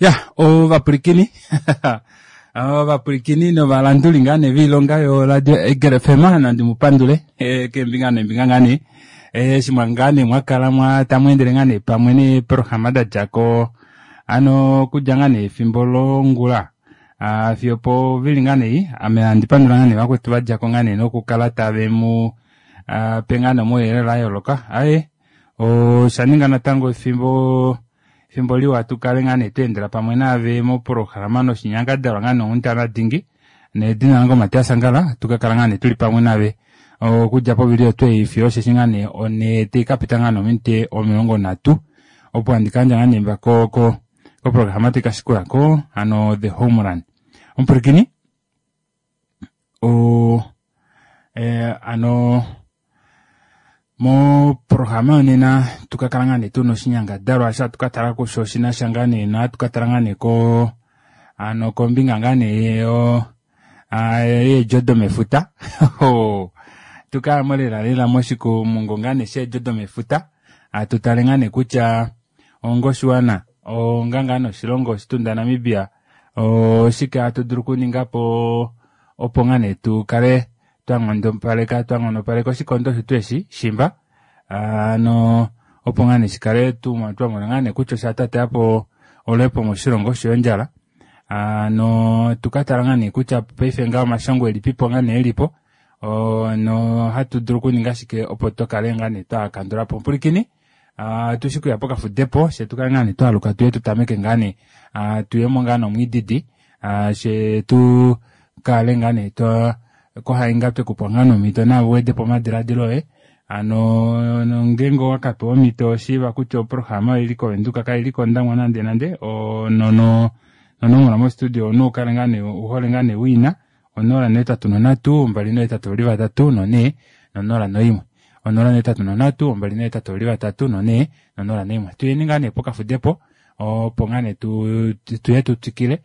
Ya ovapwilikini ovapwilikini novalanduli ngaa nee voilonga yoradio Eagle FM nandi mu pandule eh, keembinga neembinga ngaa nee eh, eshi mwa ngaa nee mwakala mwa tamu endele ngaa nee pamwe neeprograma da dja ko ano okudja ngaa nee efimbo longula ah, fiyo povili ngaa nee ame handi pandula ngaa nee vakwetu va dja ko ngaa nee nokukala tave mu ah, pe ngaa nee omauyelele a yooloka aye osha ninga natango efimbo efimbo liwa tu kale ngaa nee tweendela pamwe naave moprograma noshinyangadalwa ngaa nee onghundana dingi nedina lange Matias Angala tu ka kala ngaa nee tuli pamwe naave okudja povili otwei fiyo osheshi ngaa nee one tai ka pita ngaa nee ominute 30 opo handi ka yandja ngaa nee ko ko koprograma tai ka shikula ko hano the homeland omupwilikini o eh, ano moprograma yonena tuka kala ngaa nee tuna oshinyangadalwa osho hatu ka tala kusho shinasha ngaa nee nohatu ka tala ngaa nee ko ano kombinga ngaa nee yo yeedjo domefuta tukayamo lela lela moshikumungu ngaa nee sheedjo domefuta hatu tale ngaa nee kutya onga oshiwana onga ngaa nee oshilongo oshitunda Namibia oshike hatu dulu okuninga po opo ngaa nee tu kale twa nghondopaleka twa nghonopaleka oshikondo shetu eshi shimba ano opo ngaa nee shikale twa mona ngaa nee kutya osha tateya po oluhepo moshilongo osho yo ondjala ano tuka tala ngaa nee kutya paife ngaa omashongo elipipo ngaa nee elipo no hatu dulu okuninga shike opo tu kale ngaa nee twa kandula po mpwilikini tushi kuya pokafudepo she tukale ngaa nee twaluka tuye tutameke ngaa nee tuyemo ngaa nomwiididi she tu kale ngaa nee twa kohainga twekupa ngaa nomhito naave uwedepo omadiladilo oye ano ngeenge owakapewa omhito shiiva kutya oprograma oili kovenduka kaili kondangwa nande nande nonomola mostudio omunhu ukale ngaa nee uhole ngaa nee wiina 083 283 4 001 083 283 4 001 tuyeni ngaa nee pokafudepo opo ngaa nee tuye tu twikile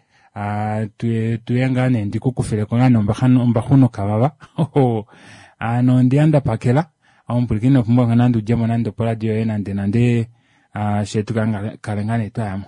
tuye ngaa nee ndikukufileko ngaa nee ombaxu nokavava ano ondiya ndapakela omupwilikini inopumbwa nande udjemo nande oporadio yoye nande nande she tukale ngaa nee twayamo.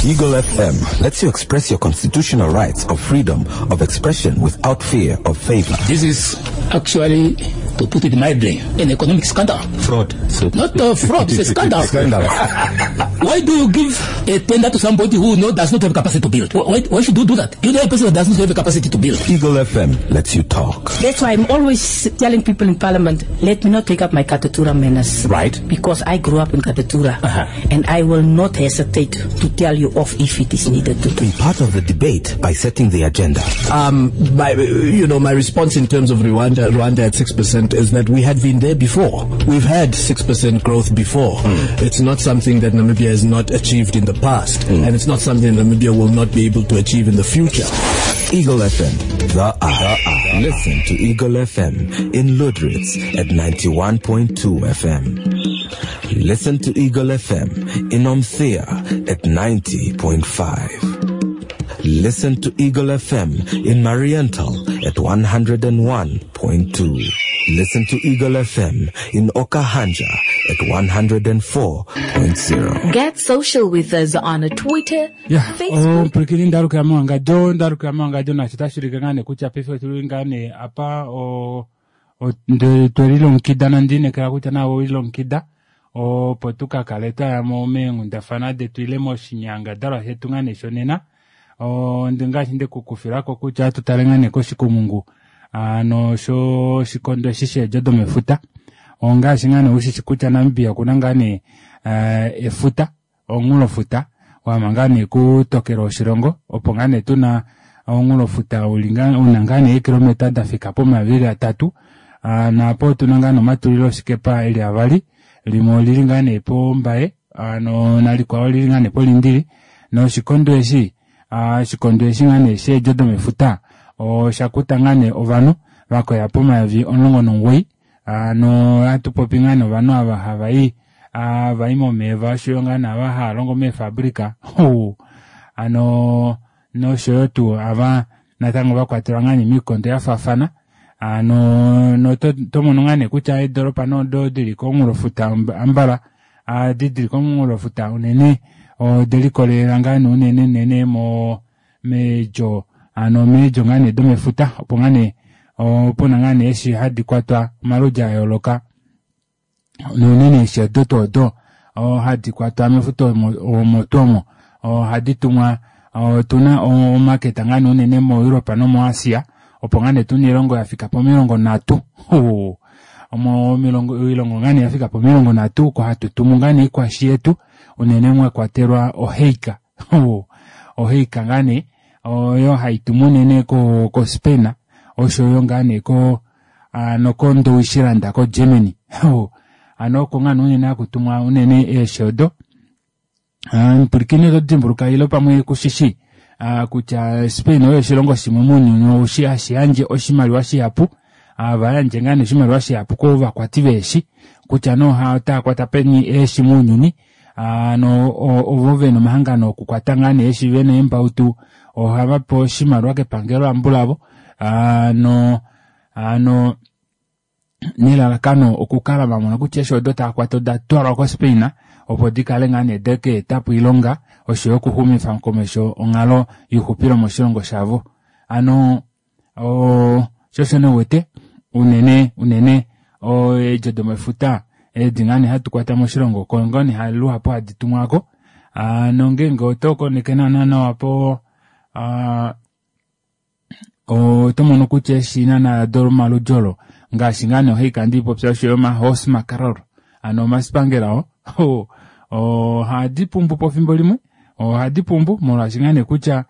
Eagle FM lets you express your constitutional rights of freedom of expression without fear of favor. This is actually, to put it mildly, an economic scandal. Fraud. So Not a fraud, it's a scandal. Scandal. Why do you give a tender to somebody who does not have capacity to build? Why should you do that? You know a person that does not have a capacity to build. Eagle FM lets you talk. That's why I'm always telling people in Parliament, let me not take up my Katutura manners. Right. Because I grew up in Katutura. And I will not hesitate to tell you off if it is needed to. Be part of the debate by setting the agenda. My response in terms of Rwanda at 6% is that we had been there before. We've had 6% growth before. It's not something that Namibia has not achieved in the past, and it's not something Namibia will not be able to achieve in the future. Eagle FM, the eye. Listen to Eagle FM in Lüderitz at 91.2 FM. Listen to Eagle FM in Omuthiya at 90.5. Listen to Eagle FM in Mariental at 101.2. Listen to Eagle FM in Okahandja at 104.0. Get social with us on Twitter, Facebook. Mpwilikini ndaluka mwangajo, ndaluka mwangajo nasho tashulike ngaa nee kutya paife otuli ngaa nee apa twelilongekida nondiinekela kutya nawe owelilongekida opo tuka kale twayamo meenghundafana detu ile moshinyangadalwa shetu ngaa nee shonena. Ngaashi ndekukufilako kutya atu tale ngaa nee koshikumungu ano sho shikondo eshi sheedjo domefuta. Ongaashi ngaa nee ushishi kutya Namibia okuna ngaa nee efuta, omunghulofuta wama ngaa nee kutokela oshilongo, opo ngaa nee tuna omunghulofuta uli una ngaa nee eekilometa dafika pomayovi atatu. Naapo otuna ngaa nee omatulilo oshikepa eli avali, limwe olili ngaa nee pombaye, ano nalikwao olili ngaa nee polindili. Noshikondo eshi, oshikondo eshi ngaa nee sheedjo domefuta osha kuta ngaa nee ovanhu vakoya pomayovi 19. Ano hatu popi ngaa nee ovanhu ava hava i, vai momeva oshoyo ngaa nee ava hava longo meefabrika. Ano noshoyo tuu ava natango vakwatelwa ngaa nee miikondo ya faafana. Ano to mono ngaa nee kutya eedoropa nodo dili komunghulofuta ambala, adi dili komunghulofuta unene Odelikolelela ngaa nee unene unene mo meedjo hano meedjo ngaa nee domefuta opo ngaa nee opuna ngaa nee eeshi hadi kwatwa omaludi ayooloka nounene eeshi odo tuu odo hadi kwatwa mefuta omo tuu omo ohadi tumwa otuna omaketa ngaa nee unene mo Europe nomo Asia opo ngaa nee tuna oilongo yafika pomilongo nhatu omo oilongo ngaa nee yafika pomilongo nhatu oko hatu tumu ngaa nee oikwashi yetu unene mwakwatelwa oheika oheika ngaa nee oyo haitumu unene ko Spain oshoyo ngaa nee ko nokondowishilanda ko Germany hano oko ngaa nee unene hakutumwa unene eeshi odo. Mpwilikini oto dimbuluka ile pamwe kushishi kutya Spain oyo oshilongo shimwe mounyuni hashi yandje oshimaliwa shihapu vayandje ngaa nee oshimaliwa shihapu kovakwati veeshi kutya nee otava kwata peni eeshi mounyuni ano ovo vena omahangano okukwata ngaa nee eeshi vena eembautu ohava pewa oshimaliwa kepangelo lambulavo ano ano nelalakano okukala vamona kutya eeshi odo tava kwata oda twalwa koSpain opo dikale ngaa nee deke etapo oilonga oshoyo okuxumifa komesho onghalo youxupilo moshilongo shavo. Ano sho osho nee uwete unene unene eedjo domefuta edi ngaa nee hatu kwata moshilongo oko ngoo nee luhapu hadi tumwako. Nongeenge oto koneke naana nawa po oto mono kutya eeshi naana domaludi olo ngaashi ngaa nee ohaika ndiipopya oshoyo omahorse mackerel ano omasipangela oo ohadi pumbu pefimbo limwe ohadi pumbu molwaashi ngaa nee kutya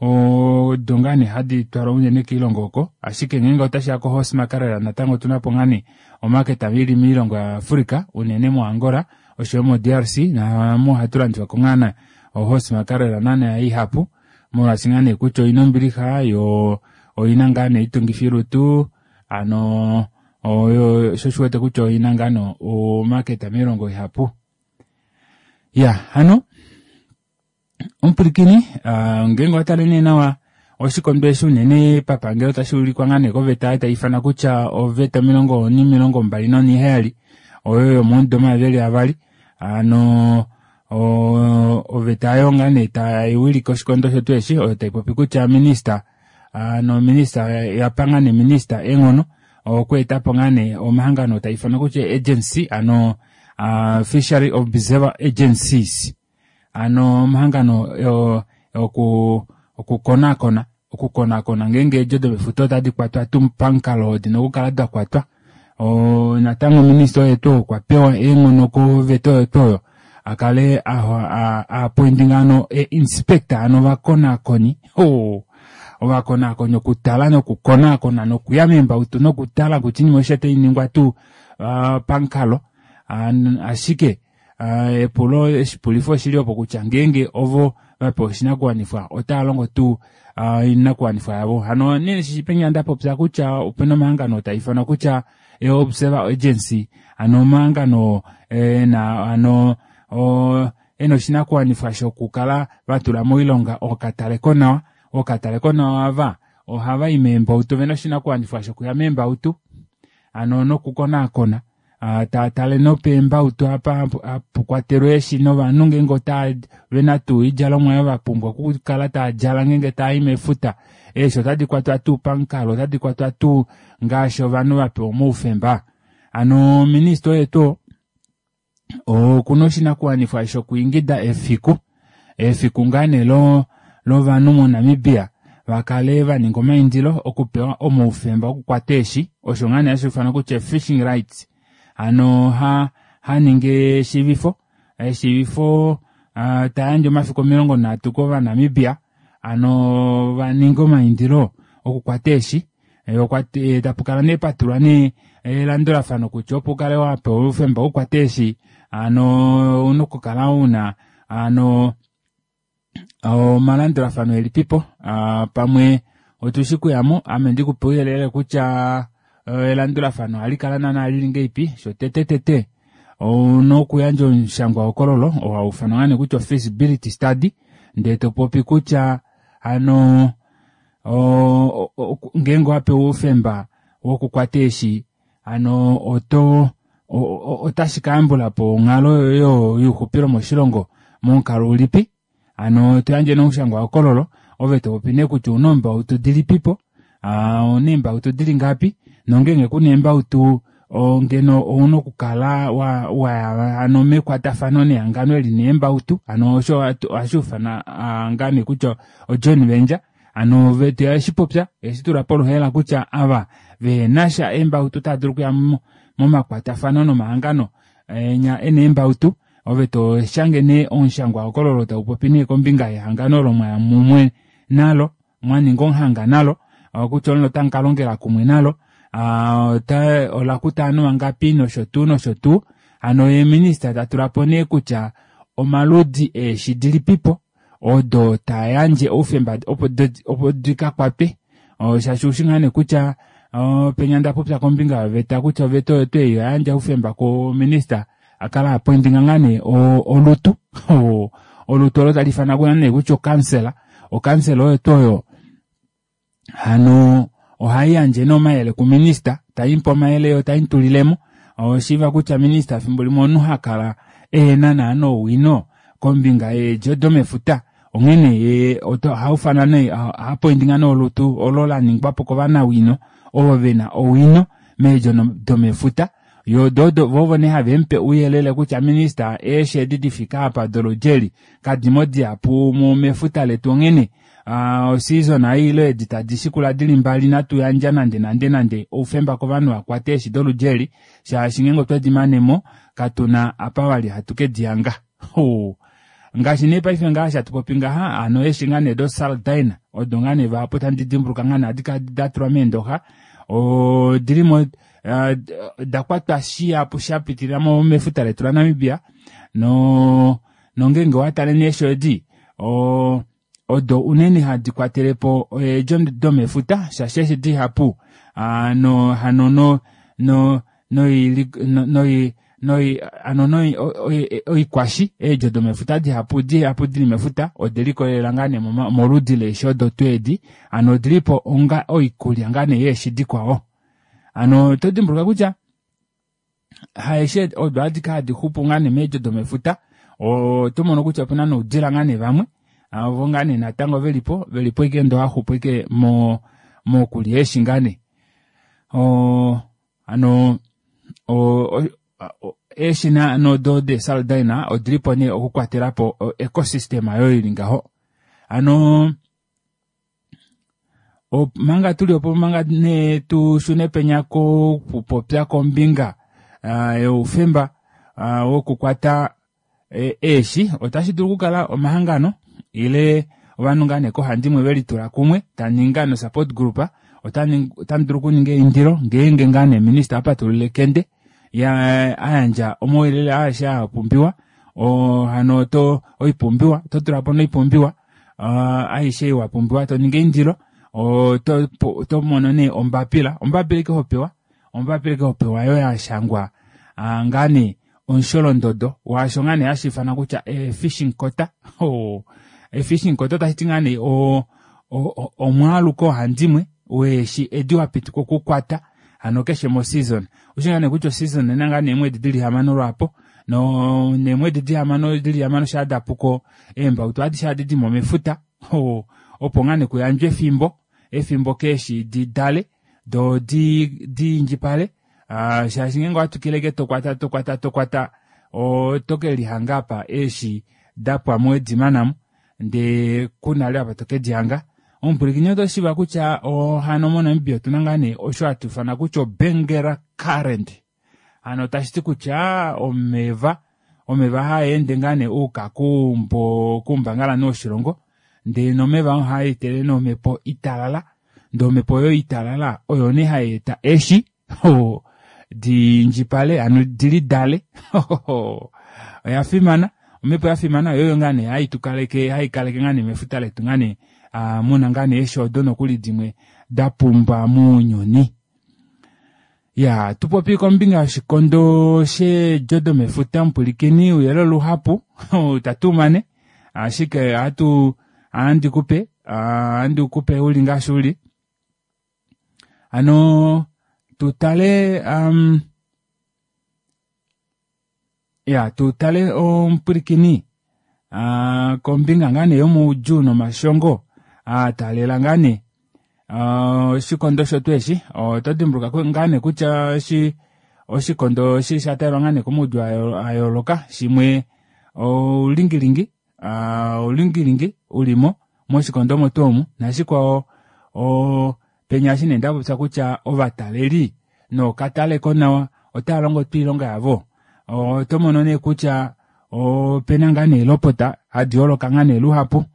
odo ngaa nee hadi twalwa unene koilongo oko ashike ngeenge otashiya ko horse mackerel natango otuna po ngaa nee omaketa ili moilongo yaAfrica unene moAngola oshoyo mo DRC namo ohatu landifwako ngaa nee ohorse mackerel naana ihapu molwaashi ngaa nee kutya oina ombilixa yo oina ngaa nee oitungifilutu ano oyo sho shiwete kutya oina ngaa nee omaketa moilongo ihapu. Ya hano omupwilikini ngeenge owatale nee nawa oshikondo eshi unene papangelo otashi ulikwa ngaa nee koveta tai ifana kutya oveta 27 oyo yomomudo 2002 ano oveta oyo ngaa nee tai wilike oshikondo shetu eshi oyo tai popi kutya minista ano minista yapa ngaa nee minista eenghono okweetapo ngaa nee omahangano tai ifanwa kutya agency ano fishery observer agencies ano omahangano okukonakona okukonakona ngeenge eedjo domefuta otadi kwatwa tuu pamukalo oo dina okukala dakwatwa. Natango minista oye tuu okwa pewa eenghono koveta oyo tuu oyo akale apointinga ano inspector ano ovakonakoni ovakonakoni okutala nokukonakona nokuya meembautu nokutala kutya oinima aishe otainingwa tuu pamukalo. Ashike epulo eshipulifo oshili opo kutya ngeenge ovo vapewa oshinakuwanifwa otava longo tuu oinakuwanifwa yavo. Hano nee shipenya ndapopya kutya opena omahangano taa ifanwa kutya observer agency ano omahangano ena ano ena oshinakuwanifwa shokukala vatula moilonga okataleko nawa okataleko nawa ava ohava i meembautu vena oshinakuwanifwa shokuya meembautu ano nokukonakona taatale nopeembautu apa hapukwatelwa eeshi novanhu ngeenge ota vena tuu oidjalomwa oyo vapumbwa okukala taadjala ngeenge taai mefuta eeshi otadi kwatwa tuu pamukalo otadi kwatwa tuu ngaashi ovanhu vapewa omaufemba. Ano minista oye tuu okuna oshinakuwanifwa shokwiingida efiku efiku ngaa nee lovanhu moNamibia vakale vaninga omaindilo okupewa omaufemba okukwata eeshi osho ngaa nee hashi ifanwa kutya fishing rights ano haningi eshiivifo eshiivifo tayandje omafiku 30 kovanamibia ano vaninge omaindilo okukwata eeshi tapukala nee patulwa nee elandulafano kutya opo ukale wapewa oufemba wokukwata eeshi ano ouna okukala una ano omalandulafano elipipo pamwe otushi kuyamo ame ndikupe ouyelele kutya elandulafano ohali kala naana lili ngeipi shotete tete ouna okuyandja omushangwa hokololo oo haufanwa ngaa nee kutya feasibility study ndee topopi kutya ano ngeenge owapewa oufemba wokukwata eeshi ano oto otashi kayambulapo onghalo youxupilo moshilongo. Momukalo ulipi? Hano toyandje nee omushangwahokololo ove topopi nee kutya ouna eembautu dilipipo, ouna eembautu dili ngapi nongeenge kuna eembautu ngeno ouna okukala waya hano mekwatafano nehangano eli neembautu hano osho ohashi ufanwa ngaa nee kutya o joint venture hano ove eshipopya eshitula poluhaela kutya ava vehenasha eembautu otava dulu okuya momakwatafano nomahangano enya ena eembautu ove toshange nee omushangwahokololo taupopi nee kombinga yehangano olo mwaya mumwe nalo mwaninga omuhanga nalo kutya olo otamu kalongela kumwe nalo olakuta ovanhu vangapi nosho tuu nosho tuu hano ye minista tatulapo nee kutya omaludi eeshi dilipipo odo tayandje oufemba opo dikakwatwe shaashi ushi ngaa nee kutya penya ndapopya kombinga yoveta kutya oveta oyo tuu ei oyayandja oufemba kuminista akala apointinga ngaa nee olutu olutu olo tali ifanwa nee kutya okansela okansela oyo tuu oyo hano ohaiyandje nee omayele kuminista taimupe omayele yo taimutulilemo oshiiva kutya minista efimbo limwe omunhu hakala ehena naana owino kombinga yeedjo domefuta onghene ye ohaufana nee ohapointinga nee olutu olo laningwapo kovanawino ovo vena owino meedjo domefuta yo dodo vovo nee havemupe ouyelele kutya minista eeshi edi difika apa doludi eli kadimo dihapu mefuta letu onghene oseason ei ile edi tadi shikula dili mbali natu yandja nande nande nande oufemba kovanhu vakwate eeshi doludi eli shaashi ngeenge otwedi manemo katuna apa vali hatu kedihanga ngaashi nee paife ngaashi hatu popi ngaha hano eeshi ngaa nee do sardine odo ngaa nee vahapu tandi dimbuluka ngaa nee ohadi kala datulwa meendoxa odilimo dakwatwa shihapu shapitilila mefuta letu laNamibia no nongeenge owatale nee eeshi edi odo unene hadi kwatelepo eedjo domefuta shaashi eeshi dihapu no hano no no noi noi hano noi oikwashi eedjo domefuta dihapu dihapu dili mefuta odelikolelela ngaa nee moludi leeshi odo tuu edi hano odilipo onga oikulya ngaa nee yeeshi dikwao hano oto dimbuluka kutya haeshe odo adike hadi xupu ngaa nee meedjo domefuta oto mono kutya opena noudila ngaa nee vamwe ovo ngaa nee natango velipo velipo ike ndoo haxupu ike mokulya eeshi ngaa nee hano eeshi nodo de sardine odilipo nee okukwatelapo ecosystem oyo ili ngaho hano manga tuli opo manga nee tushune penya kokupopya kombinga youfemba wokukwata eeshi otashi dulu okukala omahangano ile ovanhu ngaa nee kohandimwe velitula kumwe taninga no support group otamu dulu okuninga eindilo ngeenge ngaa nee minista apatulula ekende ayandja omauyelele aeshe apumbiwa hano oto oipumbiwa oto tulapo noipumbiwa aishe ei wapumbiwa toningi eindilo oto mono nee ombapila ombapila ike hopewa ombapila ike hopewa yo yashangwa ngaa nee omusholondodo waasho ngaa nee hashi ifanwa kutya fishing quota fishing quota otashiti ngaa nee omwaalu koohandimwe weeshi edi wapitikwa okukwata hano keshe mo season ushi ngaa nee kutya oseason ena ngaa nee eemwedi dili hamano lwaapo no neemwedi dihamano dili hamano shaa dapuko eembautu adishe ohadi dimo mefuta opo ngaa nee kuyandjwe efimbo efimbo keeshi didale doo diindjipale shaashi ngeenge owatwikile ike tokwata tokwata tokwata oto kelihanga apa eeshi dapwamo wedimanamo ndee kunale apa tokedihanga omupwilikini oto shiiva kutya hano moNamibia otuna ngaa nee osho hatu ifana kutya oBenguela current hano tashiti kutya omeva omeva haende ngaa nee uuka kuumbangalanhu woshilongo ndee nomeva oo ohaetele nee omhepo italala ndee omhepo oyo italala oyo nee hayeeta eeshi diindjipale hano dilidale oya fimana omhepo yafimana oyoyo ngaa nee haitukaleke haikaleke ngaa nee mefuta letu ngaa nee muna ngaa nee eeshi odo nokuli dimwe dapumba mounyuni ya tupopi kombinga yoshikondo sheedjo domefuta mupwilikini ouyelele luhapu itatumane ashike ohatu ohandi kupe ohandi kupe uli ngaashi uli hano tutale ya tutale omupwilikini. Kombinga ngaa nee yomaudjuu nomashongo a taalela ngaa nee oshikondo shotu eshi, oto dimbuluka ngaa nee kutya oshikondo eshi sha taalelwa ngaa nee komaudjuu a yooloka, shimwe oulingilingi, oulingilingi ulimo moshikondo omo tuu omu, nashikwao penya eshi nee ndapopya kutya ovataleli nookataleko nawa otava longo tuu oilonga yavo. Oto mono nee kutya opena ngaa nee elopota hadi holoka ngaa nee luhapu,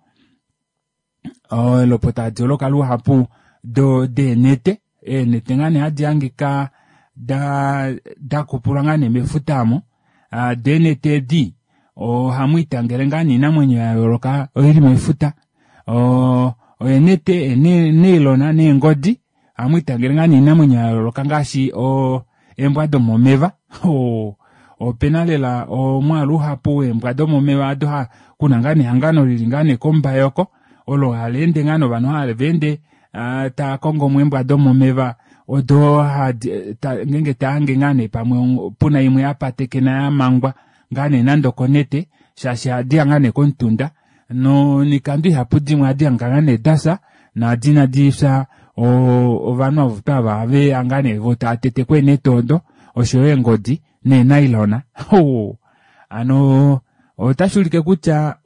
elopota hadi holoka luhapu deenete, eenete ngaa nee hadi hangika dakupulwa ngaa nee mefuta omo. Deenete edi ohamu itangele ngaa nee oinamwenyo ya yooloka oili mefuta, eenete, eenailona neengodi, ohamu itangele ngaa nee oinamwenyo ya yooloka ngaashi eembwa domomeva. Opena lela omwaalu uhapu weembwa domomeva ado kuna ngaa nee ehangano lili ngaa nee kombayoko olo hali ende ngaa novanhu hava ende tava kongo mo eembwa domomeva odo hadi ngeenge tahange ngaa nee pamwe puna imwe ya patekena ya mangwa ngaa nee nande okonete, shaashi ohadi ya ngaa nee komutunda nonikando ihapu dimwe ohadi hangika ngaa nee dafya naadi inadi fya ovanhu ovo twava ohave ya ngaa nee vo tava tete ko eenete odo oshoyo eengodi neenailona. Hano otashi ulike kutya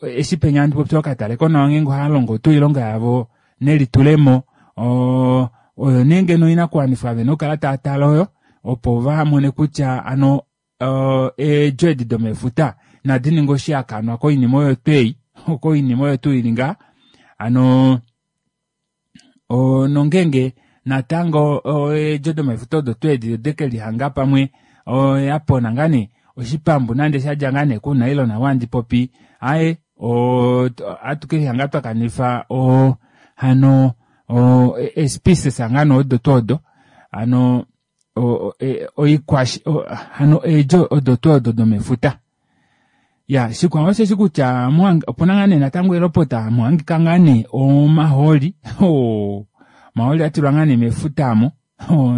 eshi penya handi popi okataleko nawa ngeenge ohava longo tuu oilonga yavo nelitulemo, oyo nee ngeno oinakuwanifwa vena okukala tava tale oyo opo vamone kutya hano eedjo edi domefuta nadi ninge oshihakanwa koinima oyo twei, koinima oyo tuu ili ngaa. Hano nongenge natango eedjo domefuta odo tuu edi ode ke lihanga pamwe yapona ngaa nee oshipambu nande shadja ngaa nee kunailona wandi popi, aye ohatu ke lihanga twa kanifa hano especies ngaa nee odo tuu odo, hano hano eedjo odo tuu odo domefuta. Ya, shikwao osheshi kutya opuna ngaa nee natango elopota muhangika ngaa nee omahooli. Omahooli atilwa ngaa nee mefuta amo.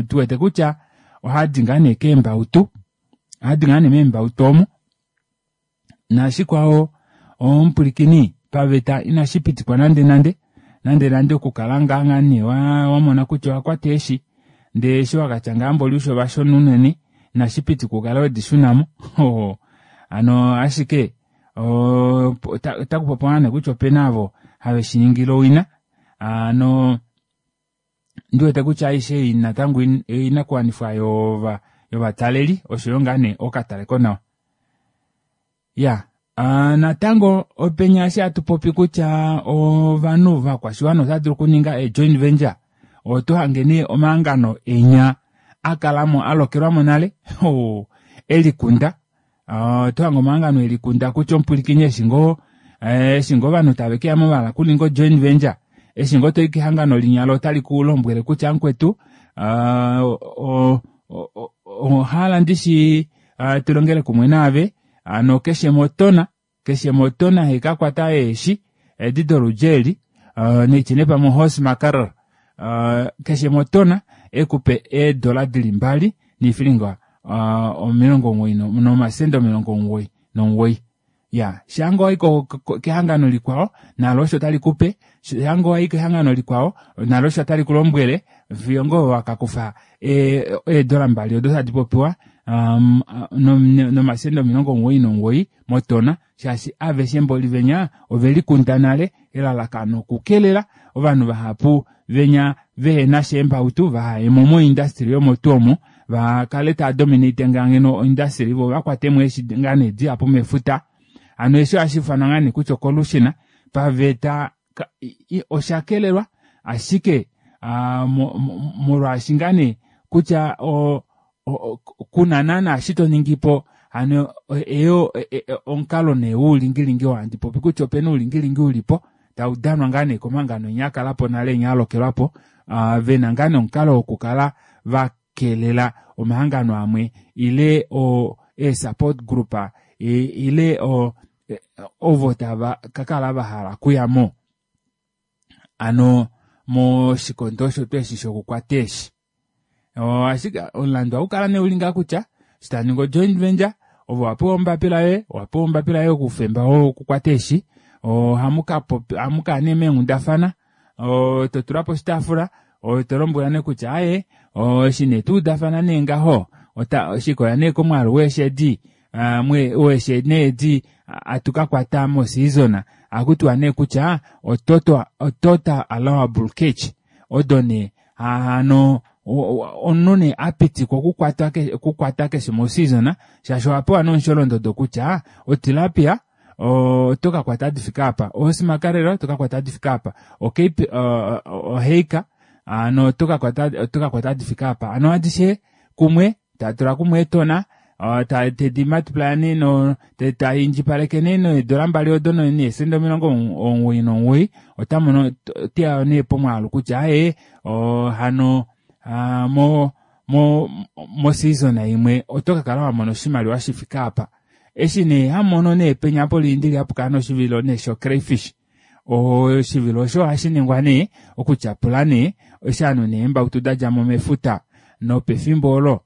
Tuwete kutya ohadi ngaa nee keembautu, ohadi ngaa nee meembautu omo. Nashikwao omupulikini paveta inashi pitikwa nande nande, nande nande okukala ngaa ngaa nee wamona kutya owa kwata eeshi ndee eshi wakatya ngaa mboli usho vashona unene, inashi pitikwa ukale wedi shunamo. Hano ashike otaku popiwa ngaa nee kutya opena avo have shi ningile owina. Hano ndiwete kutya aishe ei natango oinakuwanifwa yovataleli oshoyo ngaa nee okataleko nawa. Ya, natango openya eshi hatu popi kutya ovanhu vakwashiwana otava dulu okuninga e joint venture, oto hange nee omahangano enya akalamo alokelwamo nale, elikunda. Oto hange omahangano elikunda kutya omupwilikini eshi ngoo, eshi ngoo ovanhu tave keya mo vahala okuninga ojoint venture, eshi ngoo toyi kehangano linyalo otali ku lombwele kutya mukwetu, ohala ndishi tulongele kumwe naave, hano keshe motona, keshe motona haika kwata eeshi edi doludji eli, neitye nee pamwe horse mackerel, keshe motona ekupe eedola dili 2 niifilinga 90 nomasenda 99. Ya, shango wayi kehangano likwao nalo osho tali kupe, shango wayi kehangano likwao nalo osho tali kulombwele, fiyo ngoo wakakufa eedola 2 odo tadi popiwa, nomasenda 99 motona, shaashi aveshe mboli venya ovelikunda nale elalakano okukelela ovanhu vahapu venya vehena sheembautu vahayemo moindustry yomotu omo, vakale tava dominate ngaa ngeno oindustry vo vakwatemo eeshi ngaa nee dihapu mefuta. Hano eshi ohashi ifanwa ngaa nee kutya ocollusion paveta osha kelelwa, ashike, molwaashi ngaa nee kutya kuna naana eshi to ningi po, hano eyo, omukalo nee woulingilingi oo handi popi kutya opena oulingilingi ulipo tau danwa ngaa nee komahangano enya akalapo nale enya alokelwapo, vena ngaa nee omukalo wokukala va kelela omahangano amwe ile e support group, ile ovo tava kakala va hala okuya mo ano moshikondo osho tuu eshi shokukwata eeshi. Ashike omulandu ohau kala nee uli ngaa kutya eshi taningi ojoint venture Ove owa pewa ombapila yoye, owa pewa ombapila yoye oufemba wokukwata eeshi, ohamu ka popi, ohamu kala nee meenghundafana, to tula po oshitaafula, to lombwela nee kutya aaye, eshi nee twa udafana nee ngaho, ota, shikoya nee komwaalu weeshi edi, weeshi nee edi hatu ka kwata moseason, ohaku tiwa nee kutya o-total allowable catch, odo nee hano omunhu nee a pitikwa okukwata keshe moseason, shaashi owa pewa nomusholondodo kutya otilapia oto ka kwata adifika apa, osimakarela oto ka kwata adifika apa, ocape, oheika ano oto ka kwata, oto ka kwata adifika apa, ano adishe kumwe ta tula kumwe eetona, ta tedi multiply nee no, te, ta indjipaleke nee needola mbali odo neesenda 99, ota mono, oteya nee pomwaalu kutya aye, hano, mo, mo, mo season imwe oto ka kala wa mona oshimaliwa shi fike apa. Eshi nee ha mono nee penya poliindili hapu kala noshivilo nee sho crayfish. Oshivilo osho ohashi ningwa nee okutyapula nee eshi ovanhu neembautu da dja mo mefuta, nopefimbo olo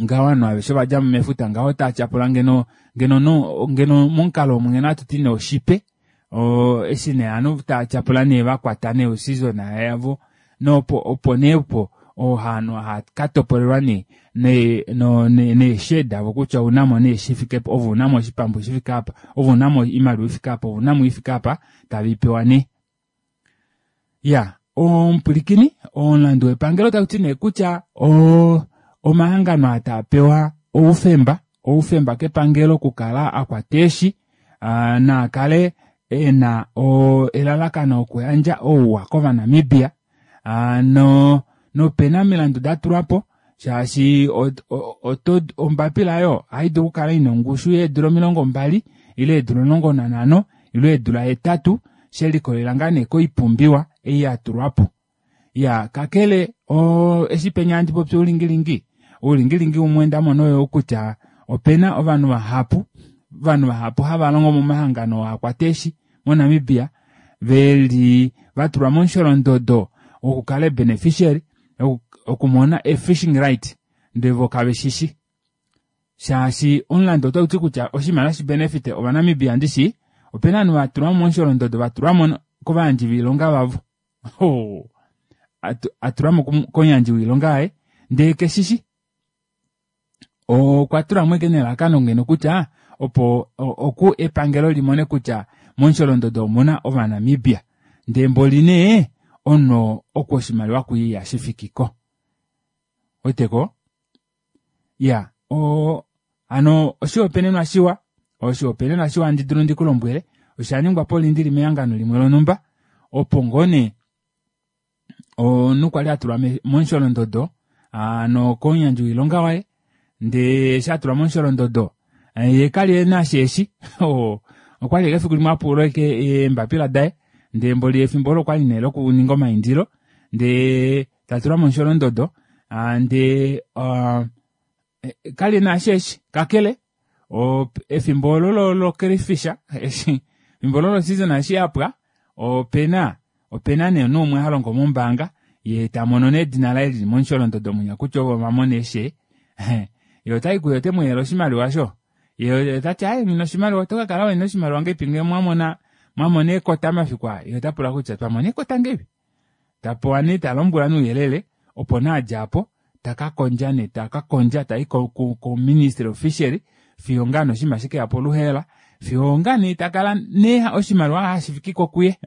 ngaho ovanhu aveshe va dja mo mefuta ngaho otava tyapula ngeno, ngeno no, ngeno momukalo omu ngeno hatu ti nee oshipe. Eshi nee ovanhu tava tyapula nee va kwata nee oseason yavo, nopo, opo nee opo ovanhu hava ka topolelwa nee, nee, no, ne, neeshe davo kutya ouna mo nee shi fike pa, ove una mo oshipambu shi fike apa, ove una mo oimaliwa i fike apa, ove una mo i fike apa, tave i pewa nee. Ya, omupwilikini, omulandu wepangelo tau ti nee kutya omahangano aa taa pewa oufemba, oufemba kepangelo okukala a kwata eeshi, naa kale e na elalakano okuyandja ouwa kOvanamibia, nopena omilandu da tulwa po, shaashi ombapila oyo ohai dulu okukala ina ongushu yeedula 20 ile eedula 15 ile eedula 8, she likolelela ngaa nee koipumbiwa ei ya tulwa po. Ya, kakele, eshi penya handi popi oulingilingi, oulingilingi umwe nda mona oyo kutya opena ovanhu vahapu, ovanhu vahapu hava longo momahangano oo a kwata eeshi moNamibia, ve li va tulwa momusholondodo wokukala beneficiary, okumona e fishing right, ndele vo kave shishi. Shaashi omulandu otau ti kutya oshimaliwa shi benefite Ovanamibia ndishi, opena ovanhu va tulwa momusholondodo, va tulwa mo kovayandji voilonga vavo. A tulwa mo komuyandji woilonga yaye, ndele keshishi. Okwa tulwa mo ashike nelalakano ngeno kutya opo oku epangelo limone kutya momusholondodo omuna Ovanamibia. Ndele mboli nee omunhu oku oshimaliwa kuye ihashi fiki ko. Weteko? Ya, hano oshihopaenenwa shiwa, oshihopaenenwa shiwa handi dulu ndi ku lombwele, osha ningwa polindili mehangano limwe lonhumba, opo ngoo nee omunhu kwali a tulwa momusholondodo, hano komuyandji woilonga waye, ndee eshi a tulwa momusholondodo, ye kali e na sheeshi, okwali ashike efiku limwe a pula ashike eembapila daye, ndee mboli efimbo olo okwali nee lokuninga omaindilo, ndee ta tulwa momusholondodo, ndee kali e na sheeshi, kakele efimbo olo lo crayfish, eshi efimbo olo lo season eshi yapwa, opena nee omunhu umwe ha longo mombaanga, ye ta mono nee edina laye lili momusholondodo munya kutya ovo va mona eeshe. Ye otai kuye ote mu yele oshimaliwa sho. Ye ota ti, aye, nghi na oshimaliwa, oto ka kala wena oshimaliwa ngeipi ngee mwamona eekota mafiku aa? Ye ota pula kutya twa mona eekota ngeipi? Ta pewa nee, ta lombwelwa nouyelele, opo nee adja apo, ta ka kondja nee, ta ka kondja, ta i ko Ministry of Fishery, fiyo ngaa nee oshinima shike ya po oluheela, fiyo ngaa nee ta kala nee oshimaliwa hashi fiki ko kuye.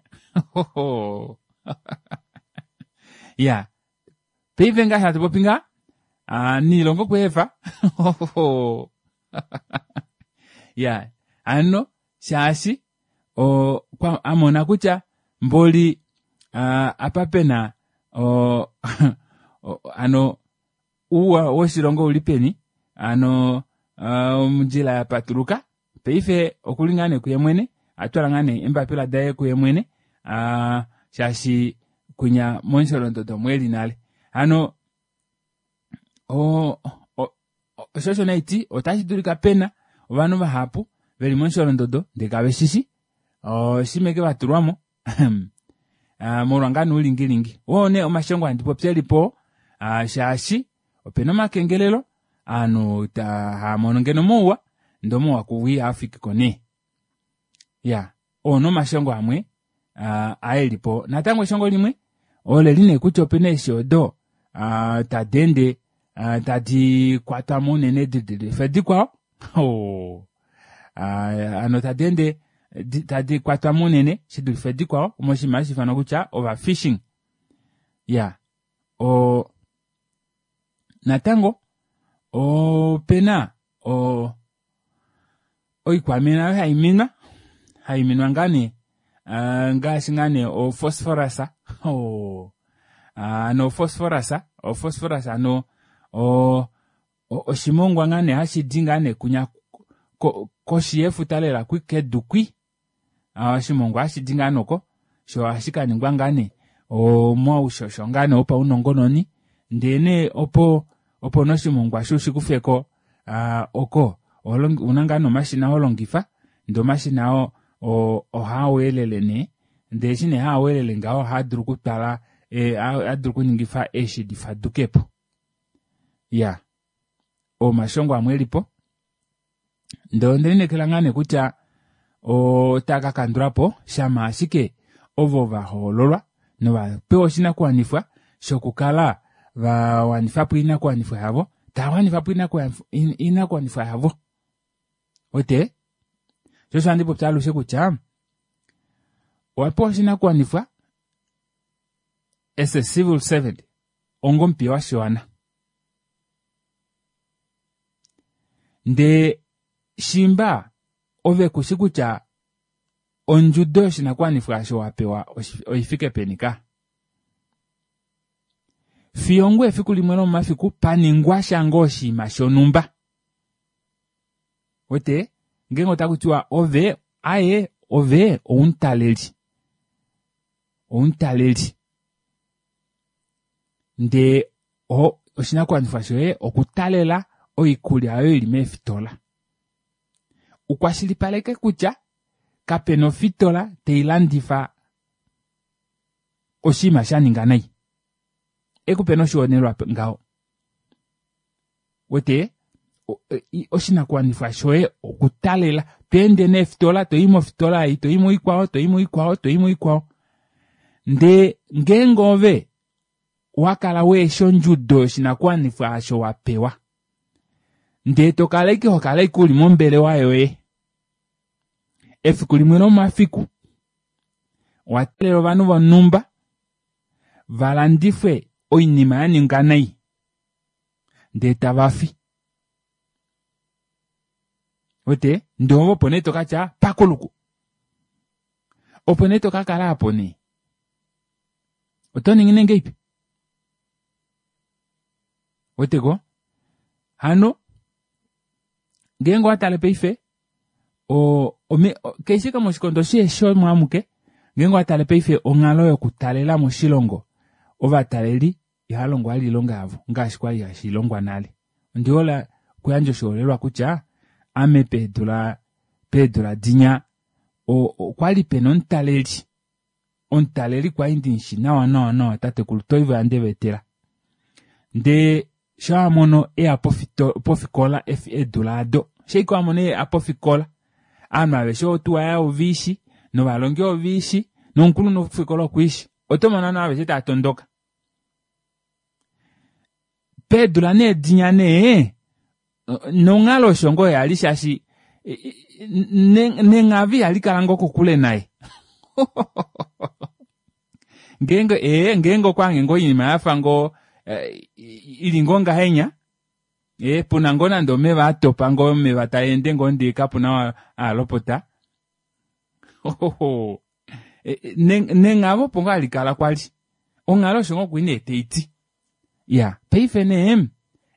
Ya, paife ngaa hatu popi ngaa, niilongo kweefa. Ya, ano, shaashi, kwa, a mona kutya mboli, apa pena, ano, uuwa woshilongo uli peni, ano, ondjila ya patuluka, paife okuli ngaa nee kuye mwene, a twala ngaa nee embapila daye kuye mwene, shaashi kunya momusholondodo omwe li nale. Hano, osho osho naiti, otashi dulika pena ovanhu vahapu veli momusholondodo ndele kave shishi, oshimeke va tulwamo, molwa ngaa noulingilingi. Oo nee omashongo handi popi eli po, shaashi opena omakengelelo, Aanhu haa mono ngeno mouwa ndee omauwa kuvo ihaa fiki ko nee. Ya, oo nee omashongo amwe aa eli po. Natango eshongo limwe oleli nee kutya opena eeshi odo tadi ende tadi kwatwa mo unene di dulife dikwao. Hoo, hano tadi ende tadi kwatwa mo unene shi dulife dikwao moshinima hashi ifanwa kutya overfishing. Ya, o natango opena o oikwamina oyo hai minwa, hai minwa ngaa nee ngaashi ngaa nee ophosphorus, hoo, hano ophosphorus, ophosphorus hano o oshimongwa ngaa nee hashi di ngaa nee kunya koshi yefuta lela kwi kedu kwi, Oshimongwa hashi di ngaa noko sho ohashi ka ningwa ngaa nee omaushosho ngaa nee opaunongononi ndee nee opo opo nee oshimongwa sho ushikufeko oko ouna ngaa nee omashina holongifa ndee omashina oo ohaa weelele nee ndee eshi nee haa weelele ngaho ohaa dulu okutwala ohaa dulu okuningifa eeshi difadukepo. Iyaa omashongo amwe elipo. Ndele onde lineekela ngaa nee kutya otaa ka kandula po shama ashike ovo va hoololwa nova pewa oshinakuwanifwa shokukala va wanifa po oinakuwanifwa yavo, tava wanifa po oinakuwanifwa yavo. Wete? Sho osho handi popi alushe kutya owa pewa oshinakuwanifwa as a civil servant onga omupiya washiwana. Ndee shimba ove ku shi kutya ondjudo yoshinakuwanifwa osho wa pewa oifike peni ka. Fiyo ngoo efiku limwe lomomafiku pa ningwa sha ngoo oshinima shonhumba. Wete, ngeenge otaku tiwa ove, aye, ove oumutaleli. Omutaleli. Ndee oshinakuwanifwa shoye okutalela oikulya oyo ili meefitola. Ukwashilipaleke kutya kapena ofitola tai landifa oshinima sha ninga nai. Ekupe noshihopaenenwa ngaho. Wete oshinakuwanifwa shoye okutalela to ende neefitola to i mofitola ei to i moikwao to i moikwao to i moikwao ndee ngeenge ove owa kala weesha ondjudo yoshinakuwanifwa osho wa pewa ndee to kala ashike ho kala ashike uli mombelewa yoye efiku limwe lomomafiku owa teelela ovanhu vonhumba va landifwe oinima ya ninga nai ndee tava fi. Wete? Ndee ove opo nee to ka tya pakuluku. Opo nee to ka kala apo nee. Oto ningi nee ngeipi? Wete ko? Hano ngeenge owa tale paife o, ome, keshe kamwe oshikondo sheeshi omo amuke ngeenge owa tale paife onghalo yokutalela moshilongo ovataleli ihava longo vali oilonga yavo ngaashi kwali hashi longwa nale. Ondi hole okuyandja oshiholelwa kutya ame peedula peedula dinya okwali pena omutaleli omutaleli kwali ndi mushi nawa nawa nawa tatekulu Toivo yaNdeveetela ndee sho a mono eya pofikola eedula ado sho ashike a mono eya pofikola ovanhu aveshe otuwa yaye oveishi novalongi oveishi nomukulunhu wofikola okwiishi oto mono ovanhu aveshe tava tondoka peedula nee dinya nee nonghalo osho ngoo yali shaashi nenghavi ihali kala ngoo kokule naye ngeenge ee ngeenge okwa ngoo oinima yafa ngoo eh, ili ngoo ngahenya ee puna ngoo nande omeva atopa ngoo omeva taa ende ngoo ndee kapuna aalopota nenghavo opo ngoo hali kala kwali onghalo osho ngoo kwii nee taiti ya paife nee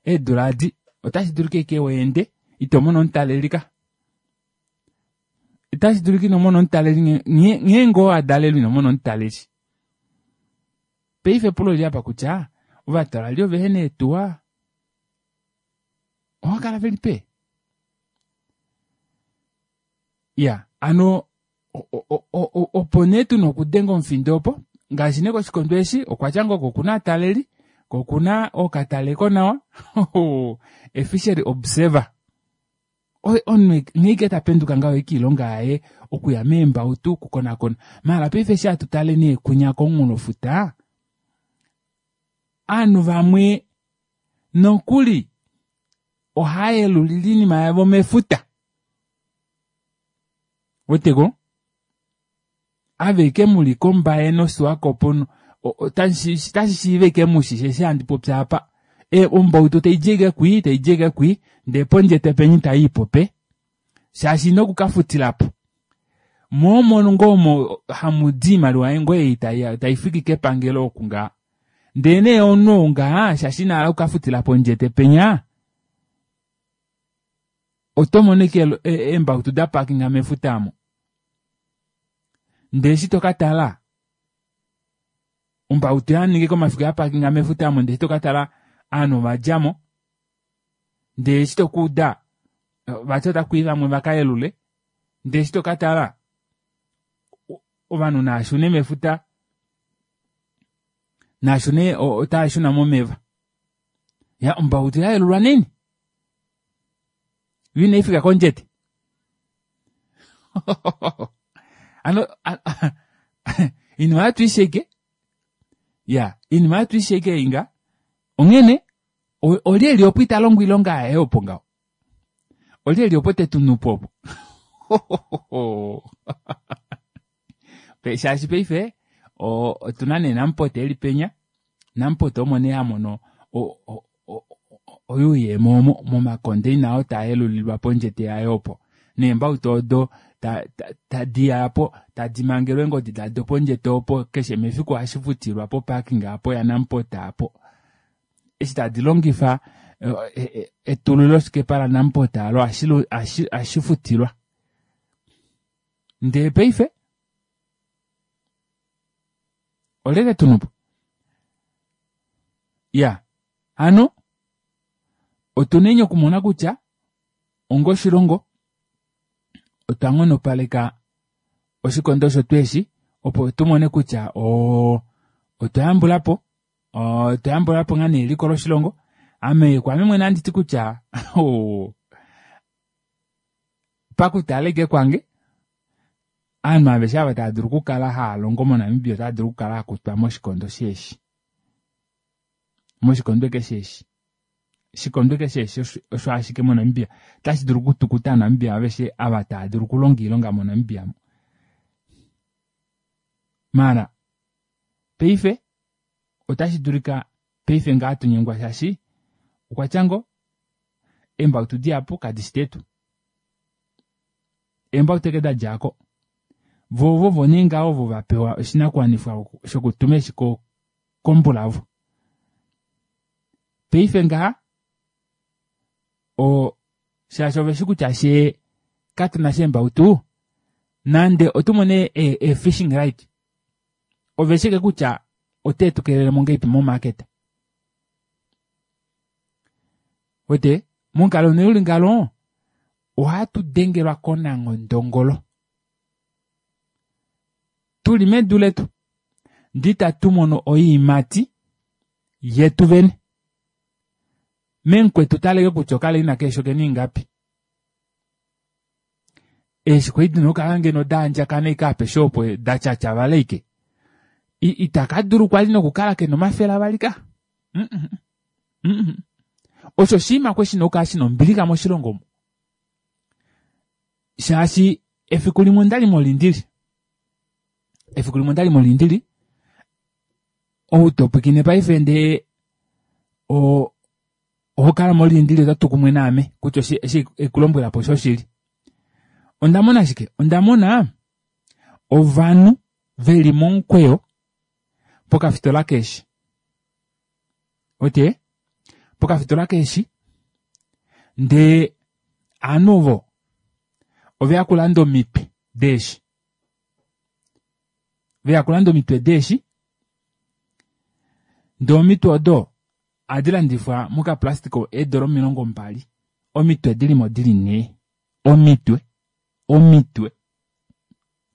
eedula adi otashi dulika eke weende ito mono omutaleli ka itashi dulika ino mona omutaleli nghee ngoo adalelwe ino mona omutaleli paife epulo oli apa kutya ovatalali ovehe neetuwa oha kala veli pe Ya, ano opo nee tu na okudenga omufindo opo, ngaashi nee koshikondo eshi okwa tya ngoo ko okuna aataleli, Ko okuna ookataleko nawa efishery observer. Omunhu nghee ike ta penduka ngaho ike oilonga yaye okuya meembautu okukonakona. Maala paife eshi hatu tale nee kunya komunghulofuta, ovanhu vamwe nokuli ohava yelulile oinima yavo mefuta. Weteko? Aveke muli kombaye noSwakopo otashi shiiva ike mushi eshi handi popi apa. Ombautu taidi ike kwii taidi ike kwii ndee pondje tepeni taiipo pe shaashi ina okukafutilapo. Moo omo ngoo omo hamudi oimaliwa ngoo ei taifiki kepangelo oku ngaa. Ndee nee omunhu ou ngaa shaashi ina hala okukafutila pondje tepenya oto mono ike eembautu da parkinga mefuta amo. Ndee eshi to ka tala ombautu ya ninga omafiku ya parkinga mefuta amo ndee eshi to ka tala ovanhu ova djamo ndee eshi to ka uda vati otaku i vamwe va ka yelule ndee eshi to ka tala ovanhu naashune mefuta naashune otava shuna momeva ya ombautu ya yelulwa neni yo inai fika kondjete ano inima yatu isheke ya inima yatu isheke inga onghene olyelye opo ita longo oilonga yaye opo ngaho olyelye opo te tu nupo opo shaashi paife otuna nee Nampote eli penya Nampote omo nee ha mono oyuuyemo omo momakondeina oo taa yelulilwa pondjete yaye opo neembautu odo tadi ya po tadi mangelwa eengodi dado pondjete opo keshe mefiku ohashi futilwa poparking apo yaNamport apo eshi tadi longifa etululoshikepa laNamport alo ohashi futilwa ndee paife olyelye tunupo ya hano otuneni okumona kutya onga oshilongo otwa nghonopaleka oshikondo osho eshi opo tumone kutya otwa yambulapo otwa yambulapo ngaa nee eliko loshilongo. Ame kwaame mwene ohandi ti kutya pakutala ike kwange ovanhu aveshe ava tava dulu okukala hava longo moNamibia otava dulu okukala hakutwa moshikondo sheeshi moshikondo keshe eshi shikondo keshe eshi osho ashike moNamibia otashi dulu okutukuta Aanamibia aveshe ava tava dulu okulonga oilonga moNamibia maala paife otashi dulika paife ngaa tunyengwa shaashi okwa tya ngo eembautu dihapu kadi shi detu eembautu eke da djako vo vovo nee ngaho ovo va pewa oshinakuwanifwa shokutuma eshi kombulavo paife ngaha o shaashi ove shi kutya shee katuna sheembautu nande otumone e fishing right ove shike kutya ote tu kelele mo ngeipi momarket wete momukalo nee uli ngalo ohatu dengelwa konanghondongolo tuli medu letu ndi tatu mono oiimati yetu vene memukwetu taleke kutya okaleina keeshi okena ingapi eeshi kwali dina okukala ngeno daandjakana ike apeshe opo datyatyavala ike itaka dulu kwali nokukala kena omafele avali ka osho oshinima kwe shina okukala shina ombilixa moshilongo omu shaashi efiku limwe ondali molindili efiku limwe ondali molindili ou topwikine paife ndee oho kala molindili ota tu kumwe naame kutya eshi ekulombwela po oshoshili. Onda mona shike? Onda mona ovanhu veli momukweyo pokafitola keeshi. Ote pokafitola keeshi ndee ovanhu ovo oveya kulanda omitwe deeshi. Veya kulanda omitwe deeshi ndee omitwe odo ohadi landifwa mokaplastic eedola 20 omitwe dilimo dili nhee omitwe omitwe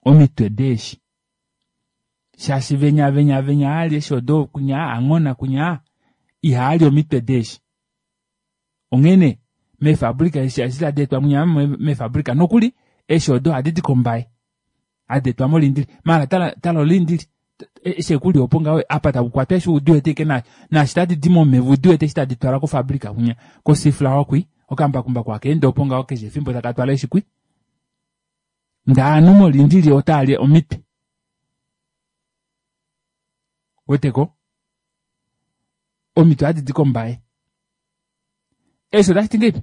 omitwe deeshi shaashi venya venya venya ali eshi odo kunya anghona kunya. Ihaali omitwe deeshi. Onghene meefabrika eeshi eshi tadi etwa mwinya meefabrika nokuli eeshi odo ohadi di kombaye hadi etwa molindili maala tala tala olindili eshi ekuli opo ngaho apa taku kwatwa eshi udi wete ike naashi tadi di momeva udi wete eshi tadi twalwa kofabrika kwinya kosiflawa kwi okambakumbaku haka ende opo ngaho keshe efimbo taka twala eshi kwi ndee ovanhu molindili otava li omitwe weteko omitwe ohadi di kombaye eshi otashi ti ngeipi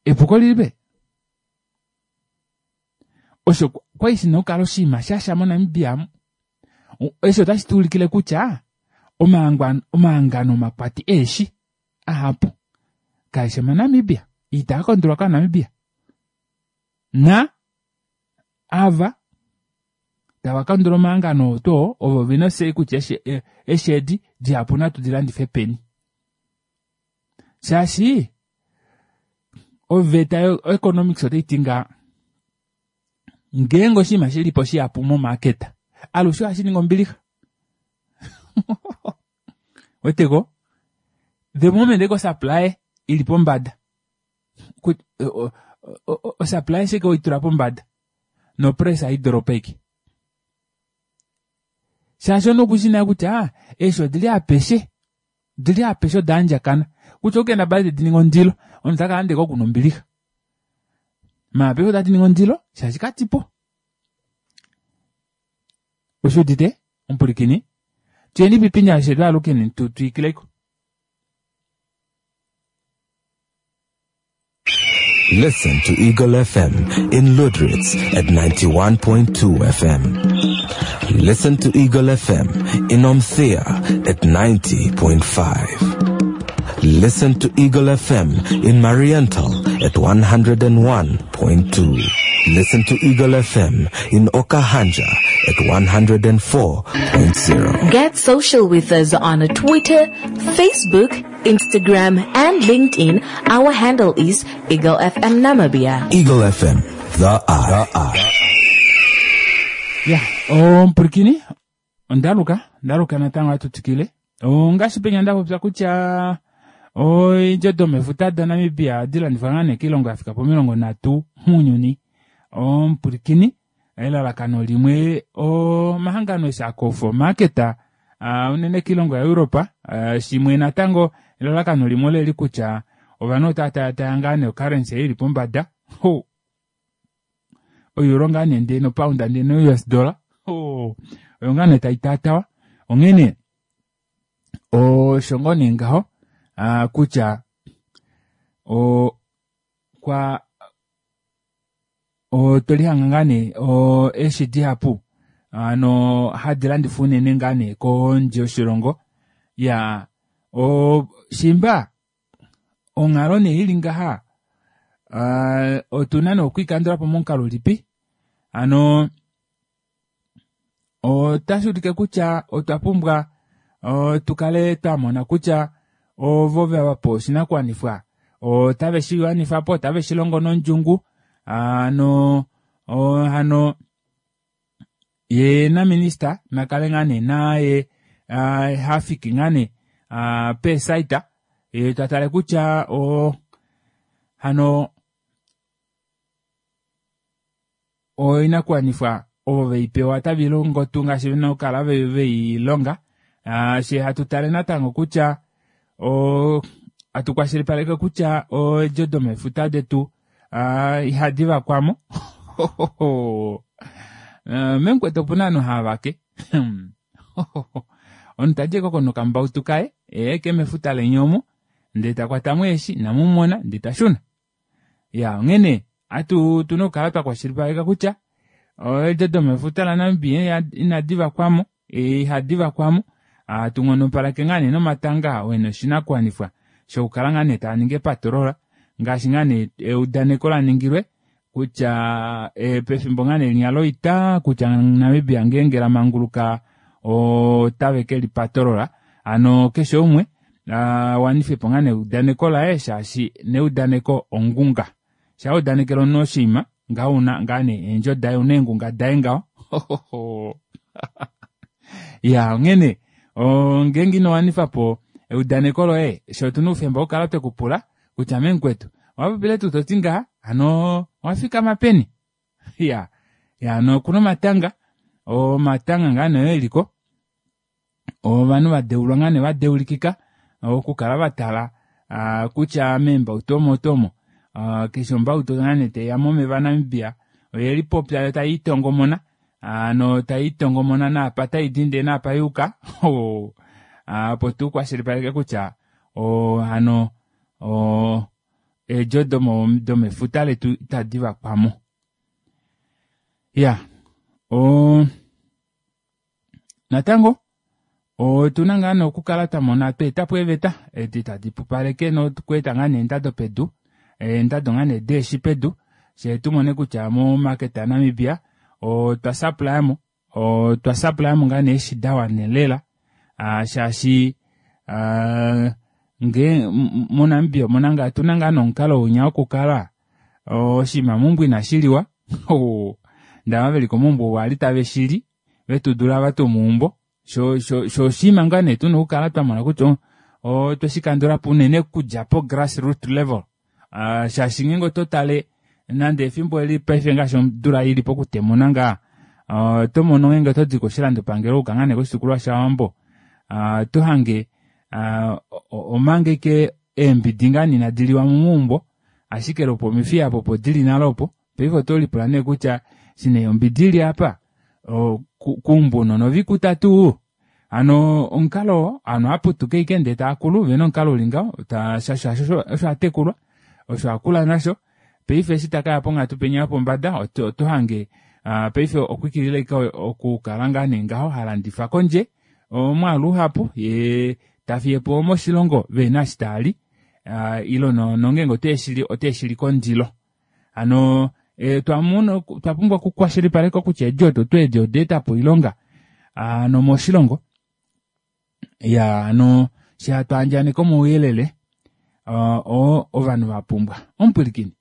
epuko lili pe osho kwali shina okukala oshinima shasha monamibia amu eshi otashi tu ulikile kutya omahangano omakwati eeshi ahapu kaeshi omanamibia itaa kondolwa kaanamibia na ava tava kandula omahangano oo tuu ovo vena osei kutya eshi edi dihapu natu di landife peni shaashi oveta yoeconomics otai ti ngaa ngeenge oshinima shi li po shihapu momaketa alushe ohashi ningi ombilixa weteko the moment eko supply ili pombada osupply shike oitula pombada nopress hai doropa ike shaashi omunhu okushi naye kutya eeshi odili apeshe odili apeshe oda andjakana kutya okendabala tedi ningi ondilo omunhu taka landa ike okuna ombilixa maala paife otadi ningi ondilo shaashi kadipo oshi udite omupulikini tuyeni pipinya she twaalukeni tu twikileko Listen to Eagle FM in Lüderitz at 91.2 FM. Listen to Eagle FM in Omthia at 90.5. Listen to Eagle FM in Mariental at 101.2. Listen to Eagle FM in Okahandja at 104.0. Get social with us on Twitter, Facebook, Instagram, and LinkedIn. Our handle is Eagle FM Namibia. Eagle FM, the eye. Ya, omupulikini ondaluka ndaluka natango hatu twikile ongaashi penya nda popya kutya oidjo domefuta daNamibia ohadi landifwa ngaa nee koilongo ya fika pomilongo nhatu mounyuni omupulikini elalakano limwe omahangano eshi akofa omaketa unene koilongo yaEuropa shimwe natango elalakano limwe oleli kutya ovanhu otava talatala ngaa nee ocurrency ili pombada ho oeuro ngaa nee ndee nopound ndee no-us dollar oyo ngaa nee tai taatawa onghene osho ngoo nee ngaho kutya kwa otwe lihanga ngaa nee eeshi dihapu hano hadi landifwa unene ngaa nee kondje yoshilongo ya shimba onghalo nee ili ngaha otuna nee okwiikandula po momukalo ulipi hano otashi ulike kutya otwa pumbwa tu kale twa mona kutya ovo va pa oshinakuwanifwa otave shi wanifa po otave shi longo nondjungu hano hano ye naminista nakale ngaa nee naye hafiki ngaa nee peesaita ye ta tale kutya hano oinakuwanifwa ovo vei pewa otave longo tuu ngaashi vena okukala vei longa she hatu tale natango kutya hatu kwashilipaleke kutya eedjo domefuta detu ihadi vakwamo memukwetu opuna ovanhu hava vake omunhu tadi koko nokambautu kaye eke mefuta leni omo ndee takwatamo eeshi inamumona ndee tashuna ya onghene atu tuna okukala twa kwashilipaleka kutya eedjo domefuta laNamibia inadi vakwamo ihadi vakwamo hatu nghonopaleke ngaa nee nomatanga oo ena oshinakuwanifwa shokukala ngaa nee taa ningi epatolola ngaashi ngaa nee eudaneko la ningilwe kutya pefimbo ngaa nee linya loita kutya Namibia ngeenge la manguluka otave ke lipatolola hano keshe umwe wanife po ngaa neudaneko laye shaashi neudaneko ongunga sha udanekela omunhu oshinima ngaho una ngaa nee eendjo daye una eengunga daye ngaho ya onghene. Ngeenge ino wanifa po eudaneko loye, fye otuna oufemba wokukala twe ku pula kutya memukwetu, owa popile tuu toti ngaha, hano owa fikama peni? Ya, ya hano okuna omatanga, omatanga ngaa nee eliko, ovanhu va deulwa ngaa nee va deulikika okukala va tala kutya meembautu omo oto omo keshe ombautu ngaa nee taiya momeva aNamibia oye lipopya yo tai tongomona hano tai tongomona naapa tai di ndee naapa yuuka opo tu kwashilipaleke kutya hano eedjo domefuta letu itadi vakwamo. Ya Natango, otu na ngaa nee okukala twa mona twa eta po eeveta edi tadi pupaleke nokweeta ngaa nee eendado pedu, eendado ngaa nee deeshi pedu, fyee tu mone kutya momarket yaNamibia otwa supplya mo, otwa supplya mo ngaa nee eeshi da wana lela shaashi ngee moNamibia omuna ngaa otuna ngaa nee omukalo winya wokukala oshinima meumbo inashi liwa ndee ava veli komaumbo ovo kwali tave shili vetu dula ava tomeumbo sho sho sho oshinima ngaa nee tuna okukala twamona kutya otwe shikandulapo unene okudja po grass root level shaashi ngeenge oto tale nande efimbo eli paife ngaashi odula ili pokutemuna ngaa oto mono ngeenge oto di koshilandopangelo uka ngaa nee koshitukulwa shaWambo oto hange omanga ike eembidi ngaa nee inadi liwa momaumbo ashike lopomifiya apo opo dili nale opo paife oto lipula nee kutya eshi nee ombidi ili apa keumbo unona ovikuta tuu hano omukalo oo ovanhu ohaputuka ashike ndee taakulu vena omukalo uli ngaho shaashi osho atekulwa osho akula nasho paife eshi takaya ponghatu penya yopombada oto hange paife okwiikilila ashike okukala ngaa nee ngaho halandifa kondje omwaalu uhapu yee tafiyepo moshilongo vehena eshi taali ile nongeenge oteeshili oteeshili kondilo hano twamona twa pumbwa okukwashilipaleka kutya eedi odo tuu edi oda etapo oilonga hano moshilongo ya hano eshi hatu andjaneke omauyelele oo ovanhu vapumbwa omupwilikini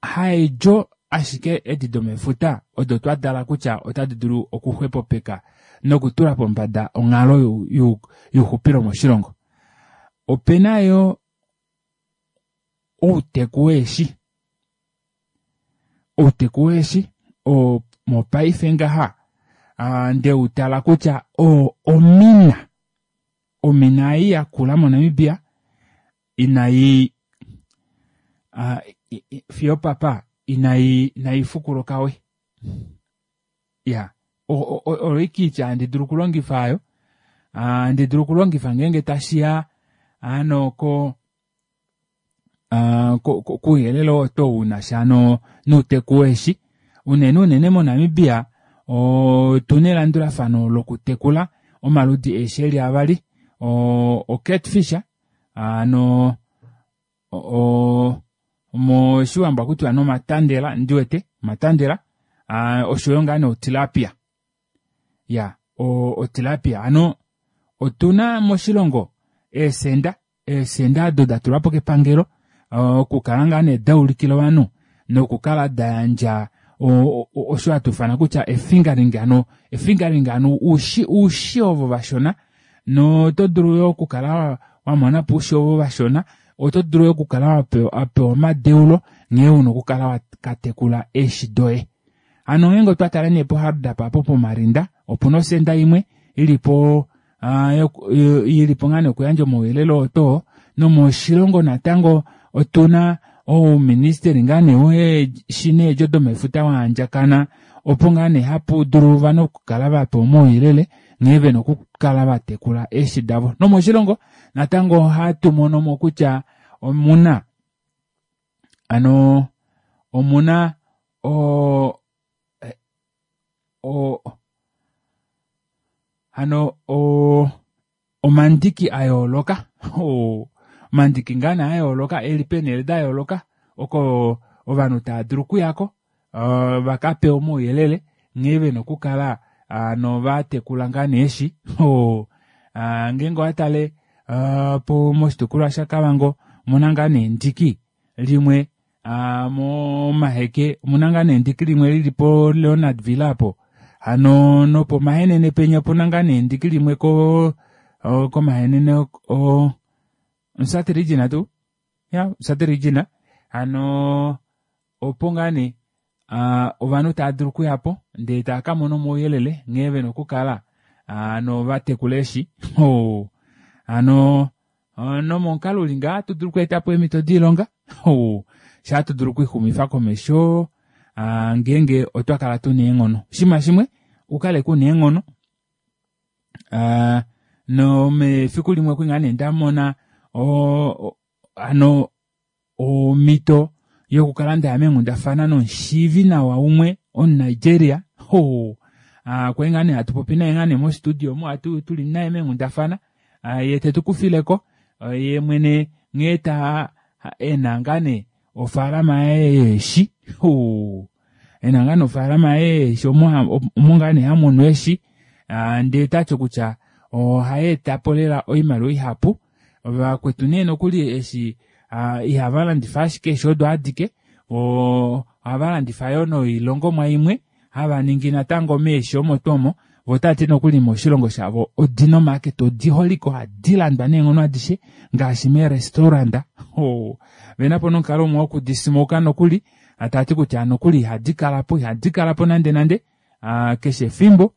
Haedjo ashike edi domefuta odo twa tala kutya otadi dulu okuxwepopeka nokutula pombada onghalo youxupilo moshilongo. Ope na yo outeku weeshi. Outeku weeshi oo mopaife ngaha nde u tala kutya oo omina, omina ei yakula moNamibia inai fiyo opapa inai inai fukuluka we ya oyo ike oitya handi dulu okulongifa aayo handi dulu okulongifa ngeenge tashiya hano ko kouyelele oo to una sha nouteku weeshi unene unene moNamibia otuna elandulafano lokutekula omaludi eeshi eli avali o-catfish hano moshiwambo akutiwa nee omatandela ndiwete omatandela oshoyo ngaa nee otilapia ya otilapia hano otuna moshilongo eesenda eesenda odo da tulwa po kepangelo okukala ngaa nee da ulikila ovanhu nokukala da yandja osho hatu ifana kutya efingering hano efingering hano oushi oushi ovo vashona noto dulu yo okukala wa mona po oushi ovo vashona oto dulu yo okukala wa pewa omadeulo nghee una okukala wa ka tekula eeshi doye hano ngeenge otwa tala nee poHardap apo pomarinda opuna osenda imwe ili po ili po ngaa nee okuyandja omauyelele oo too nomoshilongo natango otuna ouministeli ngaa nee weeshi needjo domefuta waandjakana opo ngaa nee hapu dulu ovanhu okukala va pewa omauyelele nghee vena okukala va tekula eeshi davo nomoshilongo natango ohatu mono mo kutya omuna ano omuna o o hano o omandiki a yooloka omandiki ngaa nee a yooloka eli peenhele da yooloka oko ovanhu tava dulu okuyako va ka pewe omauyelele nghee vena okukala hano va tekula ngaa nee eeshi ngeenge owa tale moshitukulwa shaKavango omuna ngaa nee endiki limwe momaheke omuna ngaa nee endiki limwe lili po Leonard Villa apo. Hano nopomahenene penya opuna ngaa nee endiki limwe ko komahenene o Omusati region tuu ya Omusati region hano opo ngaa nee ovanhu tava dulu okuya po ndee tava ka mona omauyelele nghee vena okukala hano vatekula eeshi hano nomomukalo uli ngaha ohatu dulu okweeta po eemhito doilonga shoo ohatu dulu okwiixumifa komesho ngeenge otwa kala tuna eenghono. Oshinima shimwe ukale kuna eenghono nomefiku limwe okwali ngaa nee ndamona hano omhito yokukala ndaya meenghundafana nomushiivi nawa umwe omuNigeria hoo kwali ngaa nee hatu popi naye ngaa nee mostudio omo tuli naye meenghundafana ye tetukufileko ye mwene nghee ta ena ngaa nee ofaalama yaye yeeshi hoo ena ngaa nee ofaalama yaye yeeshi omo omo ngaa nee hamunu eeshi ndee tati kutya ohayeetapo lela oimaliwa ihapu Vakwetu nee nokuli eshi ihava landifa ashike eeshi odo adike, ohava landifa yoo noilongomwa imwe hava ningi natango meeshi omo tuu omo, vo otava ti nokuli moshilongo shavo odina omaaketa odi holike ohadi landwa neenghono adishe ngaashi meerestaurant. Ovena po nomukalo umwe wokudi smoka nokuli, tava ti kutya nokuli ihadi kala po, ihadi kala po nande nande keshe efimbo.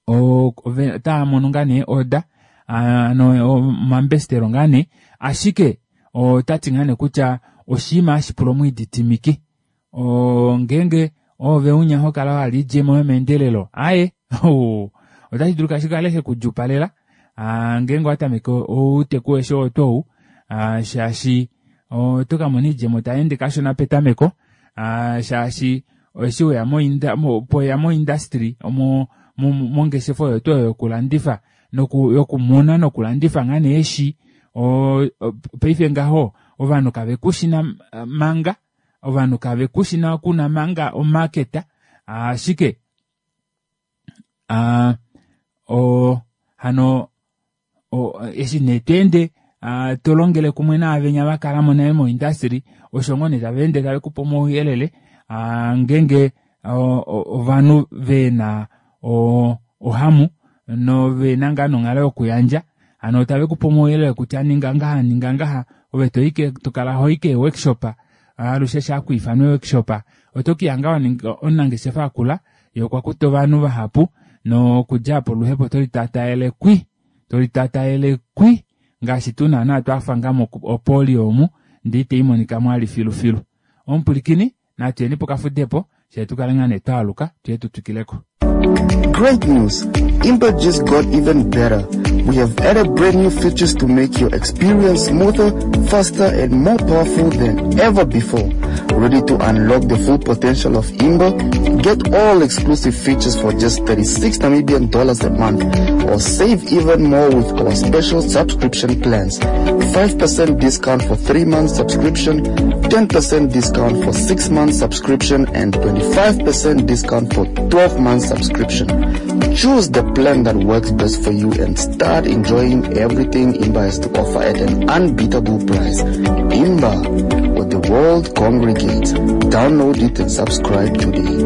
Otava mono ngaa nee oda ano omambestelo ngaa nee ashike otati ngaa nee kutya oshinima hashi pula omwiididimiki ngeenge oove unya ho kala wa hala oidjemo yomeendelelo aaye otashi dulika shikale shekudjupalela ngeenge owa tameke outeku weeshi oo tuu ou shaashi oto ka mona oidjemo tai ende kashona petameko shaashi eshi weya poya moindustry mongeshefa oyo tuu oyo yokulandifa yokumuna nokulandifa ngaa nee eeshi paife ngaho ovanhu kave kushina manga ovanhu kave kushina kuna manga omarket ashike hano eshi nee to ende to longele kumwe naavenya va kala mo nale moindustry osho ngoo nee tava ende tave kupe omauyelele ngeenge ovanhu vena ohamu novena ngaa nonghalo yokuyandja hano tave kupe omauyelele kutya ninga ngaha ninga ngaha ove toike tokala hoi kee workshop alushe sha kwiifanwa workshop oto kihanga waninga omunangeshefa akula ye okwa kuta ovanhu vahapu nokudja apo oluhepo oto litataele kwi to litataele kwi ngaashi tuu naana twafa nga mopolio omu ndee ita imonika mo ali filufilu. Omupwilikini natu yeni pokafudepo fyee tukale ngaa nee twaaluka tuye tu twikileko. Great news! Imba just got even better. We have added brand new features to make your experience smoother, faster, and more powerful than ever before. Ready to unlock the full potential of Imba? Get all exclusive features for just 36 Namibian dollars a month, or save even more with our special subscription plans. 5% discount for 3 months subscription, 10% discount for 6 months subscription, and 25% discount for 12 months subscription. Choose the plan that works best for you and start enjoying everything Imba has to offer at an unbeatable price. Imba, where the world congregates. Download it and subscribe today.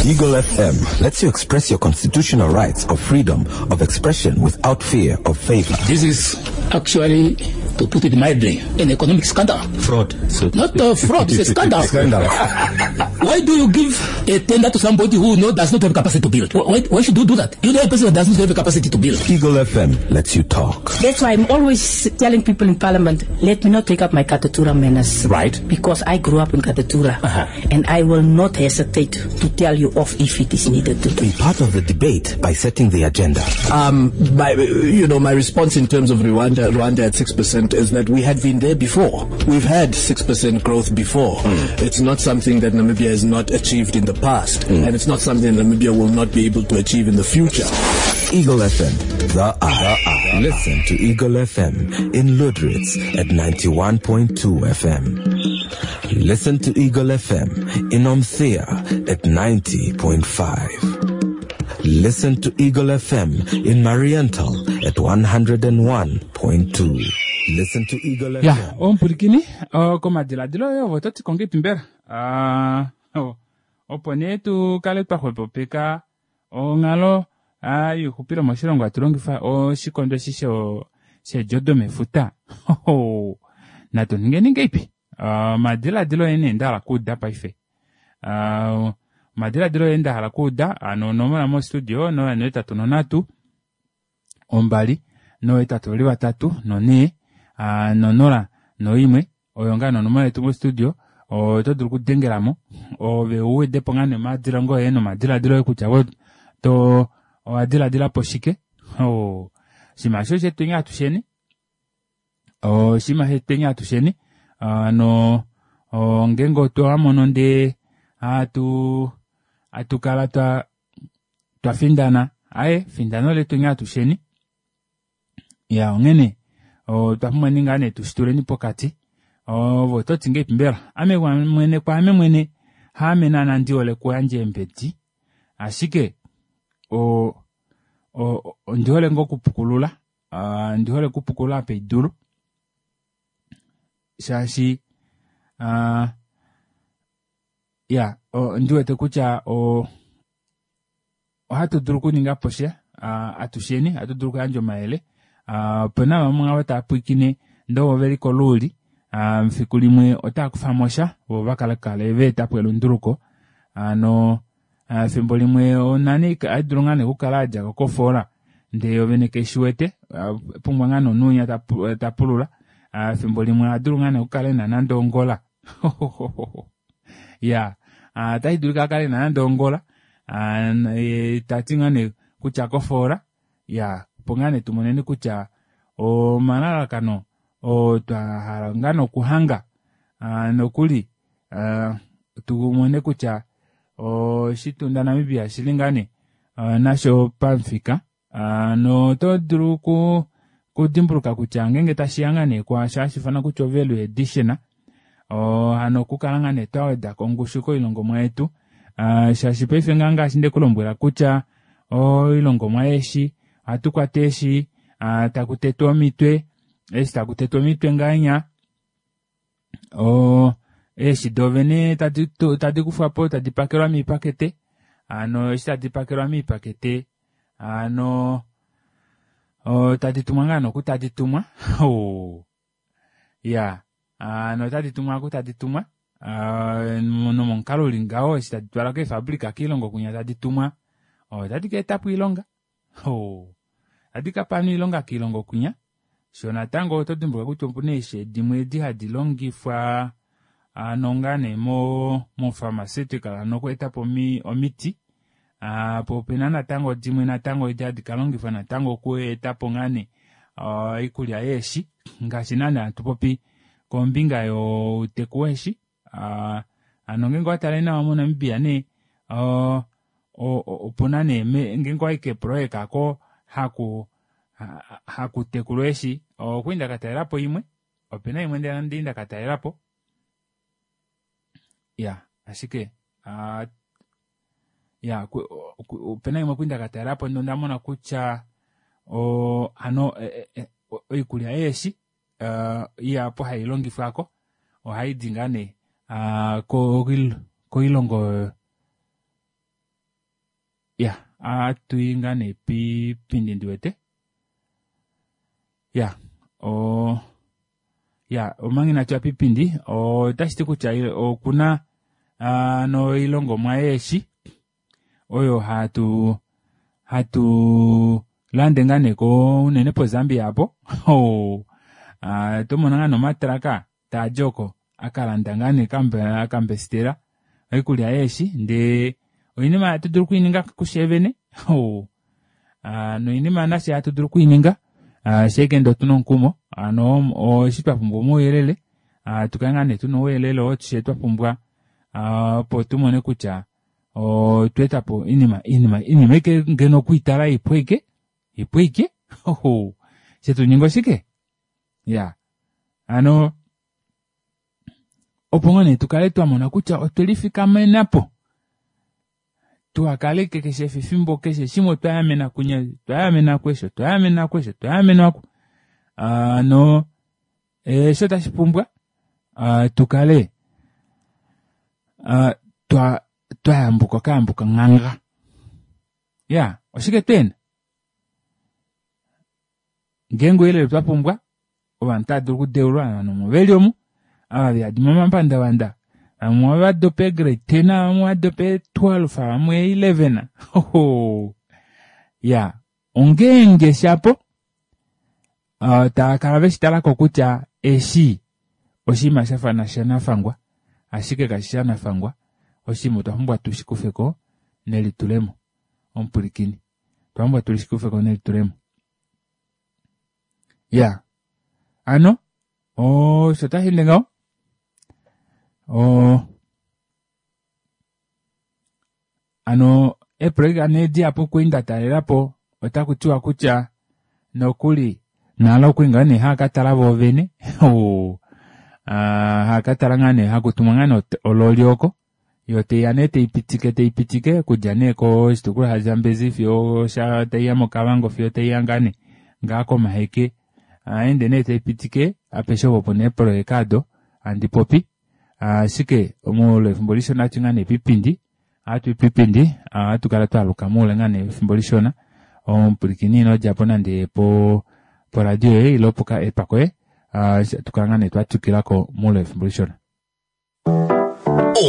Eagle FM lets you express your constitutional rights of freedom of expression without fear of favor. This is actually, to put it mildly, an economic scandal. Fraud. So Not a fraud, it's a scandal. Scandal. Why do you give a tender to somebody who does not have capacity to build? Why should you do that? You know a person that does not have capacity to build. Eagle FM lets you talk. That's why I'm always telling people in Parliament, let me not take up my Katutura manners. Because I grew up in Katutura. And I will not hesitate to tell you off if it is needed to. Be part of the debate by setting the agenda. My response in terms of Rwanda at 6% is that we had been there before. We've had 6% growth before. It's not something that Namibia has not achieved in the past, and it's not something Namibia will not be able to achieve in the future. Eagle FM, the eye. Listen to Eagle FM in Lüderitz at 91.2 FM. Listen to Eagle FM in Omuthiya at 90.5. Listen to Eagle FM in Mariental at 101.2. Listen to Eagle Ya, FM. omupulikini, oh, komadiladilo oye ovo oto ti ko ngeipi mbela? Ah, oh, opo Opo nee tukale twa xwepopeka onghalo youxupilo moshilongo hatu longifa oshikondo eshi sheedjo domefuta. Natu ningeni ngeipi? Omadiladilo oye nee nda hala okuuda paife. Omadiladilo oye nda hala okuuda hano onomola mostudio 083 2 823 4 0 1 oyo ngaa nonomola yetu mostudio oto dulu okudengelamo ove uwedepo ngaa nomadilaadilo oye nomadilaadilo oye kutya to owa dilaadilapo shike. Oshinima osho shetweni atusheni oshinima shetweni atusheni hano ngeenge otwa mono ndee hatu kala twafindana aaye findano letweni atusheni. Ya onghene otwa pumbwa ngaa nee tushituleni pokati ove ototi ngeipi mbela ame mwene kwaame mwene haame naana ndihole okuyandja eembedi ashike ondihole ngoo okupukulula ondihole okupukulula apa haidulu shaashi ya ondiwete kutya ohatu dulu okuninga po sha atusheni ohatu dulu okuyandja omayele. Opena vamwe ava tava pwilikine ndee ovo veli koluuli fiku limwe otava kufamo sha vo vakale vaetapo elunduluko. Hano efimbo limwe onani ohaidulu ngaa nee okukala yadjako kofoola ndee yoovene keishiwete pumbwa ngaa nee omunhu winya tapulula. Efimbo limwe ohadulu ngaa nee okukala ena nande ongola ya otashi dulika akale ena nande ongola tati ngaa nee kutya kofoola ya opo ngaa nee tumoneni kutya omalalakano oo twa hala ngaa nee okuhanga nokuli tumone kutya oshitunda Namibia oshili ngaa nee nasho pamufika. Noto dulu okudimbuluka kutya ngeenge tashiya ngaa nee kwaasho hashi ifanwa kutya o-value addition hano okukala ngaa nee twaweda kongushu koilongomwa yetu shaashi paife ngaa ngaashi ndekulombwela kutya oilongomwa yeeshi ohatu kwata eeshi taku tetwa omitwe eshi taku tetwa omitwe ngahenya eeshi doovene tadi kufwapo tadi pakelwa miipakete hano eshi tadi pakelwa miipakete hano tadi tumwa ngaa noku tadi tumwa ya hano otadi tumwa aku tadi tumwa nomomukalo uli ngaho eshi tadi twalwa keefabrika koilongo kwinya tadi tumwa otadi ka etapo oilonga otadi kapa ovanhu oilonga koilongo kwinya. Sho natango oto dimbuluka kutya opuna eeshi dimwe edi hadi longifwa hano ngaa nee mo pharmaceutical hano okweetapo omiti po opena natango dimwe natango edi hadi kalongifwa natango okweetapo ngaa nee oikulya yeeshi ngaashi naana hatu popi kombinga youteku weeshi. Hano ngeenge owatale nawa moNamibia nee opuna nee ngeenge owayi keeprojeka oko hakutekulwa eeshi okwali ndakatalelapo imwe opena imwe ndali ndakatalelapo ya ashike ya opena imwe kwali ndakatalelapo ndee ondamona kutya hano oikulya yeeshi ihapu hailongifwako ohaidi ngaa nee koilongo ya atuyi ngaa nee piipindi ndiwete ya ya omanga inatuya piipindi otashiti kutya okuna noilongomwa yeeshi oyo hatu lande ngaa nee unene po Zambia apo tomona ngaa nomatraka taadi oko akalanda ngaa nee akambestela oikulya yeeshi ndee oinima hatu dulu okwiininga kusheevene noinima nashe hatu dulu okwiininga shaike ndee otuna omukumo hano eshi twapumbwa omauyelele tukale ngaa nee tuna ouyelele oo she twapumbwa opo tumone kutya otweetapo iinima iinima aike ngeno okwiitala ipu aike ipu aike shetuninga oshike ya hano opo ngoo nee tukale twamona kutya otwelifikamenapo tuhakale keshe efimbo keshe shimwe otwayamena kunya otwayamena kwesho otwayamena kwesho otwayamenwa ku no eshi otashi pumbwa tukale Twayambuka okayambuka nghanga. Ya, oshike twena? Ngeenge ouyelele twa pumbwa, ovanhu otava dulu okudeulwa, ovanhu omo veli omu, ava veyadi momapandavanda, vamwe ova dopa eegrade 10, vamwe ova dopa ee 12, vamwe ee 11. Hoho. Ya, ongeenge shapo uh, tava kala veshi talako kutya eshi oshinima sha fa shanafangwa, ashike kashi shanafangwa, oshinima otwa pumbwa tu shi kufe ko nelitulemo. Omupwilikini, otwa pumbwa tu shi kufe ko nelitulemo. Ya, ano osho tashi ende ngaho. O ano eeprojeka nee dihapu kwii nda talela po otaku tiwa kutya nokuli nalo okuli ngaa nee haa ka tala voovene haa ka tala ngaa nee haku tumwa ngaa nee ololi oko yo teiya nee teipitike teipitike okudja nee koshitukulwa shaZambezi fiyo sha taiya moKavango fiyo taiya ngaa nee ngaa kOmaheke aende nee taipitike apeshe opo puna eeprojeka ado handi popi ashike moule wefimbo lishona ohatu ngaa nee pipindi ohatu pipindi ohatu kala twaluka moule ngaa nee wefimbo lishona omupwilikini ino djapo nande po poradio yoye ile poka app koye tukala ngaa nee twatwikilako moule wefimbo lishona.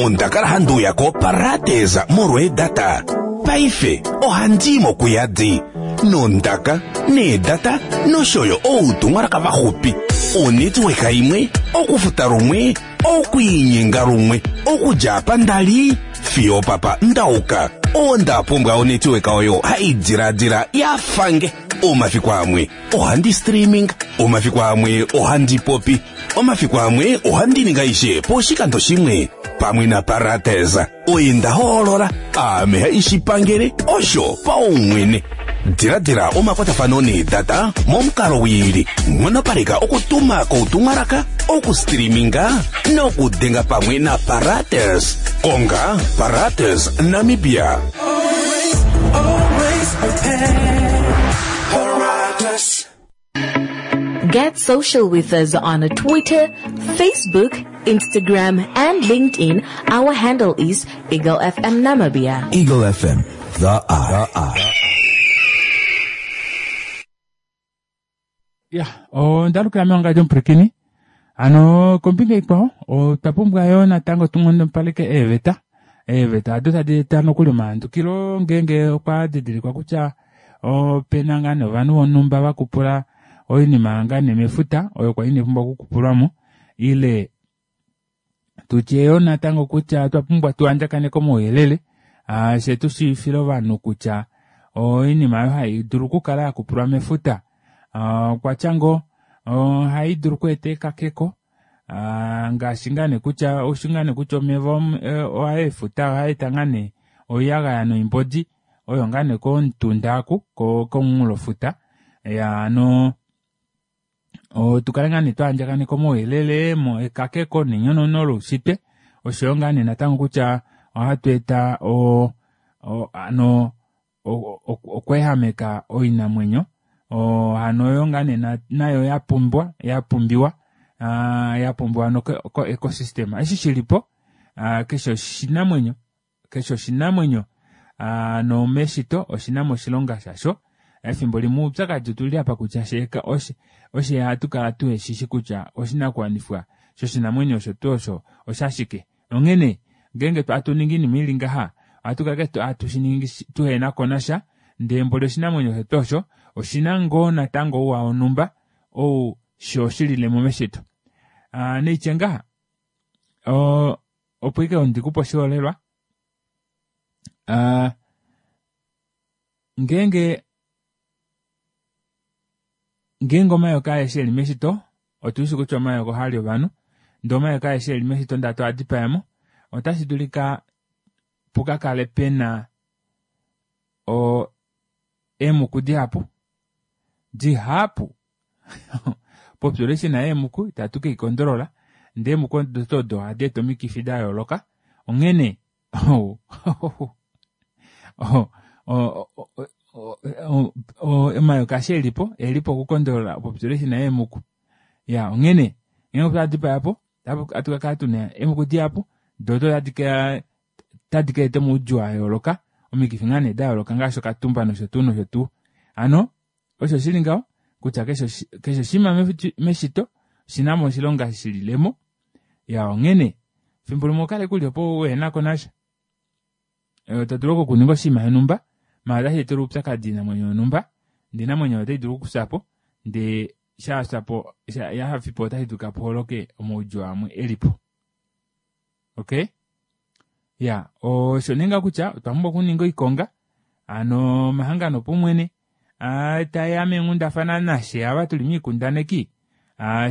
Onda kala handi uya koParadesa molweedata. Paife ohandi i mokuyadi nondaka, needata nosho yo outumwalaka vaxupi. Onetworka imwe, okufuta lumwe, okwiinyenga lumwe, okudja apa nda li fiyo opapa nda uka. Onda pumbwa onetworka oyo hai diladila ya fange. Omafiku amwe ohandi streaming, omafiku amwe ohandi popi, omafiku amwe ohandi ninga aishe poshikando shimwe. Pamwe naParates oye nda hoolola, aame haishi pangele osho paumwene. Diladila omakwatafano needata momukalo wiili, nghonopaleka okutuma koutumwalaka, okustreaminga nokudenga pamwe naParates. Konga Parates Namibia. Get social with us on Twitter, Facebook, Instagram, and LinkedIn. Our handle is Eagle FM Namibia. Eagle FM, the eye. Ya, onda lukila mewangadjo omupwilikini. Hano kombinga ikwao otwa pumbwa yo natango tu nghonopaleke eeveta. Eeveta odo tadi eta nokuli omahandukilo ngeenge okwa didilikwa kutya opena ngaa nee ovanhu vonhumba va kupula oinima ngaa nee mefuta oyo kwa inai pumbwa okukupulwa mo ile tutye yoo natango kutya otwa pumbwa tu andjakaneke omauyelele fye tu shiivifile ovanhu kutya oinima oyo hai dulu okukala ya kupulwa mefuta okwa tya ngoo ohai dulu okweeta ekakeko ngaashi ngaa nee kutya oushi ngaa nee kutya omeva oefuta ohaa eta ngaa nee oiyagaya noimbodi oyo ngaa nee komutunda aku komunghulofuta ya hano tukale ngaa nee twa andjakaneka omauyelele ekakeko nenyonono loushitwe oshoyo ngaa nee natango kutya ohatu eta o, o, ano okweehameka oinamwenyo hano oyo ngaa nee nayo ya pumbwa ya pumbiwa ya pumbiwa ano ko ecosystem eshi shilipo keshe oshinamwenyo Keshe oshinamwenyo nomeshito oshi na mo oshilonga shasho. Efimbo limwe oupyakadi otu li apa kutya sheeka oshe oshe hatu kala tuhe shi shi kutya oshinakuwanifwa shoshinamwenyo osho tuu osho oshashike. Onghene ngeenge hatu ningi oinima i li ngaha, ohatu kala ashike hatu shi ningi tuhe na ko nasha, ndee mboli oshinamwenyo osho tuu osho oshi na ngoo natango ouwa wonhumba ou sho shi lile mo meshito. Neitye ngaha, opo ike ondi kupe oshiholelwa uh, ngeenge ngeenge omayoka aeshe eli meshito otu shi kutya omayoka ohaa li ovanhu ndee omayoka aeshe eli meshito ndee hatu a dipaya mo otashi dulika pu ka kale pena o eemuku dihapu dihapu population yeemuku itatu ke ikondolola ndee eemuku odo odo ohadi eta omikifi da yooloka onghene omayoka eshi elipo elipo okukondolola population yeemuku ya onghene ngeenge otwa dipaya po ohatu ka kala tuna eemuku dihapu doo odo tadi ka. Otadi ka eta omaudjuu a yooloka, omikifi ngaa nee da yooloka ngaashi okatumba nosho tuu nosho tuu. Hano osho shili ngaho kutya keshe keshe oshinima meshito oshina mo oshilonga shililemo. Ya onghene fimbo limwe okale kuli opo uhena ko nasha. To dulu okuninga oshinima shonhumba maala otashi etele oupyakadi oinamwenyo yonhumba ndee oinamwenyo oyo otai dulu okufya po ndee shafya po yafi po otashi dulika pu holoke omaudjuu amwe elipo. Okay? Ya, osho nee ngaho kutya otwa pumbwa okuninga oikonga hano omahangano opaumwene taeya meenghundafana nashe ava tuli miikundaneki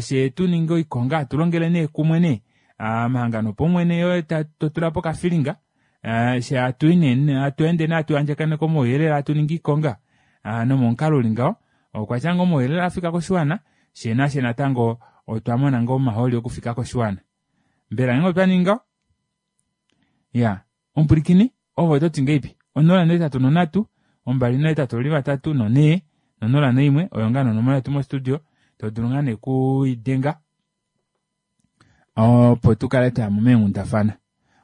she tu ninge oikonga hatu longele nee kumwe nee omahangano opaumwene yo to tula po okafilinga she hatu i nee hatu ende nee hatu andjakaneke omauyelele hatu ningi iikonga nomomukalo uli ngaho okwa tya ngoo omauyelele a fika koshiwana she nashe natango otwa mona ngoo omahooli okufika koshiwana. Mbela ngeenge otwa ningi ngaho? Ya, omupwilikini, ove oto ti ngeipi? 083 283 no4 no01 oyo ngaa nonomola yetu mostudio to dulu ngaa nee kuidenga opo tu kale twaya mo meenghundafana.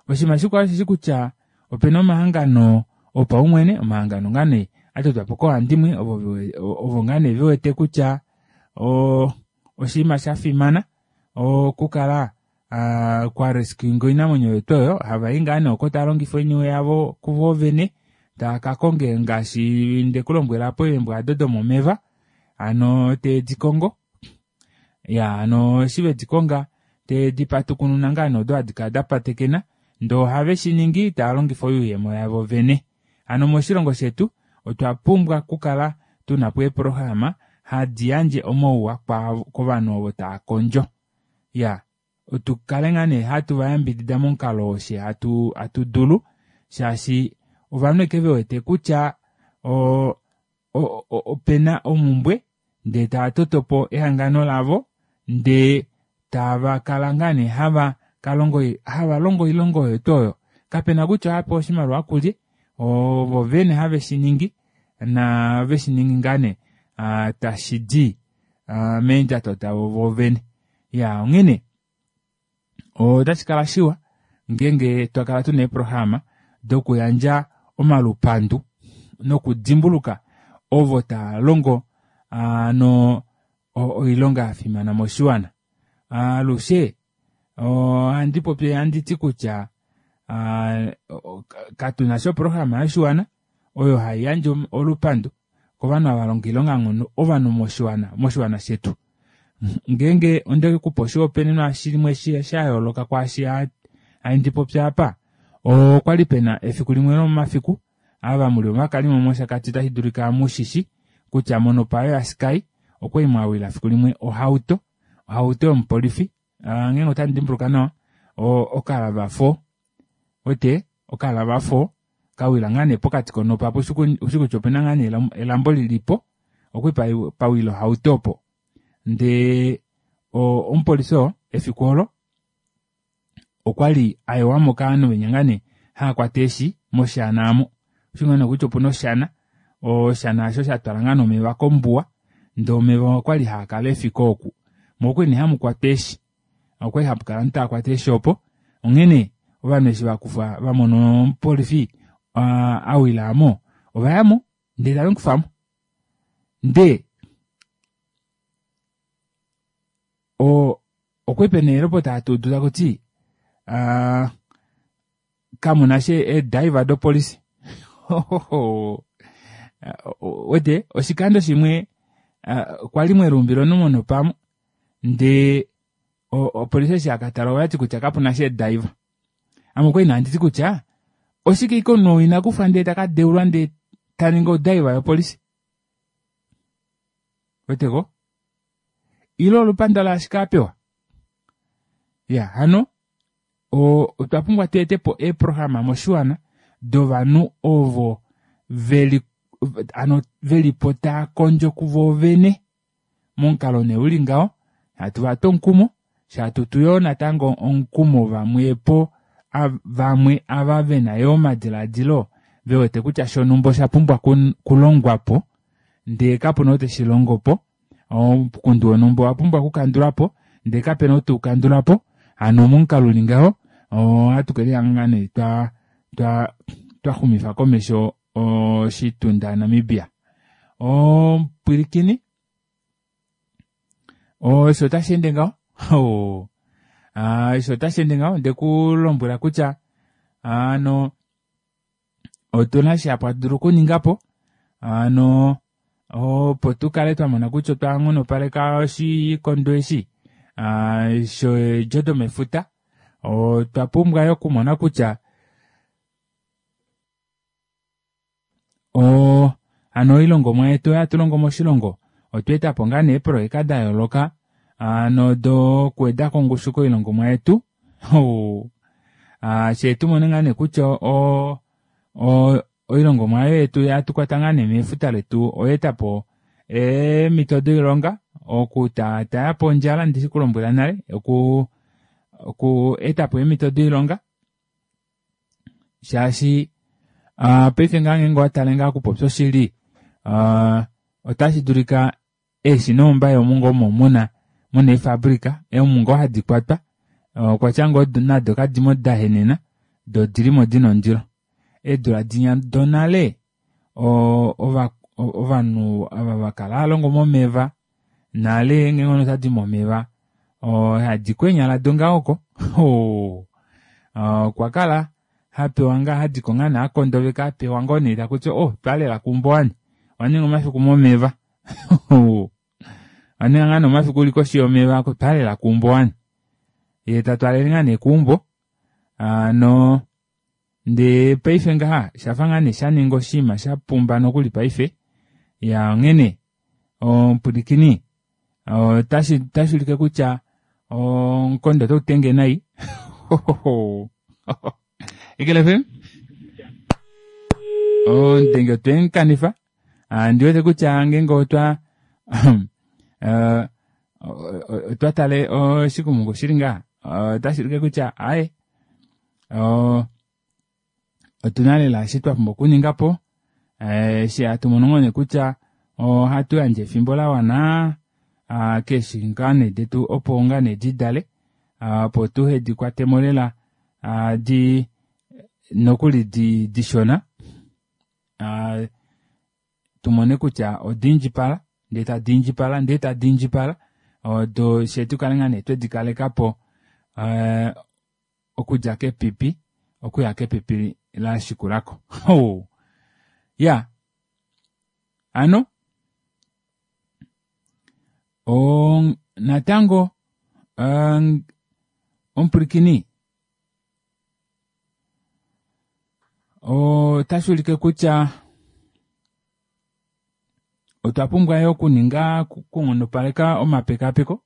Oshinima shikwao osheshi kutya opena omahangano opaumwene, omahangano ngaa nee a totwa po koohandimwe ovo ovo ngaa nee ve wete kutya oshinima sha fimana okukala kwa rescuinga oinamwenyo yetu oyo hava i ngaa nee oko tava longifa oiniwe yavo kuvo vene tava ka konge ngaashi nde ku lombwela po eembwa ado domomeva hano te di kongo ya hano eshi ve di konga te di patukununa ngaa nee odo hadi kala da patekena ndee ohave shi ningi tava longifa oyuuyemo yavo vene hano moshilongo shetu otwa pumbwa okukala tuna po eeprograma hadi yandje omauwa kovanhu ovo tava kondjo ya otu kale ngaa nee hatu va yambidida momukalo oo she hatu hatu dulu shaashi ovanhu eke ve wete kutya o, o, o, opena omumbwe ndee tava toto po ehangano lavo ndee tava kala ngaa nee hava kalongo hava longo oilonga oyo tuu oyo kapena kutya ohava pewa oshimaliwa kulye ovo vene have shi ningi na ve shi ningi ngaa nee tashi di meendjato davo vovene ya onghene otashi kala shiwa ngeenge twa kala tuna eeprograma dokuyandja omalupandu nokudimbuluka ovo tava longo no oilonga ya fimana moshiwana alushe ohandi popi handi ti kutya katuna sha oprograma yoshiwana oyo hai yandje olupandu kovanhu ava longa oilonganghono ovanhu moshiwana moshiwana shetu ngeenge onde kupa oshihopaenenwa shimwe sha yooloka kwaashi handi popi apa okwa li pena efiku limwe lomomafiku ava muli ovakalimo mOshakati otashi dulika mushishi kutya monopayo yaSky okwali mwa wila fiku limwe ohauto ohauto yomupolifi ngeenge otandi dimbuluka nawa okalava 4 wete okalava 4 kawila ngaa nee pokati konopa apo ushi kutya opena ngaa nee elambo lilipo okwali pawila ohauto opo ndee omupolifi oo efiku olo okwa li a yewa mo kaanhu venya ngaa nee hava kwata eeshi moshana amo. Oshi ngaa nee kutya opuna oshana, oshana osho sha twala ngaa nee omeva kombuwa ndee omeva okwali haa kala efiko oku. Mo okwali nee hamu kwatwa eeshi. Okwali hapu kala ovanhu tava kwata eeshi opo. Onghene ovanhu eshi va kufa va mona omupolifi a wila mo ova ya mo ndee tave mu kufa mo. Ndee Okwali pena eelopota hatu udu takuti kamuna sha eediver dopolisi. Wete oshikando shimwe kwali mweluumbila omunhu monopamo ndee opolisi eshi yakatala oyati kutya kapuna sha eediver. Ame okwali nee handiti kutya oshike ike omunhu ou ina kufwa ndee taka deulwa ndee taningi odiver yopolisi. Weteko? Ile olupanda laashike a pewa? Ya, hano otwa pumbwa tu ete po eeprograma moshiwana dovanhu ovo veli ano veli po taa kondjo kuvo vene momukalo nee uli ngaho hatu va tu omukumo shatu tu yoo natango omukumo vamwepo vamwe ava vena yoo omadiladilo ve wete kutya shonhumba osha pumbwa kulongwa po ndee kapuna ou teshi longo po omukundu wonhumba owa pumbwa okukandulwa po ndee kapena ou teukandula po hano momukalo uli ngaho ohatu ke lihanga nee twa twa twa xumifa komesho oshitunda Namibia. Omupwilikini osho otashi ende ngaho oh. Osho otashi ende ngaho ndeku lombwela kutya ano otuna shihapu hatu dulu okuninga po ano opo tukale twamona kutya otwa nghonopaleka oshikondo eshi sheedjo domefuta. Otwa pumbwa yo okumona kutya hano oilongomwa yetu oyo hatu longo moshilongo otwa etapo ngaa nee eeprojeka da yooloka ano dokuweda kongushu koilongomwa yetu. Shee tumone ngaa nee kutya oilongomwa yetu hatu kwata ngaa nee mefuta letu oyeetapo eemhito doilonga okutaatayapo ondjala ndishi kulombwela nale oku etapo eemhito doilonga shaashi paife ngaa ngeenge owatale ngaa okupopya oshili otashi dulika eeshi noombaye omu ngoo omo muna muna eefabrika omu ngoo hadi kwatwa okwatya ngoo nado kadimo dahenena doo odilimo dina ondilo. Eedula dinya donale ovanhu ava vakala hava longo momeva nale ngeenge omunhu otadi momeva hadiko eenyala dongaho oko okwa kala hapewa ngaa hadiko ngaa nee akondoveka apewa ngoo nee takuti oh twaalela keumbo wani owaninga omafiku momeva owaninga ngaa nee omafiku uli koshi yomeva twaalela keumbo wani yee tatwaalele ngaa nee keumbo ano ndee paife ngaha shafa ngaa nee shaninga oshinima shapumba nokuli paife ya onghene omupwilikini otashi ulike kutya omukondo otau tenge nai. Eagle FM omudenge otwemukanifa ndiwete kutya ngeenge otwa otwa tale oshikumungu shili ngaha otashi ulike kutya aaye otuna lela eshi twapumbwa okuningapo eshi hatu mono ngoo nee kutya ohatu yandje efimbo lawana keeshi ngaa nee detu opo ngaa nee didale opo tuhe dikwatemo lela di nokuli dishona tumone kutya odiindjipala ndee tadiindjipala ndee tadiindjipala odo she tukale ngaa nee twedikalekapo okudja kepipi okuya kepipi lashikulako. Ya ano natango omupwilikini otashi ulike kutya otwa pumbwa yo okuninga okunghonopaleka omapekapeko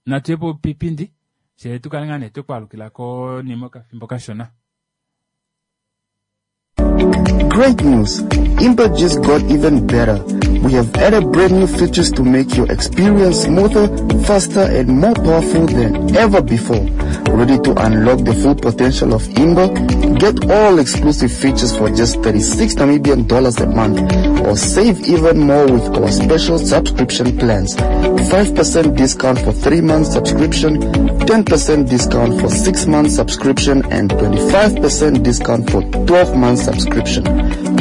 natuye popipindi fye tukale ngaa nee twekwaalukila konima okafimbo kashona. Great news! Imba just got even better. We have added brand new features to make your experience smoother, faster, and more powerful than ever before. Ready to unlock the full potential of Imba? Get all exclusive features for just 36 Namibian dollars a month, or save even more with our special subscription plans. 5% discount for 3 months subscription, 10% discount for 6 months subscription, and 25% discount for 12 months subscription.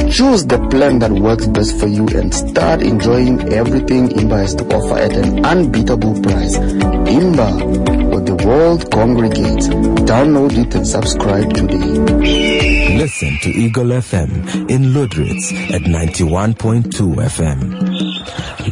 Choose the plan that works best for you and start enjoying everything Imba has to offer at an unbeatable price. Imba, where the world congregates. Download it and subscribe today. Listen to Eagle FM in Lüderitz at 91.2 FM.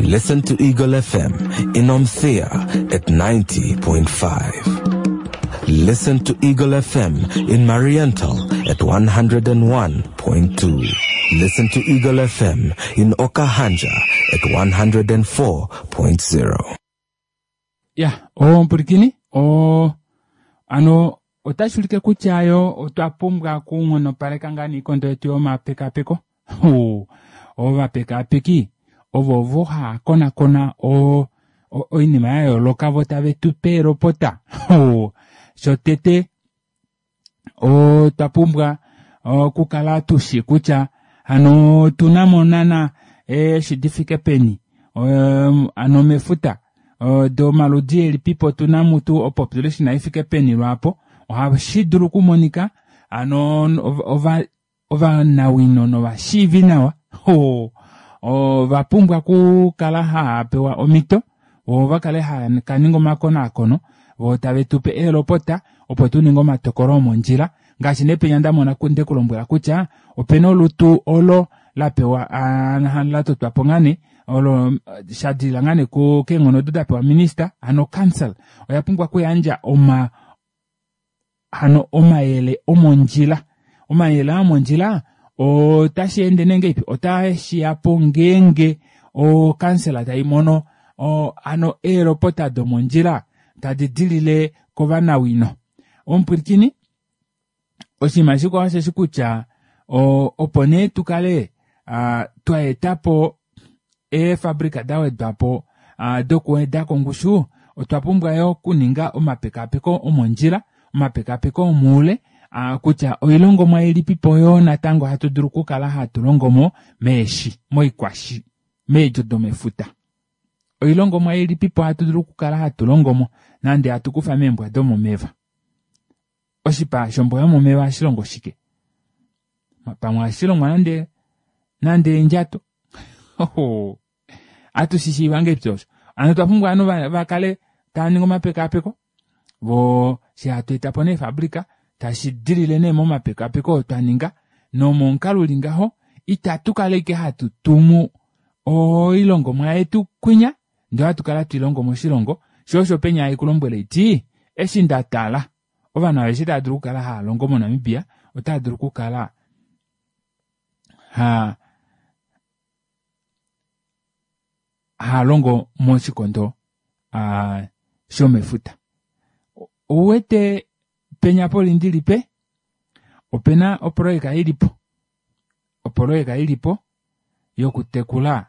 Listen to Eagle FM in Omuthiya at 90.5. Listen to Eagle FM in Mariental at 101.2. Listen to Eagle FM in Okahandja at 104.0. Ya, omupwilikini ano otashi ulike kutya yo otwa pumbwa okunghonopaleka ngaa niikondo yetu yomapekapeko. Ovapekapeki ovo ovo haya konakona oinima ya yooloka vo tave tu pe elopota. Shotete otwa pumbwa okukala tushi kutya hano otuna mo naana eeshi difike peni ano mefuta. Domaludi elipipo tu na mutu opopulation ifike peni lwaapo ohashi dulu okumonika hano ovanawino novashiivi nawa ova pumbwa okukala hava pewa omhito vo va kale hava ka ninga omakonaakono vo tave tu pe eelopota opo tu ninge omatokolo omondjila ngaashi nee penya nda mona nde ku lombwela kutya opena olutu olo la pewa la totwa po ngane olo sha dilila ngane keenghono odo da pewa minista hano council oya pumbwa okuyandja oma hano omayele omondjila omayele aa omondjila otashi ende nee ngeipi otashi ya po ngeenge okansela tai mono hano eelopota domondjila tadi dilile kovanawino omupwilikini oshinima shikwao osheshi kutya opo nee tu kale twa eta po eefabrika da wedwa po dokuweda kongushu otwa pumbwa yo okuninga omapekapeko omondjila omapekapeko omuule kutya oilongomwa ilipipo yoo natango hatu dulu okukala hatu longo mo meeshi moikwashi meedjo domefuta oilongomwa ilipipo hatu dulu okukala hatu longo mo nande hatu kufa meembwa domomeva oshipa shombwa yomomeva ohashi longo shike pamwe ohashi longwa nande nande eendjato atu shi shiiva ngahelipi osho hano otwa pumbwa ovanhu va kale tava ningi omapekapeko vo shi hatu eta po neefabrika tashi dilile nee momapekapeko oo twa ninga nomomukalo uli ngaho itatu kala ashike hatu tumu oilongomwa yetu kwinya ndee ohatu kala hatu i longo moshilongo sho osho penya haiku lombwele iti eshi nda tala ovanhu aveshe tava dulu okukala hava longo moNamibia otava dulu okukala ha haa longo moshikondo shomefuta. Ouwete penya polindilipe opena oproyeka ilipo opoloyeka ilipo yokutekula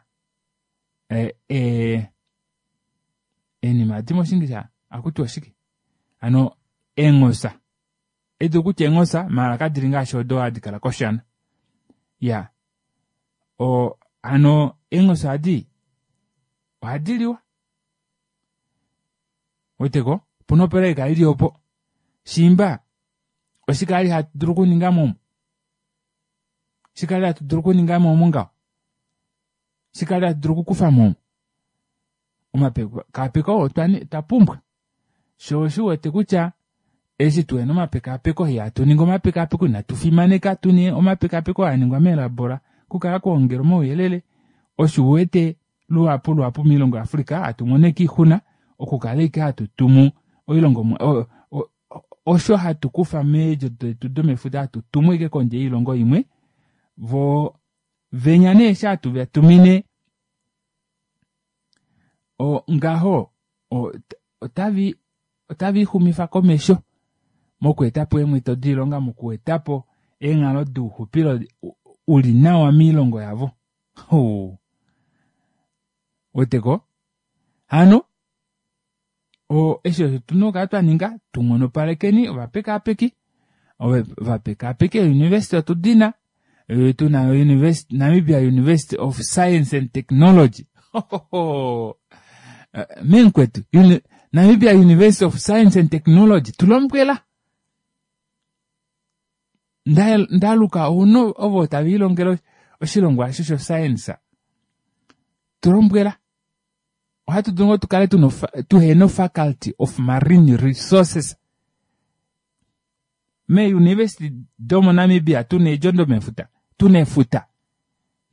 eenima adi moshingisha akutiwa oshike hano eenghosa edu kutya eenghosa maala kadili ngaashi odo hadi kala koshana ya o hano eenghosa adi ohadi liwa weteko opuna opoloyeka ili opo shiimba oshike ali hatu dulu okuninga momo oshike ali hatu dulu okuninga mo omu ngaho oshike ali hatu dulu okukufa mo omu omapekapeko otwa pumbwa sho oshi wete kutya eshi tuhena omapekapeko ihatu ningi omapekapeko inatu fimaneka tune omapekapeko haa ningwa meelabola okukala kuongela omauyelele osho uwete luhapu luhapu moilongo yaAfrica hatu mono ashike oixuna okukala ashike hatu tumu oilongomwa osho hatu kufa meedjo detu domefuta hatu tumu ashike kondje yoilongo imwe vo venya nee eshi hatu va tumine ngaho otavi otavi xumifa komesho mokweeta po eemhito doilonga mokweeta po eenghalo douxupilo uli nawa moilongo yavo weteko hano eshi osho tuna okukala twa ninga tu nghonopalekeni ovapekaapeki ovapekaapeki eeuniversity otu dina tuna Namibia University of Science and Technology meenkwetu Namibia University of Science and Technology tulombwela ndaluka ouno ovo tava ilongele oshilongwa osho shoscience tulombwela ohatu dulu ngoo tukale tuhena ofaculty of marine resources meeuniversity domoNamibia tuna eedjo domefuta tuna efuta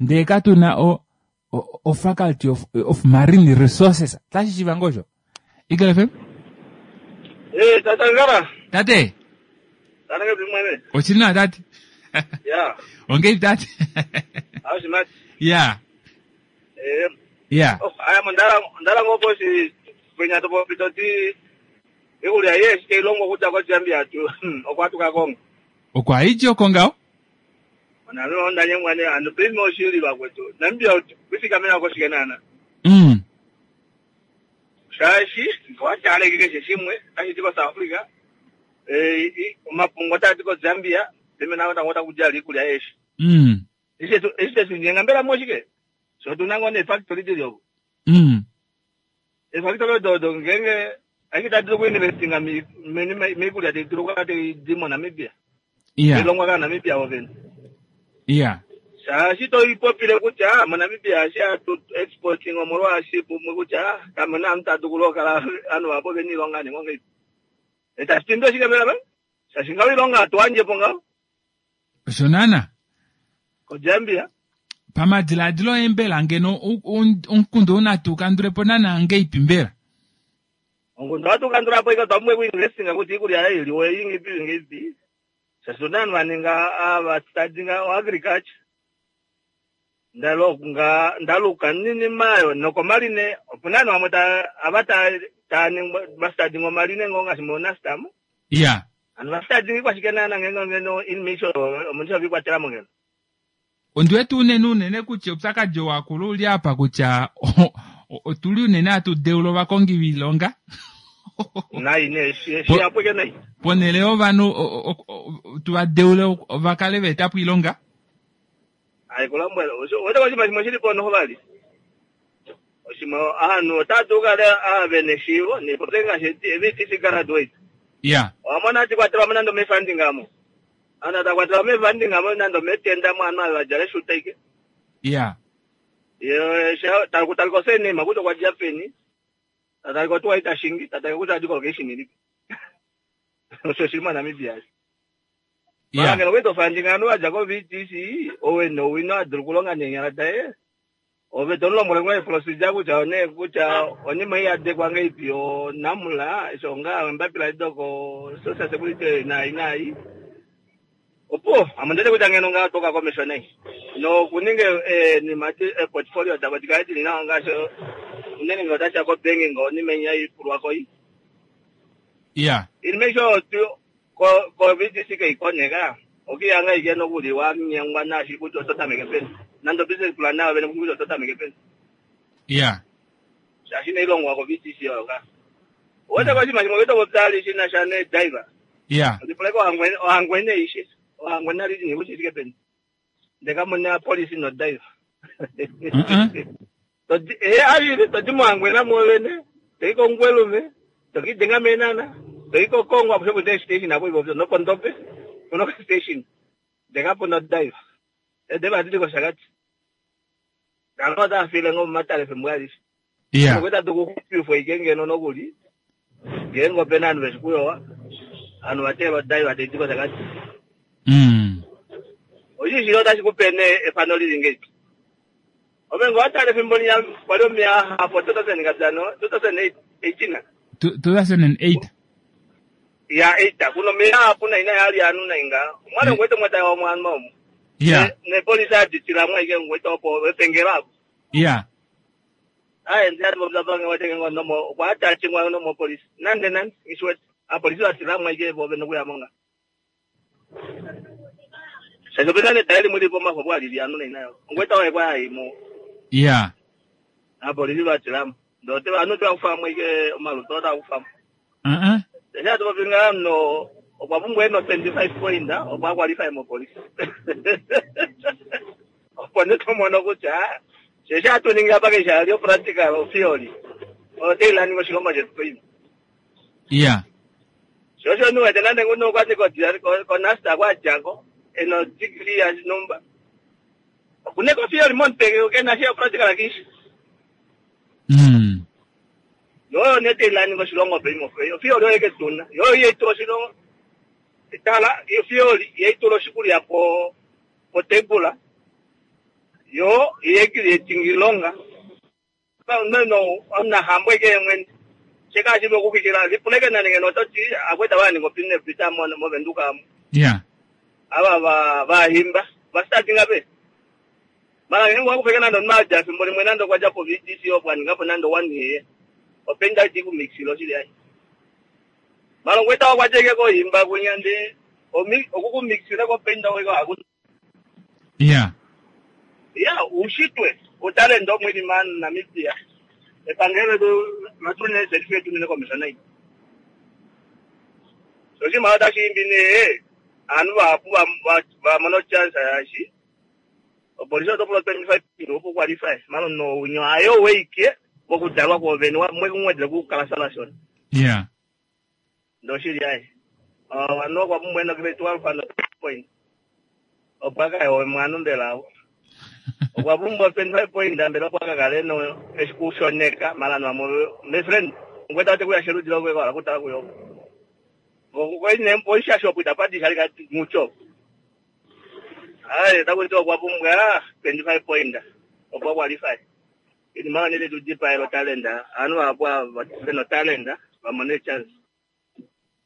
ndee katuna o, o, o faculty of, of marine resources tashi shiva ngoo osho Eagle FM Eh, tata Ngara. Tate. Tata ngara mwene. Ochili nawa tate. Ya. Ongeipi tate. Aushimati. Ya. Eh. Ya. Oh, aya mondala ondala ngoo poshi penya to popi to ti ikulya ye shike ilongo okudja koZambia tu okwa tuka konga. Okwa idja oko ngaho? Oname onda nyengwa ne ano paife oshili vakwetu. Namibia kwifikamena koshike naana. Shaashi ngewataaleke keshe shimwe otashi di koSouth Africa, eh, omapungu otaa di koZambia, peme natango otaku di ala iikulya yeeshi. Eshi tetu nyenga mbela moshike? Sho otu na ngoo neefactory dili oko. Eefakitoli odo odo ngeenge ashike tadi dulu okuinvestinga moikulya tai dulu okukala tai di moNamibia. Ilongwa kaaNamibia vovene. Shaashi toipopile kutya moNamibia eshi hatu exporting omolwaashi pumwe kutya kamu na omunhu ta dulu okukala ovanhu vahapu ovena oilonga ninga ongahelipi. Itashi tindi oshike mbela paife? Shaashi ngaho oilonga hatu yandje po ngaho. Osho naana. KoZambia. Pamadilaadilo oye mbela ngeno omukundu ou natu kandule po naana ngeipi mbela? Omukundu ohatu kandula po ike otwa pumbwa okuinvestinga kutya iikulya ei iliwe ingipi ngipi. Shaashi otuna ovanhu va ninga ava studyinga oagriculture. Ndalonga ndaluka ninima ayo nokomaline opuna ovanhu vamwe ta ava ta taa ningwa va studyinga omaline ngoo ngaashi moNUST mo. Hano va studyinga ikwashike naana ngeenge ngeno inmate omunhu shove ikwatela mo ngeno. Ondi wete unene unene kutya oupyakadi oo wakula uli apa kutya otuli unene hatu deula ovakongi voilonga. Nai nee shihapu eke nai. Ponhele yovanhu tu va deule va kale va eta po oilonga. Hai kulombwela wete oshinima shimwe shili po noho vali. Oshimwe ovanhu otava dulu okukala ava vena eshiivo nepopye ngaashi VTC graduate. Owa mona hati kwatelwa mo nande omefunding amo. Ovanhu tava kwatelwa mefunding amo nande ometenda mo ovanhu ava vadjala eshuta ike. Ye takutalika osurname kutya okwa dja peni. Tatalika otuwa ei ta shingi, tatalika kutya adi kolocation ilipi. Osho shili moNamibia. Mara ngeno okwali tofandinga ovanhu vadja ko-VTC ou ena owino a dulu okulonga neenyala daye, ove to mu lombwele ngoo eprocedure kutya one kutya onima ei yadekwa ngahelipi onamula eshi onga embapila edi doko social security naai naai. Opuwo ame ondiwete kutya ngeno ngaho otwa uka komesho nai nokuninga eenima eeportfolio davo di kale dili nawa ngaashi unene ngee otashiya kobanking onima ei haipulwa ko ei. Oinima aishe oyo ko-VTC kaikoneka, okiihanga ashike nokuli wa nyengwa naashi kutya oto tameke peni. Nande obusiness plan nayo vene kushi kutya oto tameke peni. Shaashi inai longwa ko-VTC oyo ka. Owete ko oshinima shimwe oto popya ali shi na sha neediver. Lipula ko Ohangwena aishe. Ohangwena region kutya ishike peni. Ndee kamu na police nodiver. Todi eh todi mOhangwena mwoovene, toyi kOmungwelume, tokiidenga mEenhana, toyi kOkongo amushe muna eestation apo ivovyo nopOndobe puna okastation ndee kapuna odiver. Eediver ohadi di kOshakati. Ovanhu otava file ngoo momatale efimbo alishe. Okwali tadu kuxupifwa ashike ngeno nokuli ngeenge opena ovanhu veshi kuyowa, ovanhu va teelwa odiver taidi kOshakati. Oshi shili otashi kupe nee efano lili ngeipi. Ove ngoo watale efimbo linya kwali omeya ahapu 2000 ngatano 2018 2008 ya 8 kuno omeya ahapu nai nai ali anu nai nga omwali ngwete mwata wa mwana omu ne polisi aditila mwa ike ngwete opo epengelo apo aye ndi ati popya pange wete ngo nomo okwa atachingwa nomo polisi nande nande ngishiwete apolisi vatila mwa ike vo vene kuyamo nga Shaashi opena netale limwe lili pomafo opo hali li anu nayo. Ongweta waye kwa yaimo. Apolisi vatilamo. Ndee ote ovanhu oteva kufamo ike omalutu otava kufamo. Eshi hatu popi ngaha omunhu okwa pumbwa ena o 25 point opo a qualify mopolisi. Opo nee tomono kutya sheshi hatu ningi apa keshe ali o practical o theory oyo tai laninga oshilongo shetu poima. Sho osho omunhu wete nande nguno okwa ti koNUST kwa dja ko e na odegree ya numba okuna eke otheory momutwe ke na sha opractical kishi. Yo oyo nee tai laninga oshilongo paife otheory oyo eke tuna yo oyo ihai tula oshilongo tala otheory ihai tula oshikulya po potable yo ihai creating iilonga. Omunahambo eke ye mwene she kashi vulu okuxwikila lipuleke nani ngeno oto ti akweta va ninga opinepita moVenduka amu ava va vahimba va startinga peni mara ngeenge owa kufeke nande omunhu a dja efimbo limwe nande okwa dja po VTC opo a ninga po nande one year openda iti kumixile oshili ai mara ongweta okwa dja ike kohimba kunya ndee okukumixile kopenda oiko haku Ya, uushitwe, utalenti omwe li moNamibia. Epangelo letu latu ne certificate tunine komesho nai. So oshinima otashi imbi nee aanhu vahapu va mona ochance yaashi opolisi oto pula 25 opo qualify mara omunhu ounyo aye oweike. Kokudalwa kwoovene mwe kukala sala shona. Yeah. Ndoshili aye. Ovanhu okwa pumbwa eno grade 12 ano point. Opo akaye omwana mbela avo. Okwa pumbwa 25 point mbela opo akakale no eshikushoneka mara no my friend. Ngweta te kuya sherudi lokwe kwa kutala kuyo. Ngokwene mpoisha shop itapadi shali kati mucho. Aye takuti okwa pumbwa 25 point. Opo qualify. Inima nele tudipa elo talenda. Anu apo no talenda vamone chance.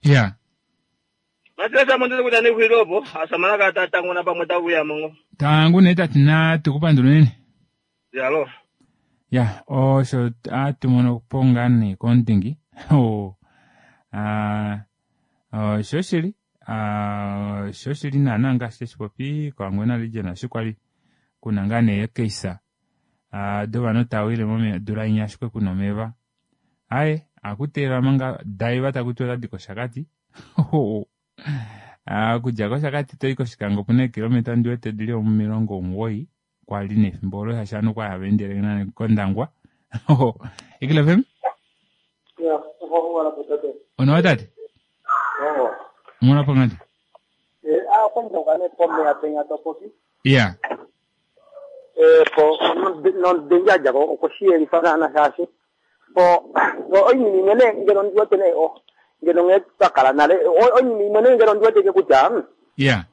Yeah. Matirasa mundu kuti ane kuiropo asamana katatangona pamwe tavuya mongo. Tangu ne tati na tukupandula nene. Yalo. Ya, osho atumono po ngaa nee kondingi. Oh. Ah, oshoshili. Ah, oshoshili naana ngaashi teshi popi koHangwena region osho kwali kuna ngaa nee ekeisa. Ah, dovanhu tava wile momeya odula inya ashike kuna omeva. Aye, akuteelelwa manga daiva taku tiwa otadi kOshakati. Ah, okudja kOshakati toyi kOshikango opuna eekilometa ndi wete dili 90 kwali nefimbo olo shaashi ovanhu okwali hava endele nale kOndangwa. Eagle FM? Ya, oho po tate. Onawa tate? Oho. Muna po ngati? Eh, ah, kwanza ne pomeya penya topopi. Yeah. Eh, po no denja ko ko shiyelifa naana shaashi. Po oinima imwe nee ngeno ndi wete nee o ngeno nghee twa kala nale oinima imwe nee ngeno ndi wete ke kutya Yeah.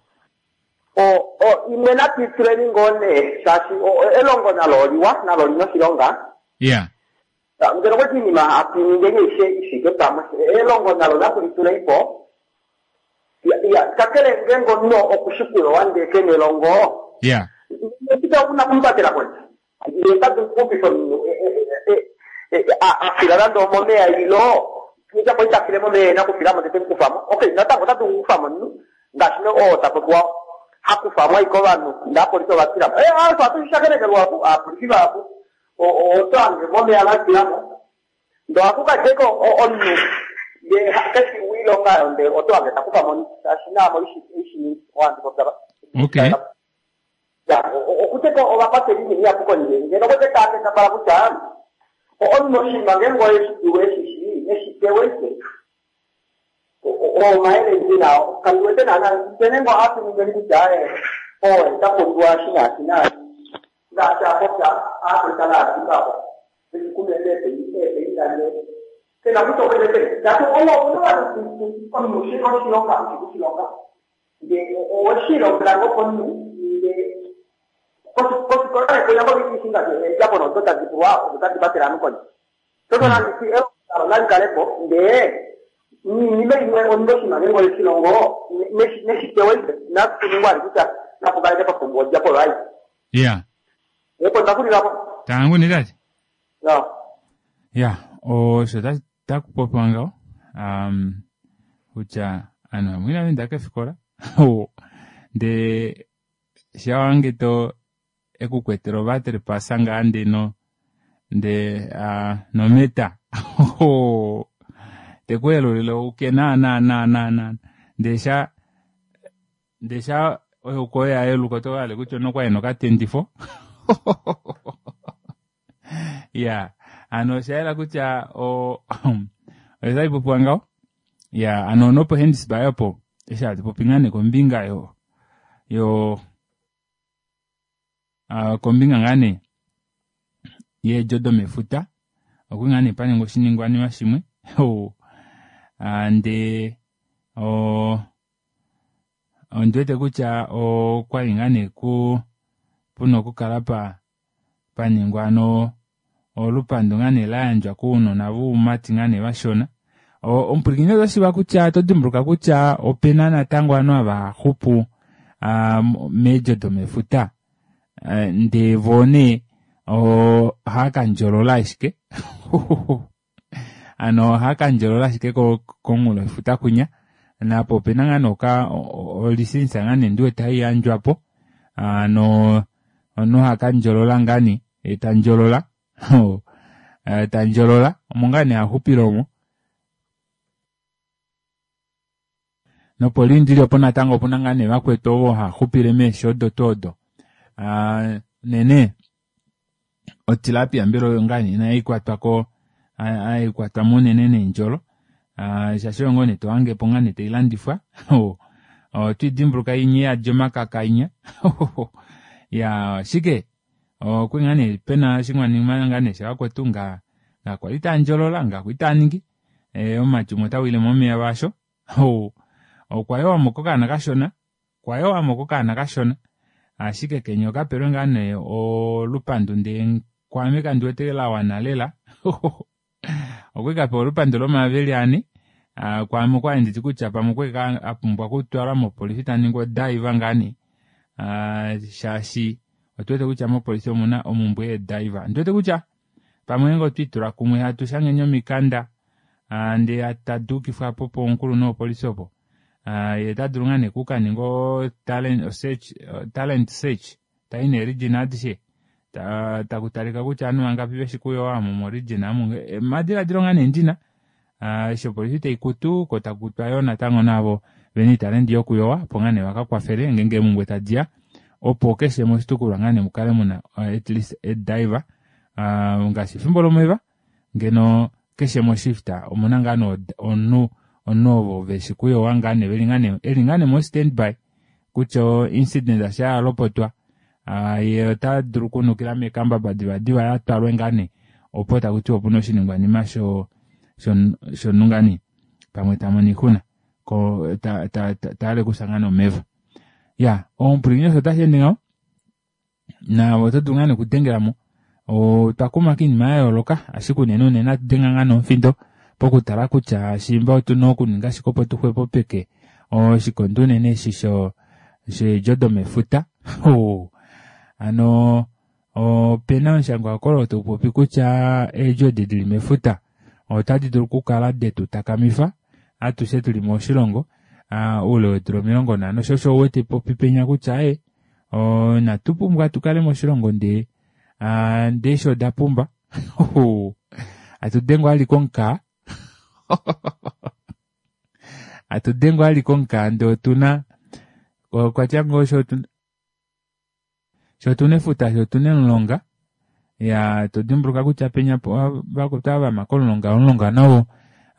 o imwe natu tuleni ngoo nee shaashi elongo nalo oliwa nalo lina oshilonga. Yeah. Ngeno kweti iinima atu ningeni aishe ifike pamwe elongo nalo natu litulei po. Ya, kakele ngeenge omunhu okushikulowa ndee kena elongo Yeah. ita una kumupatela kondje ndee tadu kuxupifa omunhu afila nande omomeya ilo japo itafile momeya ena okufilamo tete mukufamo. Okay, natango otadu kukufamo omunhu ngaashi oo tapopiwa hakufamo ashike ovanhu ndee apolisi ovatilamo. Osho atu lwapu aapolisi vahapu oto hange momeya vatilamo ndee ohakukadjeko omunhu ndee keshi oilonga oyo ndee oto hange takufamo omunhu shaashi naamo ishiningi ohandipopya. Okay. Ya, okuteka ovakwateli iinima ihapu kondje ngeno kwete taakendabala kutya omunhu oshinima ngeenge oeshidiwe eshishi neshipewe ike omayele ndina kandi wete naana nkene ngo atuningeni kutya oe tapumbiwa shinaashi naashi ngaashi apopya aafrika naazimbapo eshikumende epeindane kena kutya okwete ngaashi owo omunhu oshilonga oshikushilonga ndee oweshilongela ngo komunhu ndee kosikola kuya ngo eedjapo nodo tadi pulwa odo tadi vatele ovanhu kondje. Toto nanditi elongo nali kalepo ndee niinima imwe omunhu oshinima ngeenge oshilongo neshipewe nakuningwa ali kutya napukaleke papumbwa odjapo right. Yeah. Epo ndakulilapo. Tangu ne tate? Ya. Ya, osho takupopiwa ngaho. Kutya ovanhu vamwe inava enda kefikola. Ndee shawange to ekukwetela ovatrepasa ngaa ndeno ndee nometa. Tekuelulile uke na na na na na ndee sha oyo ya yeluka oto hale kutya onokwali nokatendifo. Ya, ano osha yela kutya oyo popiwa ngaho. Ya, ano nopo Henties Bay opo eshi hatu popi ngaa nee kombinga yo kombinga ngaa nee yeedjo domefuta okuli ngaa nee paningwa oshiningwanima shimwe. Ndee ondiwete kutya okwali ngaa nee puna okukala paningwa ano olupandu ngaa nee layandjwa kounona voumati ngaa nee vashona. Omupwilikini oto shiiva kutya oto dimbuluka kutya opena natango ovanhu hava xupu meedjo domefuta ndee voo nee ohava kandjolola ashike. Ano ohava kandjolola ashike komunghulo wefuta kwinya napo opena ngaa nee olisensa ngaa nee ndiwete haiyandjwapo. Ano omunhu hakandjolola ngaa nee tandjolola tandjolola omo ngaa nee haxupile omo. Nopolindili opo natango opuna ngaa nee vakwetu ovo haxupile meeshi odo tuu odo. Nene Otilapia mbela oyo ngaa nee hai kwatwa ko hai kwatwa mo unene neendjolo shaashi oyo ngoo nee to hange po ngaa nee tai landifwa. Otwiidimbuluka inya iyadi omakaka inya. Ya ashike okwali ngaa nee pena oshiningwanima ngaa nee shavakwetu nga kwali taandjolola nga kwali taaningi omumati umwe ota wile momeva asho. Okwa yowamo kokaana kashona, okwa yowamo kokaana kashona ashike kenya okapelwe ngaa nee olupandu ndee kwaame kandi wete lawana lela. Okwali kapewa olupandu lomayovi eli ane, kwaame okwali nditi kutya pamwe okwali apumbwa okutwalwa mopolifi taningwa odive ngaa nee, shaashi otuwete kutya mopolifi omuna omumbwe yeedive. Ondiwete kutya pamwe ngenge otwiitula kumwe hatu shangeni omikanda ndee tadi ukifwa po pomukulunhu wopolifi opo, ye ota dulu ngaa nee okukaninga talent search tai nee region adishe taku talika kutya ovanhu vangapi veshi kuyowa omo mo region amu. Omadiladilo ngaa nee ndina eshi opolifi taikutu ko takutwa yoo natango naavo vena oitalenti yokuyowa opo ngaa nee vakakwafele ngeenge eemumbwe tadiya opo keshe moshitukulwa ngaa nee mukale muna at least ediver ngaashi efimbo lomeva ngeno keshe moshift omuna ngaa nee omunhu ovo veshi kuyowa ngaa nee veli ngaa nee eli ngaa nee mo standby kutya incident asha yalopotwa ye ota dulu okunukila mekambaba divadiva yatwalwe ngaa nee opo takutiwa opuna oshiningwanima shonhu ngaa nee pamwe tamono oixuna ko taale kufya ngaa nee omeva. Ya omupwilikini osho otashi ende ngaho naave oto dulu ngaa nee okudengelamo. Otwa kuma koinima ya yooloka ashike unene unene atu denga ngaa nomufindo pokutala kutya shimba otuna okuninga shike opo tuxwepopeke oshikondo unene eshi sheedjo domefuta. Hano opena omushangwa oo taupopi kutya eedjo edi dili mefuta otadi dulu okukala detu takamifa atushe tuli moshilongo oule weedula 50. Osho osho uwete popi penya kutya natu pumbwa tukale moshilongo ndee ndee eshi oda pumba. Atu dengwa ali komukaa. Atu dengwa ali komukaa ndee otuna okwatya ngoo sho otuna efuta sho otuna emulonga. Ya todimbuluka kutya penya vakwetu ava vama komulonga, omulonga nawo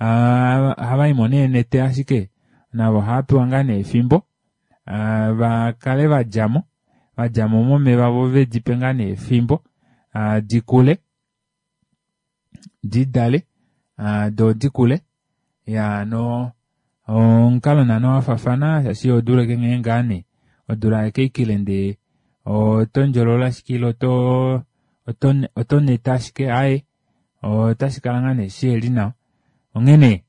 ohavaimo neenete ashike navo ohavapewa ngaa nee efimbo vakale vadjamo vadjamo momeva vo vedipe ngaa nee efimbo dikule didale doo dikule. Ya no omukalo naana wafafana shaashi odula eke nghee ngaa nee odula akeikile ndee oto ndjolola ashike ile oto neta ashike aaye otashi kala ngaa nee shiheli nawa. Onghene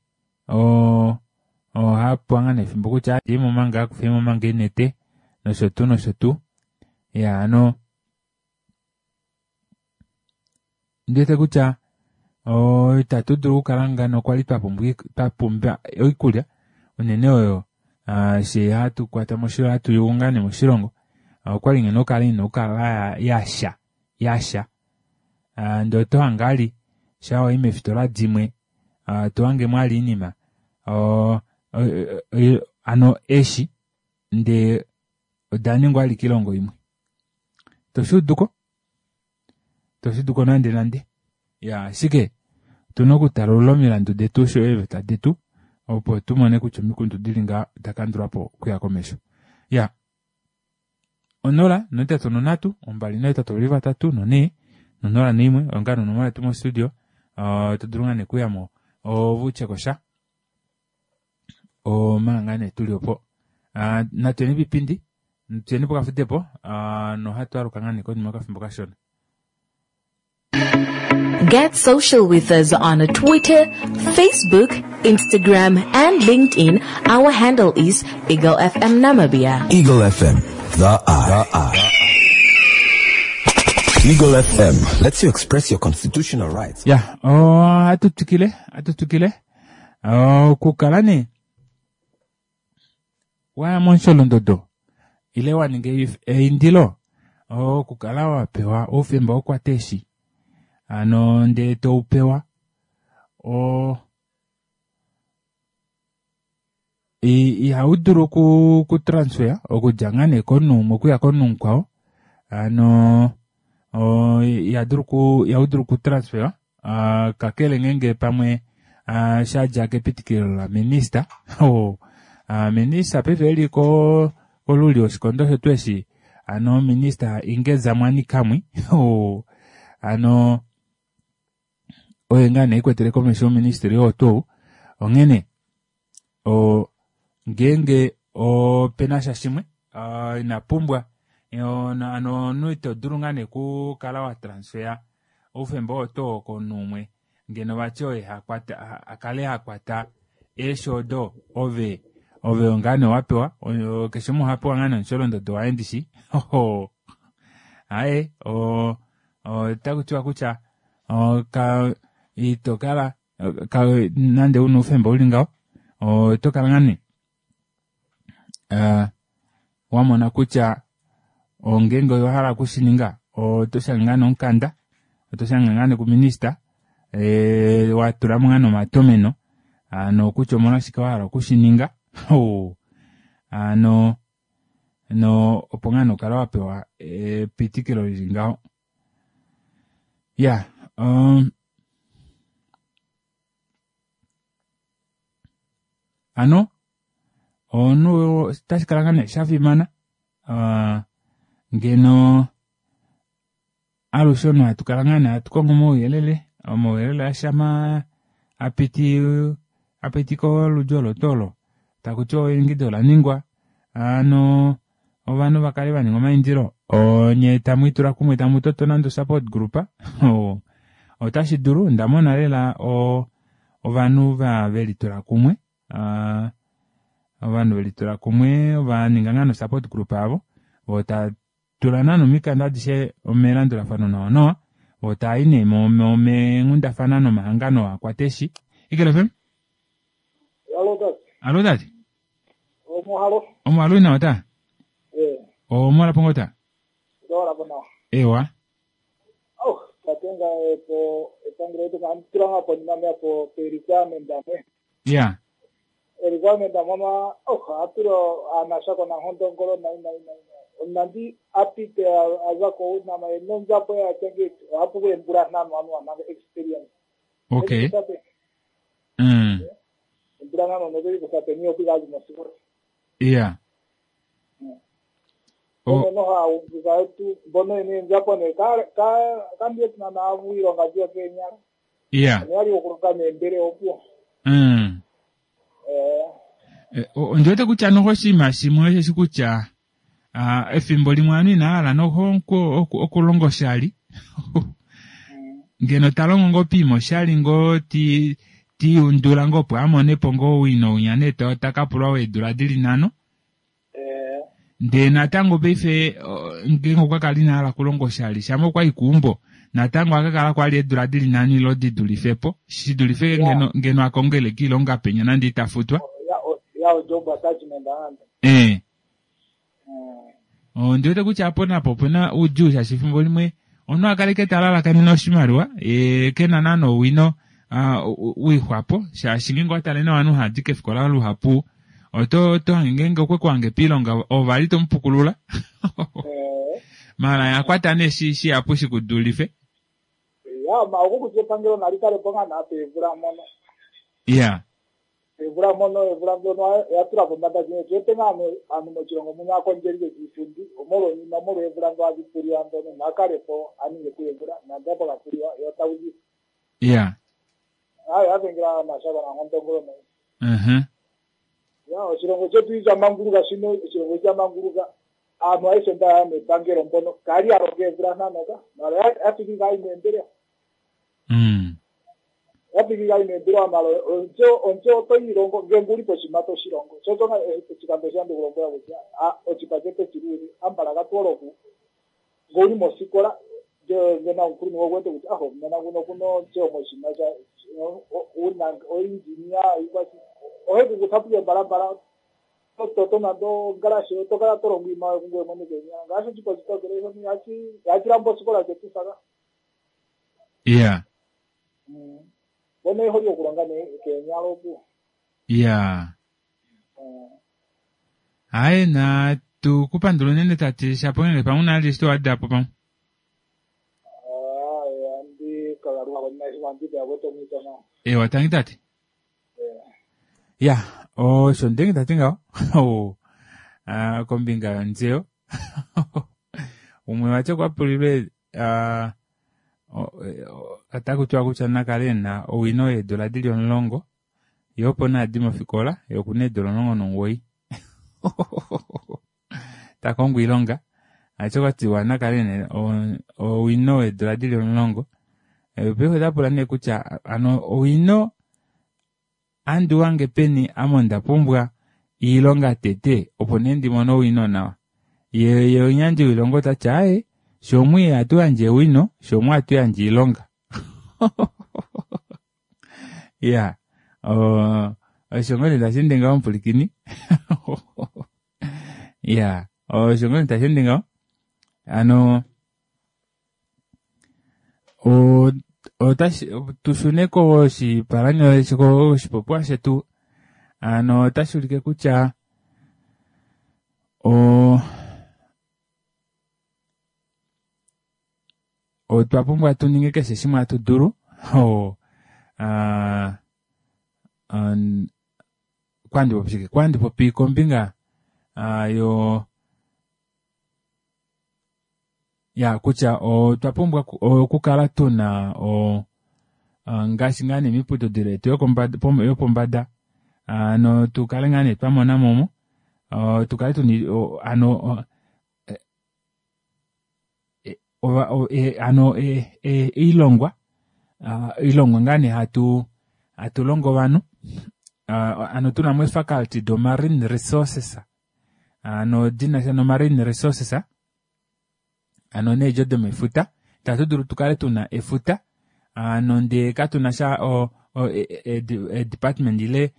ohapewa ngaa nee efimbo kutya djeimo manga kufeimo manga eenete nosho tuu nosho tuu. Ya hano ndiwete kutya itatu dulu okukala ngano kwali twapumbwa oikulya unene oyo she hatu kwata moshilongo hatu yugu ngaa nee moshilongo okwali ngeno okukala ina okukala yasha yasha ndee oto hange ali sha wayi meefitola dimwe to hange mwali oinima hano eshi ndee oda ningwa ali koilongo imwe toshuuduko toshuuduko nande nande. Ya ashike otuna okutalulula omilandu detu osho eeveta detu opo tumone kutya omikundu dili ngaa dakandulwapo okuya komesho. Ya 0 8 3 2 8 3 4 0 1 oyo ngaa nonomola yetu mostudio. To dulu ngaa nee okuyamo ovutyekosha omanga ngaa nee tuli opo. Natuyeni piipindi tuyeni pokafudepo nohatu aluka ngaa nee konima yokafimbo kashona. Get social with us on Twitter, Facebook, Instagram, and LinkedIn. Our handle is Eagle FM Namibia. Eagle FM, the eye. Eagle FM lets you express your constitutional rights. Ya, atutukile, atutukile. Okukala nee waya momusholondodo ile waninga eindilo okukala wapewa oufemba wokukwata eeshi hano ndee toupewa ihaudulu okutransfer okudja ngaa nee komunhu umwe okuya komunhu mukwao. Hano Iha dulu ku iha dulu okutransferwa kakele ngeenge pamwe sha dja kepitikilo laminista. Minista paife eli ko koluli oshikondo shetu eshi ano minista Inge Zamwani Kamwi ano oye ngaa nee ekwetele komesho oministry oo tuu onghene ngeenge opena sha shimwe ina pumbwa ano omunhu ito dulu ngaa nee okukala wa transfer oufemba oo tuu komunhu umwe ngeno vati oye hakwata akale hakwata eeshi odo ove ove ngaa nee wapewa keshe umwe ohapewa ngaa nee omusholondodo waye ndishi aaye otaku tiwa kutya ito kala nande una oufemba uli ngaho oto kala ngaa nee wamona kutya ngeenge owahala okushininga oto shange ngaa nee omukanda oto shange ngaa nee kuminista watulamo ngaa nee omatomeno ano kutya omolwashike wahala okushininga ano no opo ngaa nee ukale wapewa epitikilo lili ngaho ya ano omunhu otashi kala ngaa nee shafimana ngeno alushe omunhu hatu kala ngaa nee hatu kongo omauyelele omauyelele ashama apiti apiti kolulyo olo tuu olo takuti eingido olaningwa ano ovanhu vakale vaninga omaindilo onye tamwiitula kumwe tamutoto nande support group otashi dulu ondamona lela ovanhu velitula kumwe ovanhu velitula kumwe ovaninga ngaa no support group avo voo tula naana omikanda adishe melandulafano nawa nawa vo taayi nee meenghundafana nomahangano akwata eeshi. Eagle FM? Alo tate. Alo tate. Omuhalo. Omuhalo ina ota? Eh. Omola pongo ta? Ndola po nawa. Ewa. Oh, tate nga po epangelo letu nga tula nga po nima po pe requirement amwe. Yeah. Requirement amwe oh, atulo anashako na hondo ngolo na ina ina ina. Nandi apite aza ko unama nonzapo ya change hapo kwe mbura nano anu ananga experience. Okay. Mbura nano nobeli kusape niyo pigazi mosikoro. Yeah. Oh. No ha ungiza tu bono ni nzapo ne ka ka kambie tuna na avu ilonga jio Kenya. Yeah. Ni ali okuruka mbere opo. Ondiwete kutya noho oshinima shimwe osheshi kutya efimbo limwe ovanhu inahala noho okulonga oshali ngeno talongo ngoo piima oshali ngoo tiundula ngoo opo amonepo ngoo owino winya nee takapulwa weedula dili nhano ndee natango paife ngeenge okwa kala inahala okulonga oshali shama okwayi keumbo natango akakala kwali eedula dili nhano ile didulifepo shidulife ngeno akongele kiilonga penya nande itafutwa ondiwete kutya apo napo opena oudjuu shaashi efimbo limwe omunhu akale ke talalakanene oshimaliwa kena naana owino wixwapo shaashi ngeenge owatale nawa ovanhu haadi kefikola luhapu oto hange ngeenge okwe kuhange piilonga ovali tomupukulula mala yakwata nee shihapu shikudulife ya ma okukutya epangelo nali kale po ngaa naa peevula mono ya evula mono evula ndjono ya tula pombanda shine tuwete ngaa aantu moshilongo muno akondjelile kiipundi omolwonima molwa evula ndo adhi puliwa ndono nakale po aninge kuevula nande apo kapuliwa yo tauzi ya ayo avengela mashaka nangondongolo nayo ya oshilongo chetu ichamanguluka shino oshilongo ichamanguluka aantu aishe ndaya mepangelo mbono kali alonga evula nhanoka mala yafiki kaimeendelea yafiki kaimeendelea mala onje oto ilongo ngenge uli poshima toshilongo chocho oshikando shande kulombwela kutya oshipa chetu chiluli ambala katwoloku ngouli mosikola ngena omukulunhu wokuwete kutya aho nena kuno kuno onje omoshima sha una oinjinia ikwasi ohekukuthapuke mbalambala toto nando ngalashe otokala tolongo iimaliwa kungoye mwene kenya ngaashi oshipa chitokele yachilambo osikola chetu saka yeah bono eholi okulonga kenya lopu yeah hayi na tukupandula unene tati shapo ngenge pamwe unali eshi towadapo pamwe. Ewa, tangi tate. Ya, osho ndenge tati ngaho. Oh, ah, kombinga yontseyo. Umwe vati okwa pulilwe ah, otaku tiwa kutya nakale e na owino yeedula di li 10, ye opo nee adi mofikola, ye oku na eedula 19. Ta kongo oilonga, vati okwa tiwa nakale e na owino weedula di li 10. Paife ota pula nee kutya ano owino andi wange peni ame onda pumbwa iilonga tete opo nee ndi mone owino nawa. Ye ye omuyandji woilonga ota ti aaye, shomwe ihatu yandje owino, shomwe ohatu yandje iilonga. Ya, osho ngoo nee tashi ende ngaho omupwilikini. Ya, osho ngoo nee tashi ende ngaho. Ano otashi tu shune koshipalanyole koshipopiwa shetu. Ano otashi ulike kutya otwa pumbwa tu ninge keshe shimwe hatu dulu. Kwandi popi shike? Kwandi popi kombinga yo ya kutya otwa pumbwa okukala tuna ngaashi ngaa nee miiputudhilo yetu yopombada, ano tu kale ngaa nee twa mona mo mo, tu kale tuna ano ano iilongwa, iilongwa ngaa nee hatu longo ovanhu, ano tuna mo eefaculty do marine resources, ano dina sha no marine resources, ano needjo domefuta, itatu dulu tukale tuna efuta, ano ndee katuna sha department ile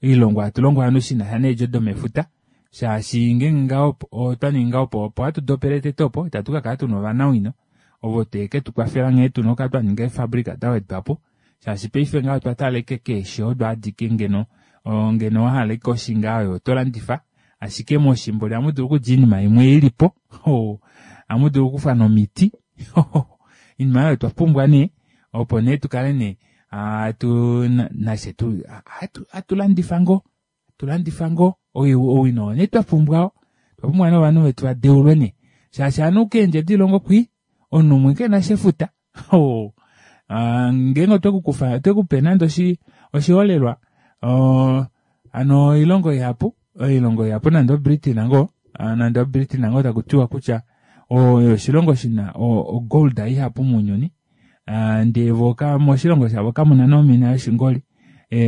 oilongwa hatu longo ovanhu shina sha needjo domefuta, shaashi ngeenge ngaho otwa ningi ngaho opo hatu dopele tete opo, itatu ka kala tuna ovanawino ovo tee ke tu kwafela nghee tuna okukala twa ninga eefabrika da wedwa po, shaashi paife ngaho otwa tala ashike keeshi odo adike ngeno, ngeno wa hala ashike oshi ngaho oyo oto landifa, ashike moshimboli ohamu dulu okudja oinima imwe ili po, ohamu dulu okukufa nomiti, oinima oyo twa pumbwa nee, opo nee tukale nee hatu nashe tu hatu landifa ngoo, hatu landifa ngoo owino oo nee twa pumbwa oo, otwa pumbwa nee ovanhu vetu va deulwe nee, shaashi ovanhu keendje dilongo kwi omunhu umwe kena sha efuta. Ngeenge otwe kukufa, otwe kupe nande oshiholelwa, ano oilongo ihapu, oilongo ihapu nande oBritain ngoo, nande oBritain ngoo taku tiwa kutya oyo oshilongo shina ogold ihapu mounyuni, ndee vo moshilongo shavo kamuna nomina yoshingoli.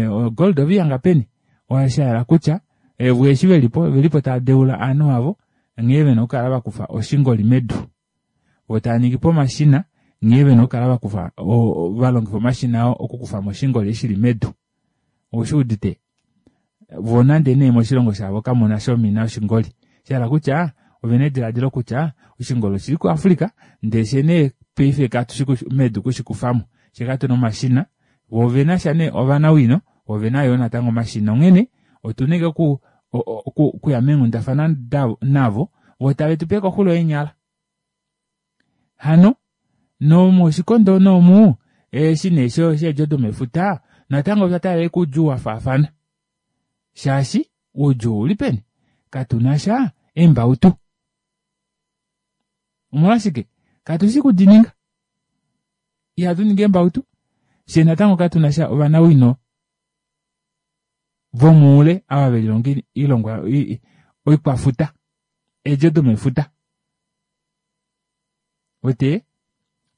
Ogold ove ihanga peni? Osha hala kutya vo eshi velipo, ovelipo tava deula ovanhu avo nghee vena okukala vakufa oshingoli medu. Vo tava ningi po omashina nghee vena okukala vakufa, va longifa omashina oo okukufa mo oshingoli eshi shili medu. Oushi udite? Vo nande nee moshilongo shavo kamuna sha omina yoshingoli. Sha hala kutya ovena ediladilo kutya oshingoli oshili kuAfrica ndee fye nee paife katushi medu kushikufamo. Fye katuna omashina, vo ovena sha nee ovanawino, vo ovena yoo natango omashina. Onghene otuna ashike okuya meenghundafana navo, vo tave tu pe koxulo yeenyala. Hano nomoshikondo noomu eshi nee sheedjo domefuta natango otwa taalela oudjuu wa faafana. Shaashi oudjuu ouli peni? Katuna sha eembautu. Omolwashike? Katu shi kudininga. Ihatu ningi eembautu. Fye natango katuna sha ovanawino vomuule ava ve lilonga oilongwa oikwafuta, eedjo domefuta. Wete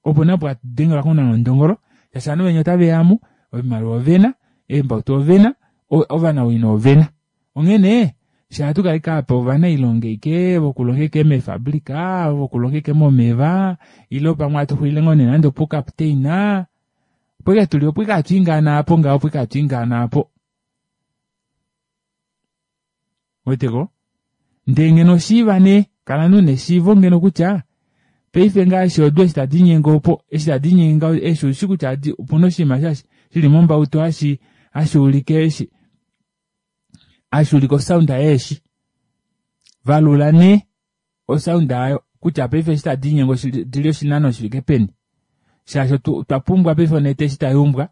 opo napo hatu dengelwa konangondongolo shaashi ovanhu venya otave ya mu, oimaliwa ovena, eembautu ovena, ovanawino ovena. Onghene fye ohatu kala ashike apa ovanailonga ashike vokulonga ashike meefabrika, vokulonga ashike momeva, ile pamwe hatu xulile ngoo nee nande opuukapteina, opo ashike tuli opo ashike hatu ingaana apo ngaho, opo ashike hatu ingaana apo. Weteko? Ndee ngeno shiiva nee, kala nee una eshiivo ngeno kutya paife ngaashi odu eshi tadi linyenge opo, eshi tadi linyenge ngaho, eshi ushi kutya opuna oshinima shili mombautu hashi, hashi ulike eshi, hashi ulike osound yeeshi. Valula nee osound ayo kutya paife eshi tadi linyenge odili oshinano shifike peni. Shaashi otwa pumbwa paife onete eshi tai umbwa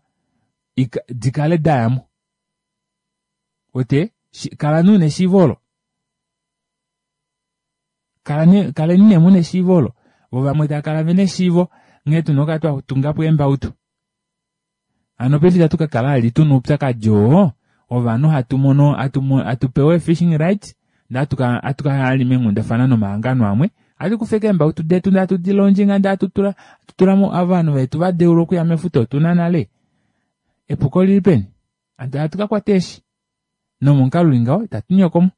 di kale da ya mo. Wete? Kala nee una eshiivo olo. Kaleni nee muna eshiivo olo. Vo vamwe tava kala vena eshiivo nghee tuna okukala twa tunga po eembautu. Hano paife itatu ka kala vali tuna oupyakadi oo wovanhu hatu mono hatu pewa ee-fishing rights ndee hatu ka ya vali meenghundafana nomahangano amwe hatu kufa ashike eembautu detu ndee hatu di londjinga ndee hatu tula tulamo ovanhu vetu va deulwa okuya mefuta otuna nale. Epuko olili peni? Hatu hatu ka kwata eeshi nomomukalo uli ngaho itatu nyokomo.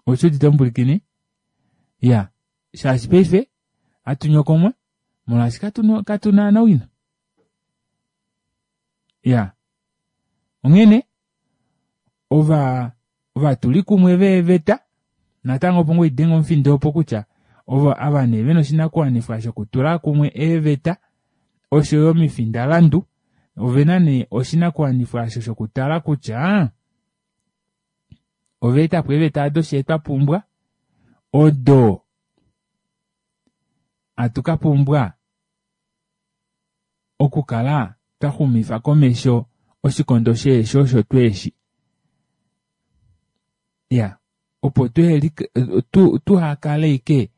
Oushi udite omupulikini? Ya, shaashi paife hatu nyokomwa molwaashi katu na owino. Ya, onghene ova ovatulikumwe veeveta natango opo ngoo idenge omufindo opo kutya ovo ava nee vena oshinakuwanifwa shokutula kumwe eeveta osho yo omifindalandu ovena nee oshinakuwanifwa osho shokutala kutya ova eta po eeveta odo shee twa pumbwa odo hatu ka pumbwa okukala twa xumifa komesho oshikondo sheeshi osho tweeshi. Ya, opo tuhakale ike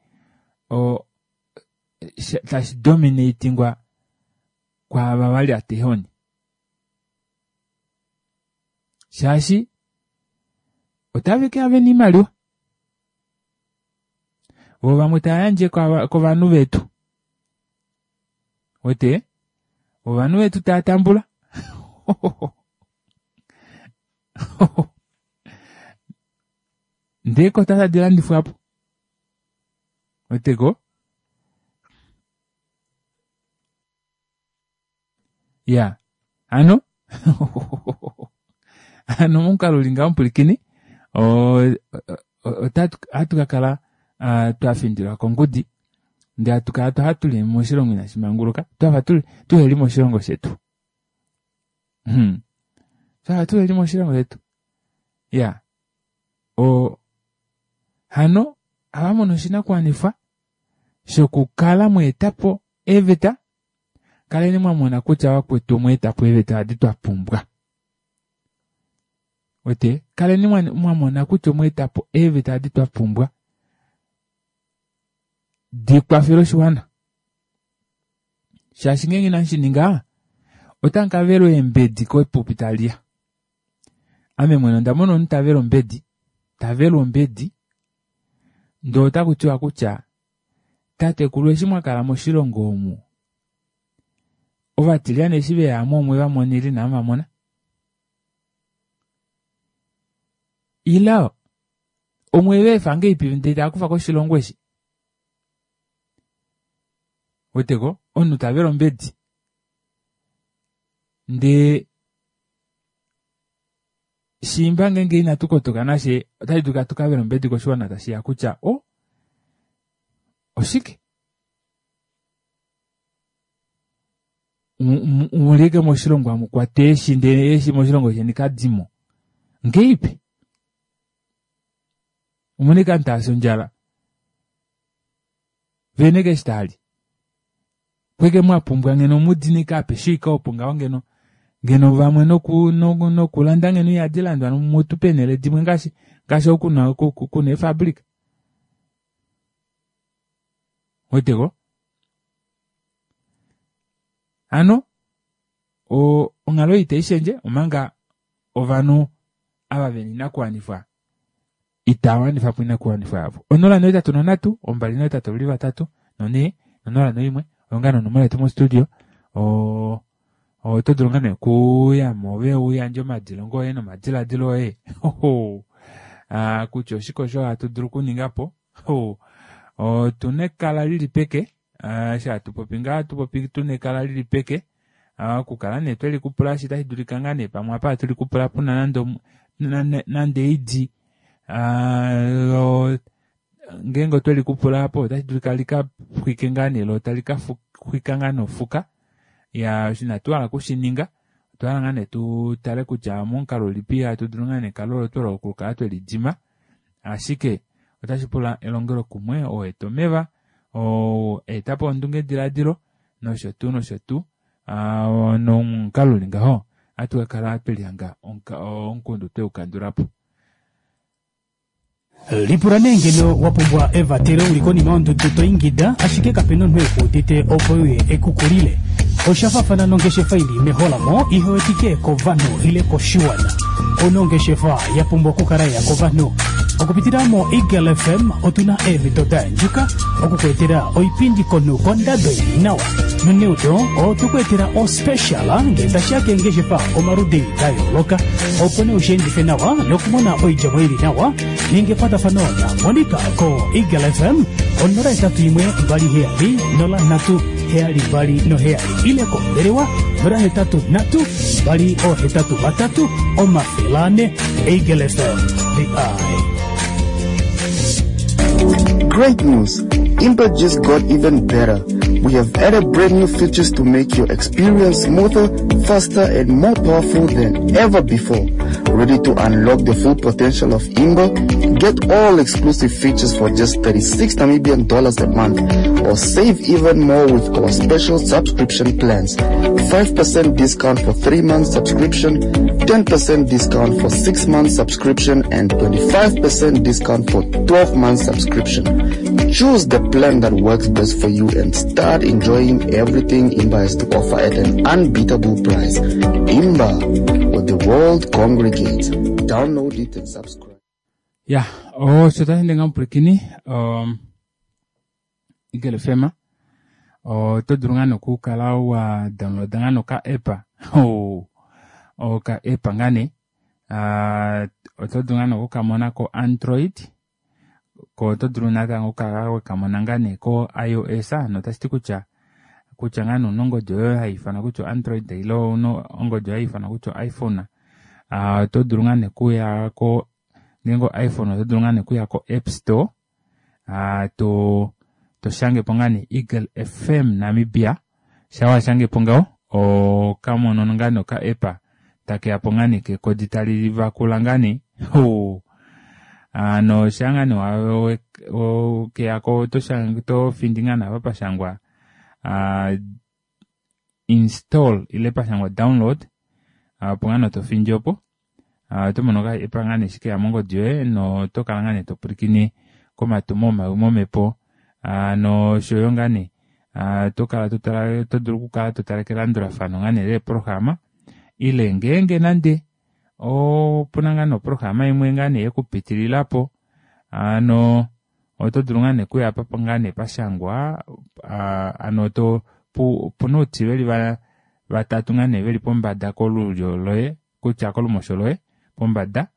tashi dominatingwa kwaava vali atehoni. Shaashi otave ke ya vena oimaliwa. Vo vamwe tava yandje kovanhu vetu. Wete? Ovanhu vetu tava tambula. Ndee kota tadi landifwa po. Wete ko? Ya. Hano? Hano momukalo uli ngaho omupwilikini, ohatu ka kala twa findilwa kongudi ndee hatu kala twafa tuli moshilongo inashi manguluka, twafa tuheli moshilongo shetu. Hmm. Twafa tuheli moshilongo shetu. Ya. O, hano, ava mono oshinakuwanifwa shokukala mweeta po eeveta, kaleni mwa mona kutya vakwetu omweeta po eeveta adi twa pumbwa. Wete, kaleni mwa mona kutya omweeta po eeveta adi twa pumbwa di kwafele oshiwana. Shaashi ngeenge inamu shi ninga, otamu ka velwa eembedi kepupi tali ya. Ame mwene onda mona omunhu ta vele ombedi, ta velwa ombedi, ndee otaku tiwa kutya tatekulu eshi mwa kala moshilongo omu, ovatilyane eshi veya mo omwe va mona ile inamu va mona? Ile omwe va efa ngahelipi ndee tava kufa ko oshilongo eshi? Weteko, omunhu ta vele ombedi ndee shiimba ngeenge inatu kotoka nashe otashi dulika tu ka vele ombedi koshiwana tashi ya kutya o oshike mulike moshilongo amu kwata eeshi ndele eeshi moshilongo sheni kadimo ngeipi omune ka ntaasi ondjala vene keshi taali kweke mwa pumbwa ngeno mudinike apeshe ika opo ngaho ngeno ngeno vamwe noku noku nokulanda ngeno ihadi landwa mutu peenhele dimwe ngaashi ngaashi oku kuna kuna eefabrika weteko hano onghalo ei itayi omanga ovanhu ava vena oinakuwanifwa itava wanifa po oinakuwanifwa yavo. 083 283 4 no01 oyo ngaa nonomola yetu mostudio. Oto dulu ngaa nee okuyamo ove uyandje omadilongo oye nomadiladilo oye kutya oshike osho hatu dulu okuninga po. Otuna ekala lili peke eshi hatu popi ngaa hatu popi tuna ekala lili peke okukala nee tweli kupula shi tashi dulika ngaa nee pamwe apa hatu likupula puna nande nande eidi ngeenge otwe likupula apo otashi dulika lika xwike ngaa nee lo tali ka xwika ngaa nofuka ya inatu hala okushininga otwa hala ngaa nee tu tale kutya momukalo ulipi hatu dulu ngaa nee ekalo olo twelo okukala tweli dima ashike otashi pula elongelokumwe oo eta omeva. Oo eta po ondungediladilo nosho tuu nosho tuu. Nomukalo uli ngaho ohatu ka kala twe lihanga omukundu twe u kandula po. Lipula nee ngeno wa pumbwa evatelo uli konima yondudu to ingida ashike kape na omunhu eku udite opo euye eku kulile. Osha faafana nongeshefa ili meholamo ihe wetike kovanhu ile koshiwana. Ouna ongeshefa ya pumbwa okukala yeya kovanhu. Okupitila mo Eagle FM otuna eemhito da yandjuka oku ku etela oipindi komunhu kondado ili nawa. Noneudo otwe ku etela ospecial ngee tashiya keengeshefa omaludi da yooloka opo nee ushiendife nawa nokumona oidjemo ili nawa. Ninga ekwatafano na Monica ko Eagle FM ko 081 27 03 72 ile kombelewa 083 283 400. Eagle FM, the eye. Great news! Impact just got even better. We have added brand new features to make your experience smoother, faster, and more powerful than ever before. Ready to unlock the full potential of Imba? Get all exclusive features for just 36 Namibian dollars a month or save even more with our special subscription plans. 5% discount for 3 months subscription, 10% discount for 6 months subscription, and 25% discount for 12 months subscription. Choose the plan that works best for you and start enjoying everything Imba has to offer at an unbeatable price. Imba, where the world congregates. Download it and subscribe. Ya, osho tashi ndenga mupwilikini um, Eagle FM oto dulu ngaa nokukala wa downloada ngaa noka app oh, oka app ngaa nee uh, oto dulu ngaa nokukamona ko Android ko oto dulu natango okukala wekamona ngaa nee ko iOS notashi ti kutya kutya ngaa nee una ongodi yoye hai ifanwa kutya Android ile una ongodi yoye hai ifanwa kutya iPhone oto dulu ngaa nee okuya ko ngeenge iPhone oto dulu ngaa nee okuya ko App Store to to shange po ngaa nee Eagle FM Namibia sha wa shange po ngaho okamono ngaa nee oka app takeya po ngaa nee kekodi tali vakula ngaa nee ano sha ngaa nee keyako to findi ngaa nee apa pashangwa install ile pashangwa download opo ngaa nee to findi opo oto mono ka app ngaa nee eshi keya mongodi yoye noto kala ngaa nee to pwilikine komatumo omawi momhepo noshoyo ngaa nee to kala to tala to dulu okukala to tale kelandulafano ngaa nee leeprograma ile ngeenge nande opuna ngaa nee oprograma imwe ngaa nee yekupitililapo ano oto dulu ngaa nee okuya apa ngaa nee pashangwa ano to opuna outi veli vatatu ngaa nee veli pombada kolulyo loye kutya kolumosho loye pombada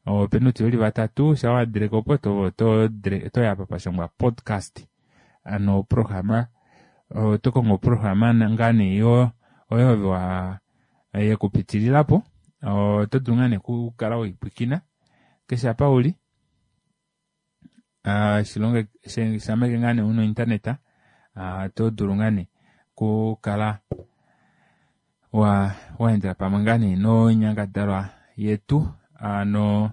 opena outi veli vatatu sha wadileka opo otoya apa pashangwa podcast ano oprograma oto kongo oprograma ngaa nee oyo ove wa yekupitililapo oto dulu ngaa nee okukala weipwikina keshe apa uli shilonge shameke ngaa nee una ointernet oto dulu ngaa nee okukala wa waendela pamwe ngaa nee noinyangadalwa yetu ano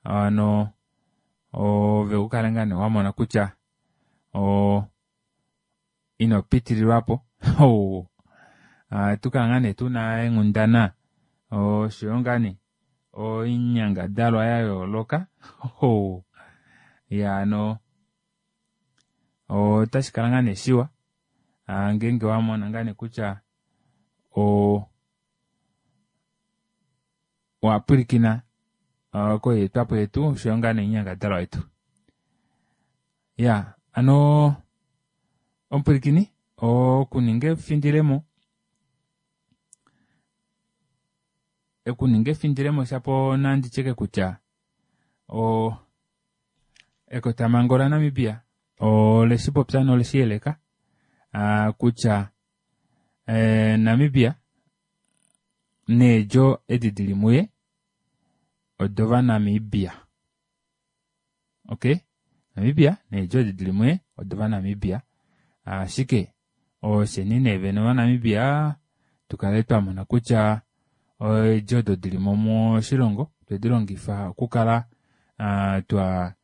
ano ove ukale ngaa nee wamona kutya o ino pitililwapo tukala ngaa nee tuna eenghundana oshoyo ngaa nee oinyangadalwa ya yooloka ya ano otashi kala ngaa nee shiwa ngeenge wamona ngaa nee kutya owa pwilikina koyeetwapo yetu oshoyo ngaa nee oinyangadalwa yetu ya ano omupwilikini okuninga efindilemo okuninga efindilemo shapo nandi tyeke kutya o ekotamhango laNamibia oleshi popya noleshi yeleka kutya Namibia needjo edi dili muye odovanamibia. Ok, Namibia needjo edi dili muye odovanamibia. Ashike osheni nee vene ovanamibia tukale twamona kutya eedjo odo dili mo moshilongo twedi longifa okukala twa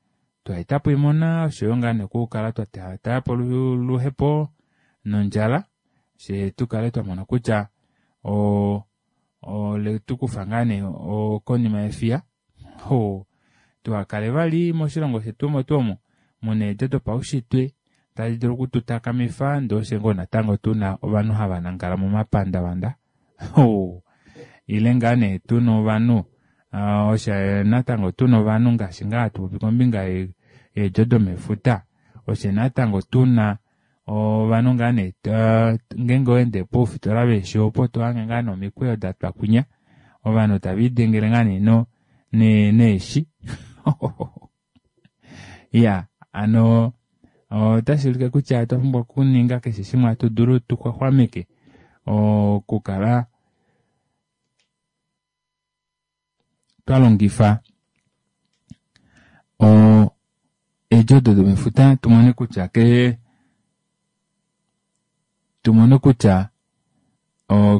Twa eta po oimona oshoyo ngaa nee okukala twa taya po oluhepo nondjala fye tu kale twa mona kutya o ole tu kufa ngaa nee konima yefiya ho tuhakale vali moshilongo shetu omo tuu omo muna eedjo dopaushitwe tadi dulu okututakamifa ndee ofye ngoo natango tuna ovanhu hava nangala momapandavanda ho ile ngaa nee tuna ovanhu Osha natango tuna ovanhu ngaashi ngaa hatu popi kombinga yeedjo domefuta oshe natango tuna ovanhu ngaa nee ngeenge owaende poufitola veeshi opo to hange ngaa nee omikweyo datwa kwinya ovanhu tave lidengele ngaa nee neeshi iya hano otashi ulike kutya otwa pumbwa okuninga keshe shimwe hatu dulu tu xwaxwameke okukala twa longifa eedjo odo domefuta tu mone kutya ke tu mone kutya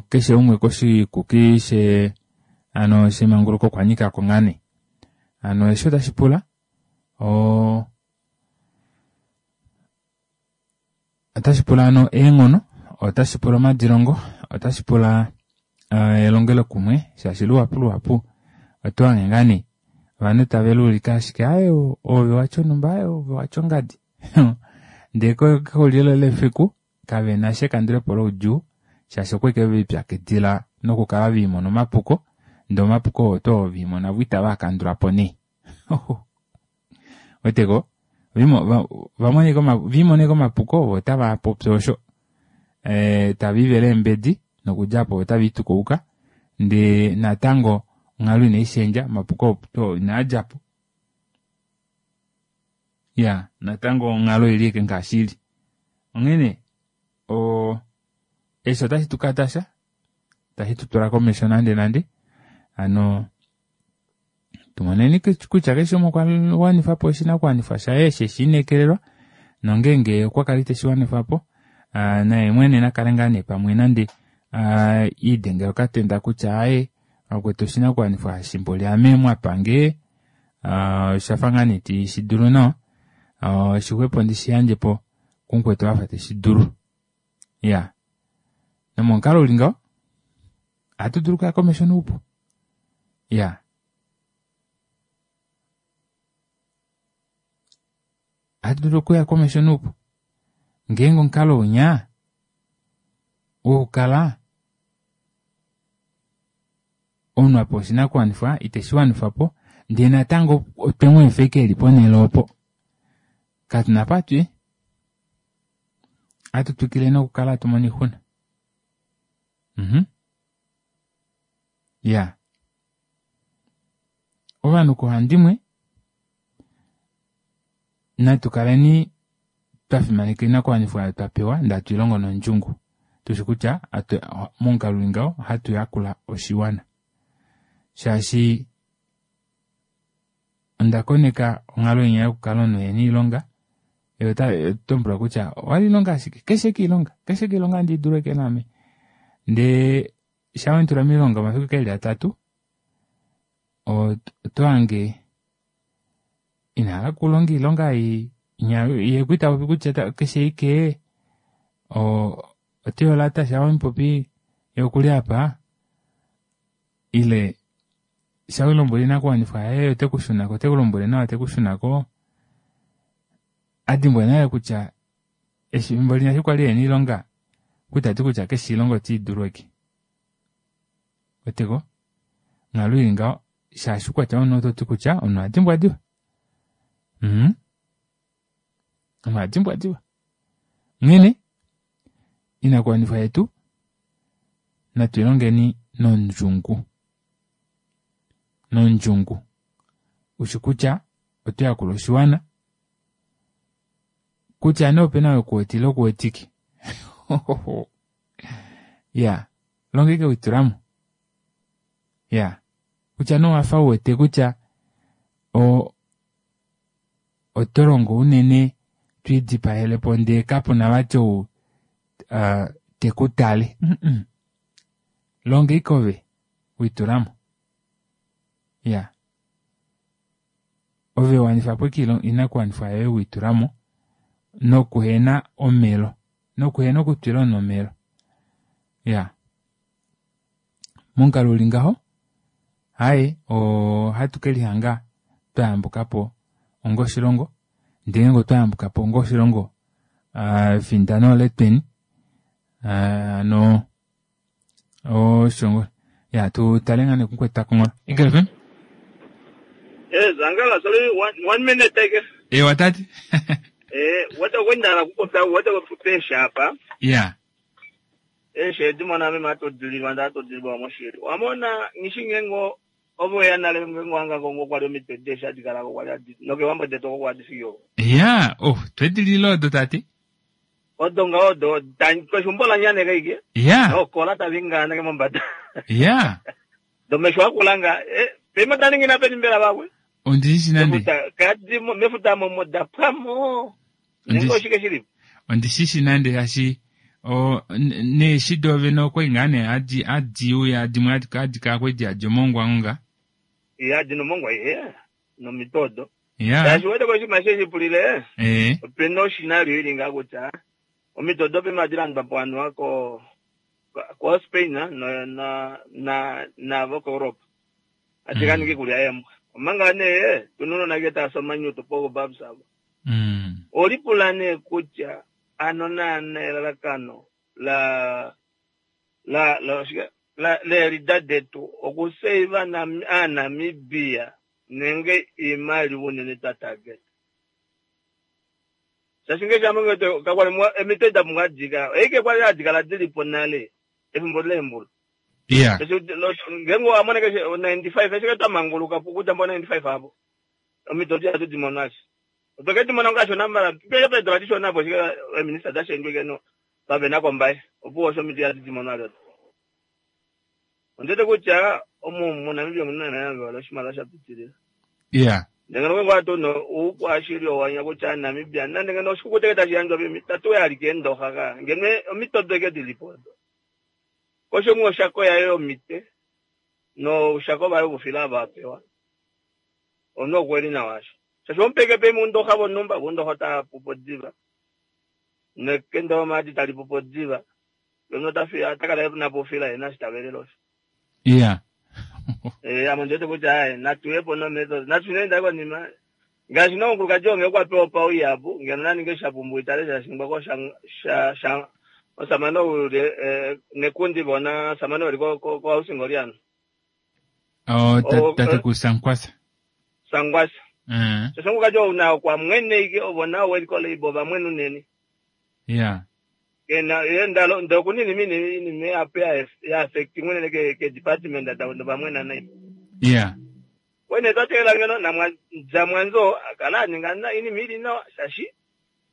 keshe umwe koshikuki she ano shemanguluko okwa nyika ko ngaa nee. Hano eshi otashi pula Otashi pula ano eenghono, otashi pula omadilongo, otashi pula eh, elongelokumwe shaashi luhapu luhapu oto hange ngaa nee ovanhu tave luulike ashike aye ove watya onhumba aye ove watya ongadi ndee kexulilo lefiku kave na sha ekandulepo loudjuu shaashi okwa ike ve lipyakidila nokukala ve imona omapuko ndee omapuko oo oto ve imona vo itava kandula po nee weteko viimoneko omapuko vo otava popi osho eh, tava ivele eembedi nokudja apo otava itukauka ndee natango onghalo inai shendja omapuko opo inaa dja po ya natango onghalo oili eke ngaashi ili onghene o eshi otashi tu katasha tashi tu tula komesho nande nande hano Tumoneni kutya keshe umwe okwa wanifa po oshinakuwanifwa shaye eshi eshi inekelelwa, nongeenge okwa kala ite shi wanifa po, naye mwene na kale ngaa nee pamwe nande iidengele okatenda kutya aaye vakwetu oshinakuwanifwa eshi mboli ame mwa pa nge osha fa ngaa nee iti shi dulu nawa, oshixwepo ndi shi yandje po kumukwetu afa te shi dulu. Ya, nomomukalo uli ngaho ohatu dulu okuya komesho noupu. Ya. Ohatu dulu okuya komesho noupu ngeenge omukalo unya wokukala omunhu a pewa oshinakuwanifwa iteshi wanifa po ndee natango otwe mu efa ashike eli ponhele opo katuna apa hatu i ohatu twikile nokukala hatu mono oixuna. Mhm. Ya. Ovanhu koohandimwe natu kaleni twa fimaneka oinakuwanifwa oyo twa pewa ndee hatu i longo nondjungu. Tushi kutya momukalo uli ngaho ohatu yakula oshiwana. Shaashi onda koneka onghalo inya yokukala omunhu ehena oilonga ye ota tombwelwa kutya owali ilonga ashike keshe eke ilonga keshe eke ilonga andi dulu eke naame ndee sha wentula miilonga omafiku keli atatu oto hange ina hala okulonga iilonga ei ye ku ita popi kutya keshe ike oteyola sha wemupopi ye okuli apa ile sha wemulombwele oinakuwanifwa yaye ote ku shunako ote ku lombwele nawa te ku shunako a dimbwa nale kutya efimbo linya eshi kwali ehena oilonga okwali tati kutya keshe oilonga ote idulu eke weteko onghalo ili ngaho shaashi oukwatya womunhu oto ti kutya omunhu oha dimbwa diva mm omunhu oha dimbwa diva onghene inakuwanifwa yetu natu ilongeni nondjungu nondjungu ushi kutya oto yakula oshiwana kutya nee opena oo ekuwete ile kuwetike ya longa ike witulamo ya kutya nee owafa uwete kutya o oto longo unene twiidipahele po ndee kapuna vati ou uh, te ku tale mm -mm. longa ike ove witulamo ya. Ove wanifa po ashike oinakuwanifwa yoye weitula mo nokuhena omelo nokuhena okutwila omunhu omelo. Ya momukalo uli ngaho haye ohatu ke lihanga twa yambuka po onga oshilongo ndele ngeenge otwa yambuka po onga oshilongo efindano oletweni hano osho ngo ya tu tale ngaa nekumukwetu takongola Eagle FM. Eh, Zangala, sorry, one minute take. Ewa tati. Eh, wata kwenda kupopya wata kupesha hapa. Ya. Eeshi edi mona meme atodililwa nda atodililwa moshili. Wamona ngishi ngengo ovo ya nale ngengo anga kongo kwali omitwe deeshi adi kalako kwali adi noke wambo detu oko kwadi fiki oko. Ya, oh, twedilila odo tati. Odo nga odo keshumbo la nyaneka ike. Ya. Okola tavingaaneke mombada. Ya. Domesho akula nga eh, pema taningina peni mbela vakwe. Ondishi nande. Mefuta kadi mefuta momo da pwamo. Nenge oshike shili. Ondishishi nande shaashi o neeshi doovene okwali ngaa nee hadi hadi uya dimwe hadi hadi kala kwali diyadi omongwa ngonga. Ya dina omongwa ye nomito odo. Ya. Shaashi wete koshinima sheshi pulile. Ee. Opena oscenario ili ngaa kutya omito odo pema hadi landwa po anuwa ko ko Spain na na na navo ko Europe. Hadi ka ninga iikulya yeembwa. Omanga nee tuna uunona ke taya si omanyutu po babs avo. Olipula nee kutya ano naana elalakano la la la oshike la leelida detu okuseiva aaNamibia nenge iimaliwa unene twa target. Shaashi ngaashi ame ngwete kakwali emito da pumbwa adika eike kwali adikala dilipo nale efimbo leembulu. Yeah. Ngenge owa mona keshe 95 ashike twa manguluka kudja mbo 95 apo. Omido odi hatu di mono ashe. Otwe ke di mona kashona mala peke peedula dishona apo ashike eeminista da shendjwa ike no pavena kombaye opuwo osho omido ihatu di mono ado. Ondiwete kutya omu moNamibia omuna naana vali oshimaliwa sha pitilila. Yeah. Ndele ngeno ngenge ohatu no oukwashili owanya kutya Namibia nande ngeno oshikukuta eke tashi yandjwa pemi tatu ya alike eendoxa ka ngeno omito odo eke dilipo odo. Kosho oshako yaye yomite noushako vaye vofila ava apewa. Omunhu okwe li nawa asho. Shaashi omupeke pe mundoxa vonhumba, vundoxa ota pupo diva. Nekende lomaadi tali pupo diva. Omunhu ota fi ota kala ena po ofila yena eshi ta velele osho. Yeah. Eh, ame ndiwete kutya aye natu ye po nomethod. Natu shuneni ndai konima. Ngaashi nomukulukadi oo ngee okwa pewa opauyapu, ngeno na ninge shapumbiwa itale sha shingwa ko sha sha sha omusamane ou eh, nekundi vona omusamane ou eli ko ko ko housing oliano. Oh, tatekulu Sankwasa. Sangwasa. Shaashi omukulukadi ou na okwa mwene ike ovo nao weliko leibo ova mwene unene. Yeah. Kena ye ndalo ndo kunini mini inima ihapu ya ya affecting unene ke ke department da ndo vamwena nai. Yeah. Wene twa teelela ngeno namwa Jamwanzo akala aninga na inima ili nawa shaashi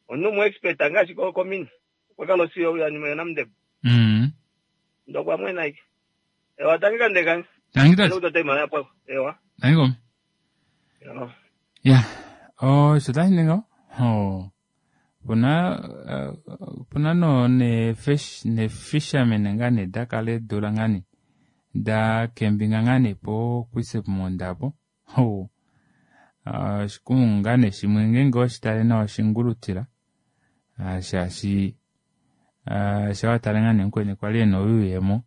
omunhu mu expert ngaashi ko komina. Okwa kala osiyo ya nima yonamundebo. Ndo kwa mwena ike. Ewa tangi kande kange. Tangi tati. Ndo imaliwa ya pwako. Ewa. Tangi komi. Ewa. Ya. Osho tashi ningi oh. Opuna opuna no ne fish ne fisherman ngaa ne da kala eedula ngaa ne da kembinga ngaa ne po Kuisebmond apo oh. Oshikumungu ngaa ne shimwe ngeenge oweshi tale nawa oshingulutila shaashi sha watale ngaa nee mukweni kwali ena oyuuyemo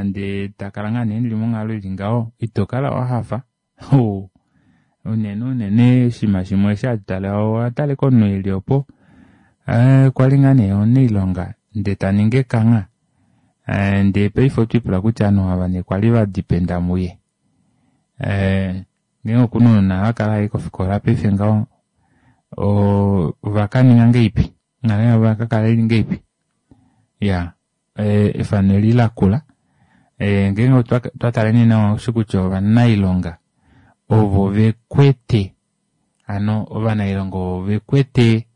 ndee takala ngaa nee muli monghalo ili ngaho ito kala wahafa unene unene oshinima shimwe eshi hatu tale owatale komunhu eli opo kwali ngaa nee omunailonga ndee taningi ekangha ndee paife otwiipula kutya ovanhu ava nee kwali vadipenda muye ngeenge okuna ounona vakala hai kofikola paife ngaho ovakaninga ngahelipi onghalo yavo oyakakala ili ngahelipi iya efano eli lakula ngeenge otwa tale nee nawa osho kutya ovanailonga ovo vekwete hano ovanailonga ovo vekwete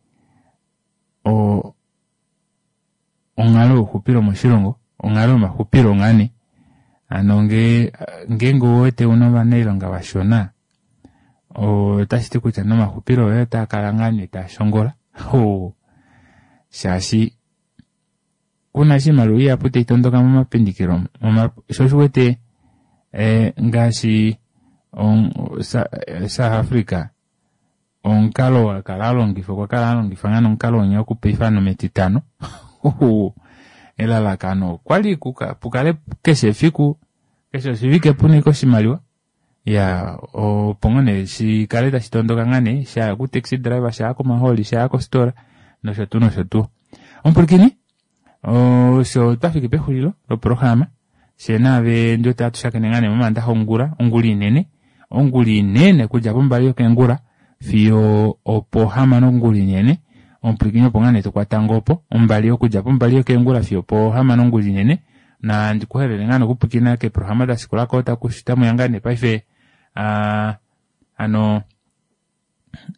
onghalo youxupilo moshilongo onghalo yomaxupilo ngaa nee hano ngeenge ouwete una ovanailonga vashona otashiti kutya nomaxupilo oye otaa kala ngaa nee taa shongola shaashi kuna oshimaliwa ihapu tai tondoka momapindikilo sho oshiwete ngaashi. South Africa omukalo wa kala alongifa okwa kala alongifa ngaa nomukalo winya wokupaifa nometitano elalakano okwali pukale keshe efiku keshe oshivike puna ashike oshimaliwa ya opo ngoo nee shikale tashi tondoka ngaa nee shaya ku taxi driver shaya komahooli shaya kositola nosho tuu nosho tuu omupwilikini osho twafiki pexulilo loprograma fye naave ndiwete ohatu shakene ngaa nee momandaxa ongula ongula inene ongula inene okudja pombali yokeengula fiyo opohamano ongula inene omupwilikini opo ngaa nee tokwata ngoo opo ombali okudja pombali yokeengula fiyo opohamano ongula inene na ndikuhelele ngaa nokupwilikina keeprograma dashikulako tamuya ngaa nee paife hano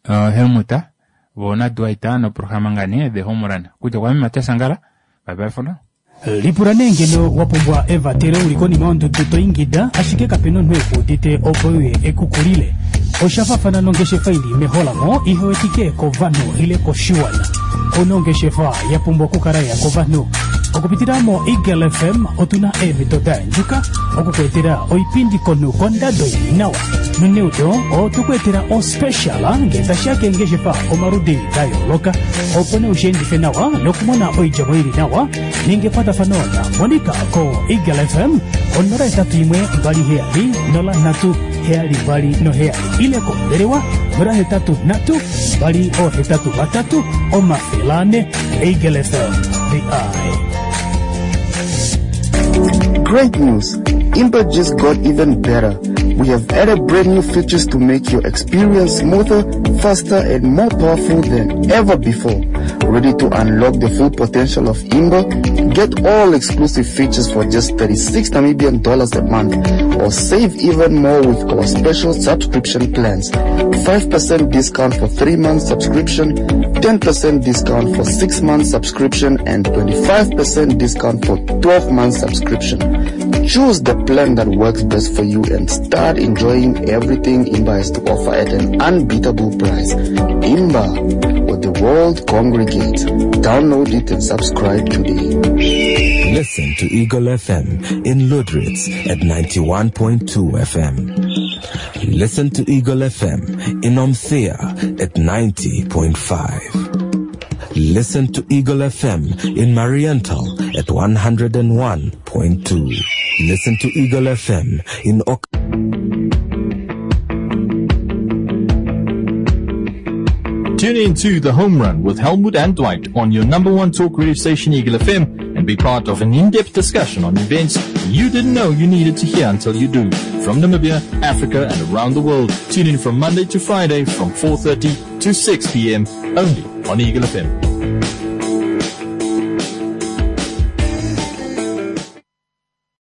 Helmut vo naDwight noprograma ngaa nee The Home Run kutya kwame Matias Angala bye bye for now. Lipula nee ngeno wa pumbwa evatelo uli konima yondudu to ingida ashike kapena omunhu ekuudite opo euye ekukulile. Osha faafana nongeshefa ili meholamo ihe wetike kovanhu ile koshiwana. Ouna ongeshefa ya pumbwa okukala ya kovanhu. Okupitila mo Eagle FM otuna eemhito da yandjuka oku ku etela oipindi komunhu kondado ili nawa. Noneudo otu ku etela ospecial ngee tashiya keengeshefa omaludi da yooloka opo nee ushiendife nawa nokumona oidjemo ili nawa. Ninga ekwatafano na Monica ko Eagle FM 081 27 03 72 ile kombelewa 083 283 400. Eagle FM, the eye. Great news! Imba just got even better. We have added brand new features to make your experience smoother, faster, and more powerful than ever before. Ready to unlock the full potential of Imba? Get all exclusive features for just 36 Namibian dollars a month, or save even more with our special subscription plans. 5% discount for 3 months subscription, 10% discount for 6 months subscription, and 25% discount for 12 months subscription. Choose the plan that works best for you and start enjoying everything Imba has to offer at an unbeatable price. Imba, where the world congregates. Download it and subscribe today. Listen to Eagle FM in Lüderitz at 91.2 FM. Listen to Eagle FM in Omuthiya at 90.5. Listen to Eagle FM in Mariental at 101.2. Listen to Eagle FM in Ok. Tune in to The Home Run with Helmut and Dwight on your number one talk radio station, Eagle FM, and be part of an in-depth discussion on events you didn't know you needed to hear until you do. From Namibia, Africa, and around the world. Tune in from Monday to Friday from 4:30 to 6 p.m. only on Eagle FM.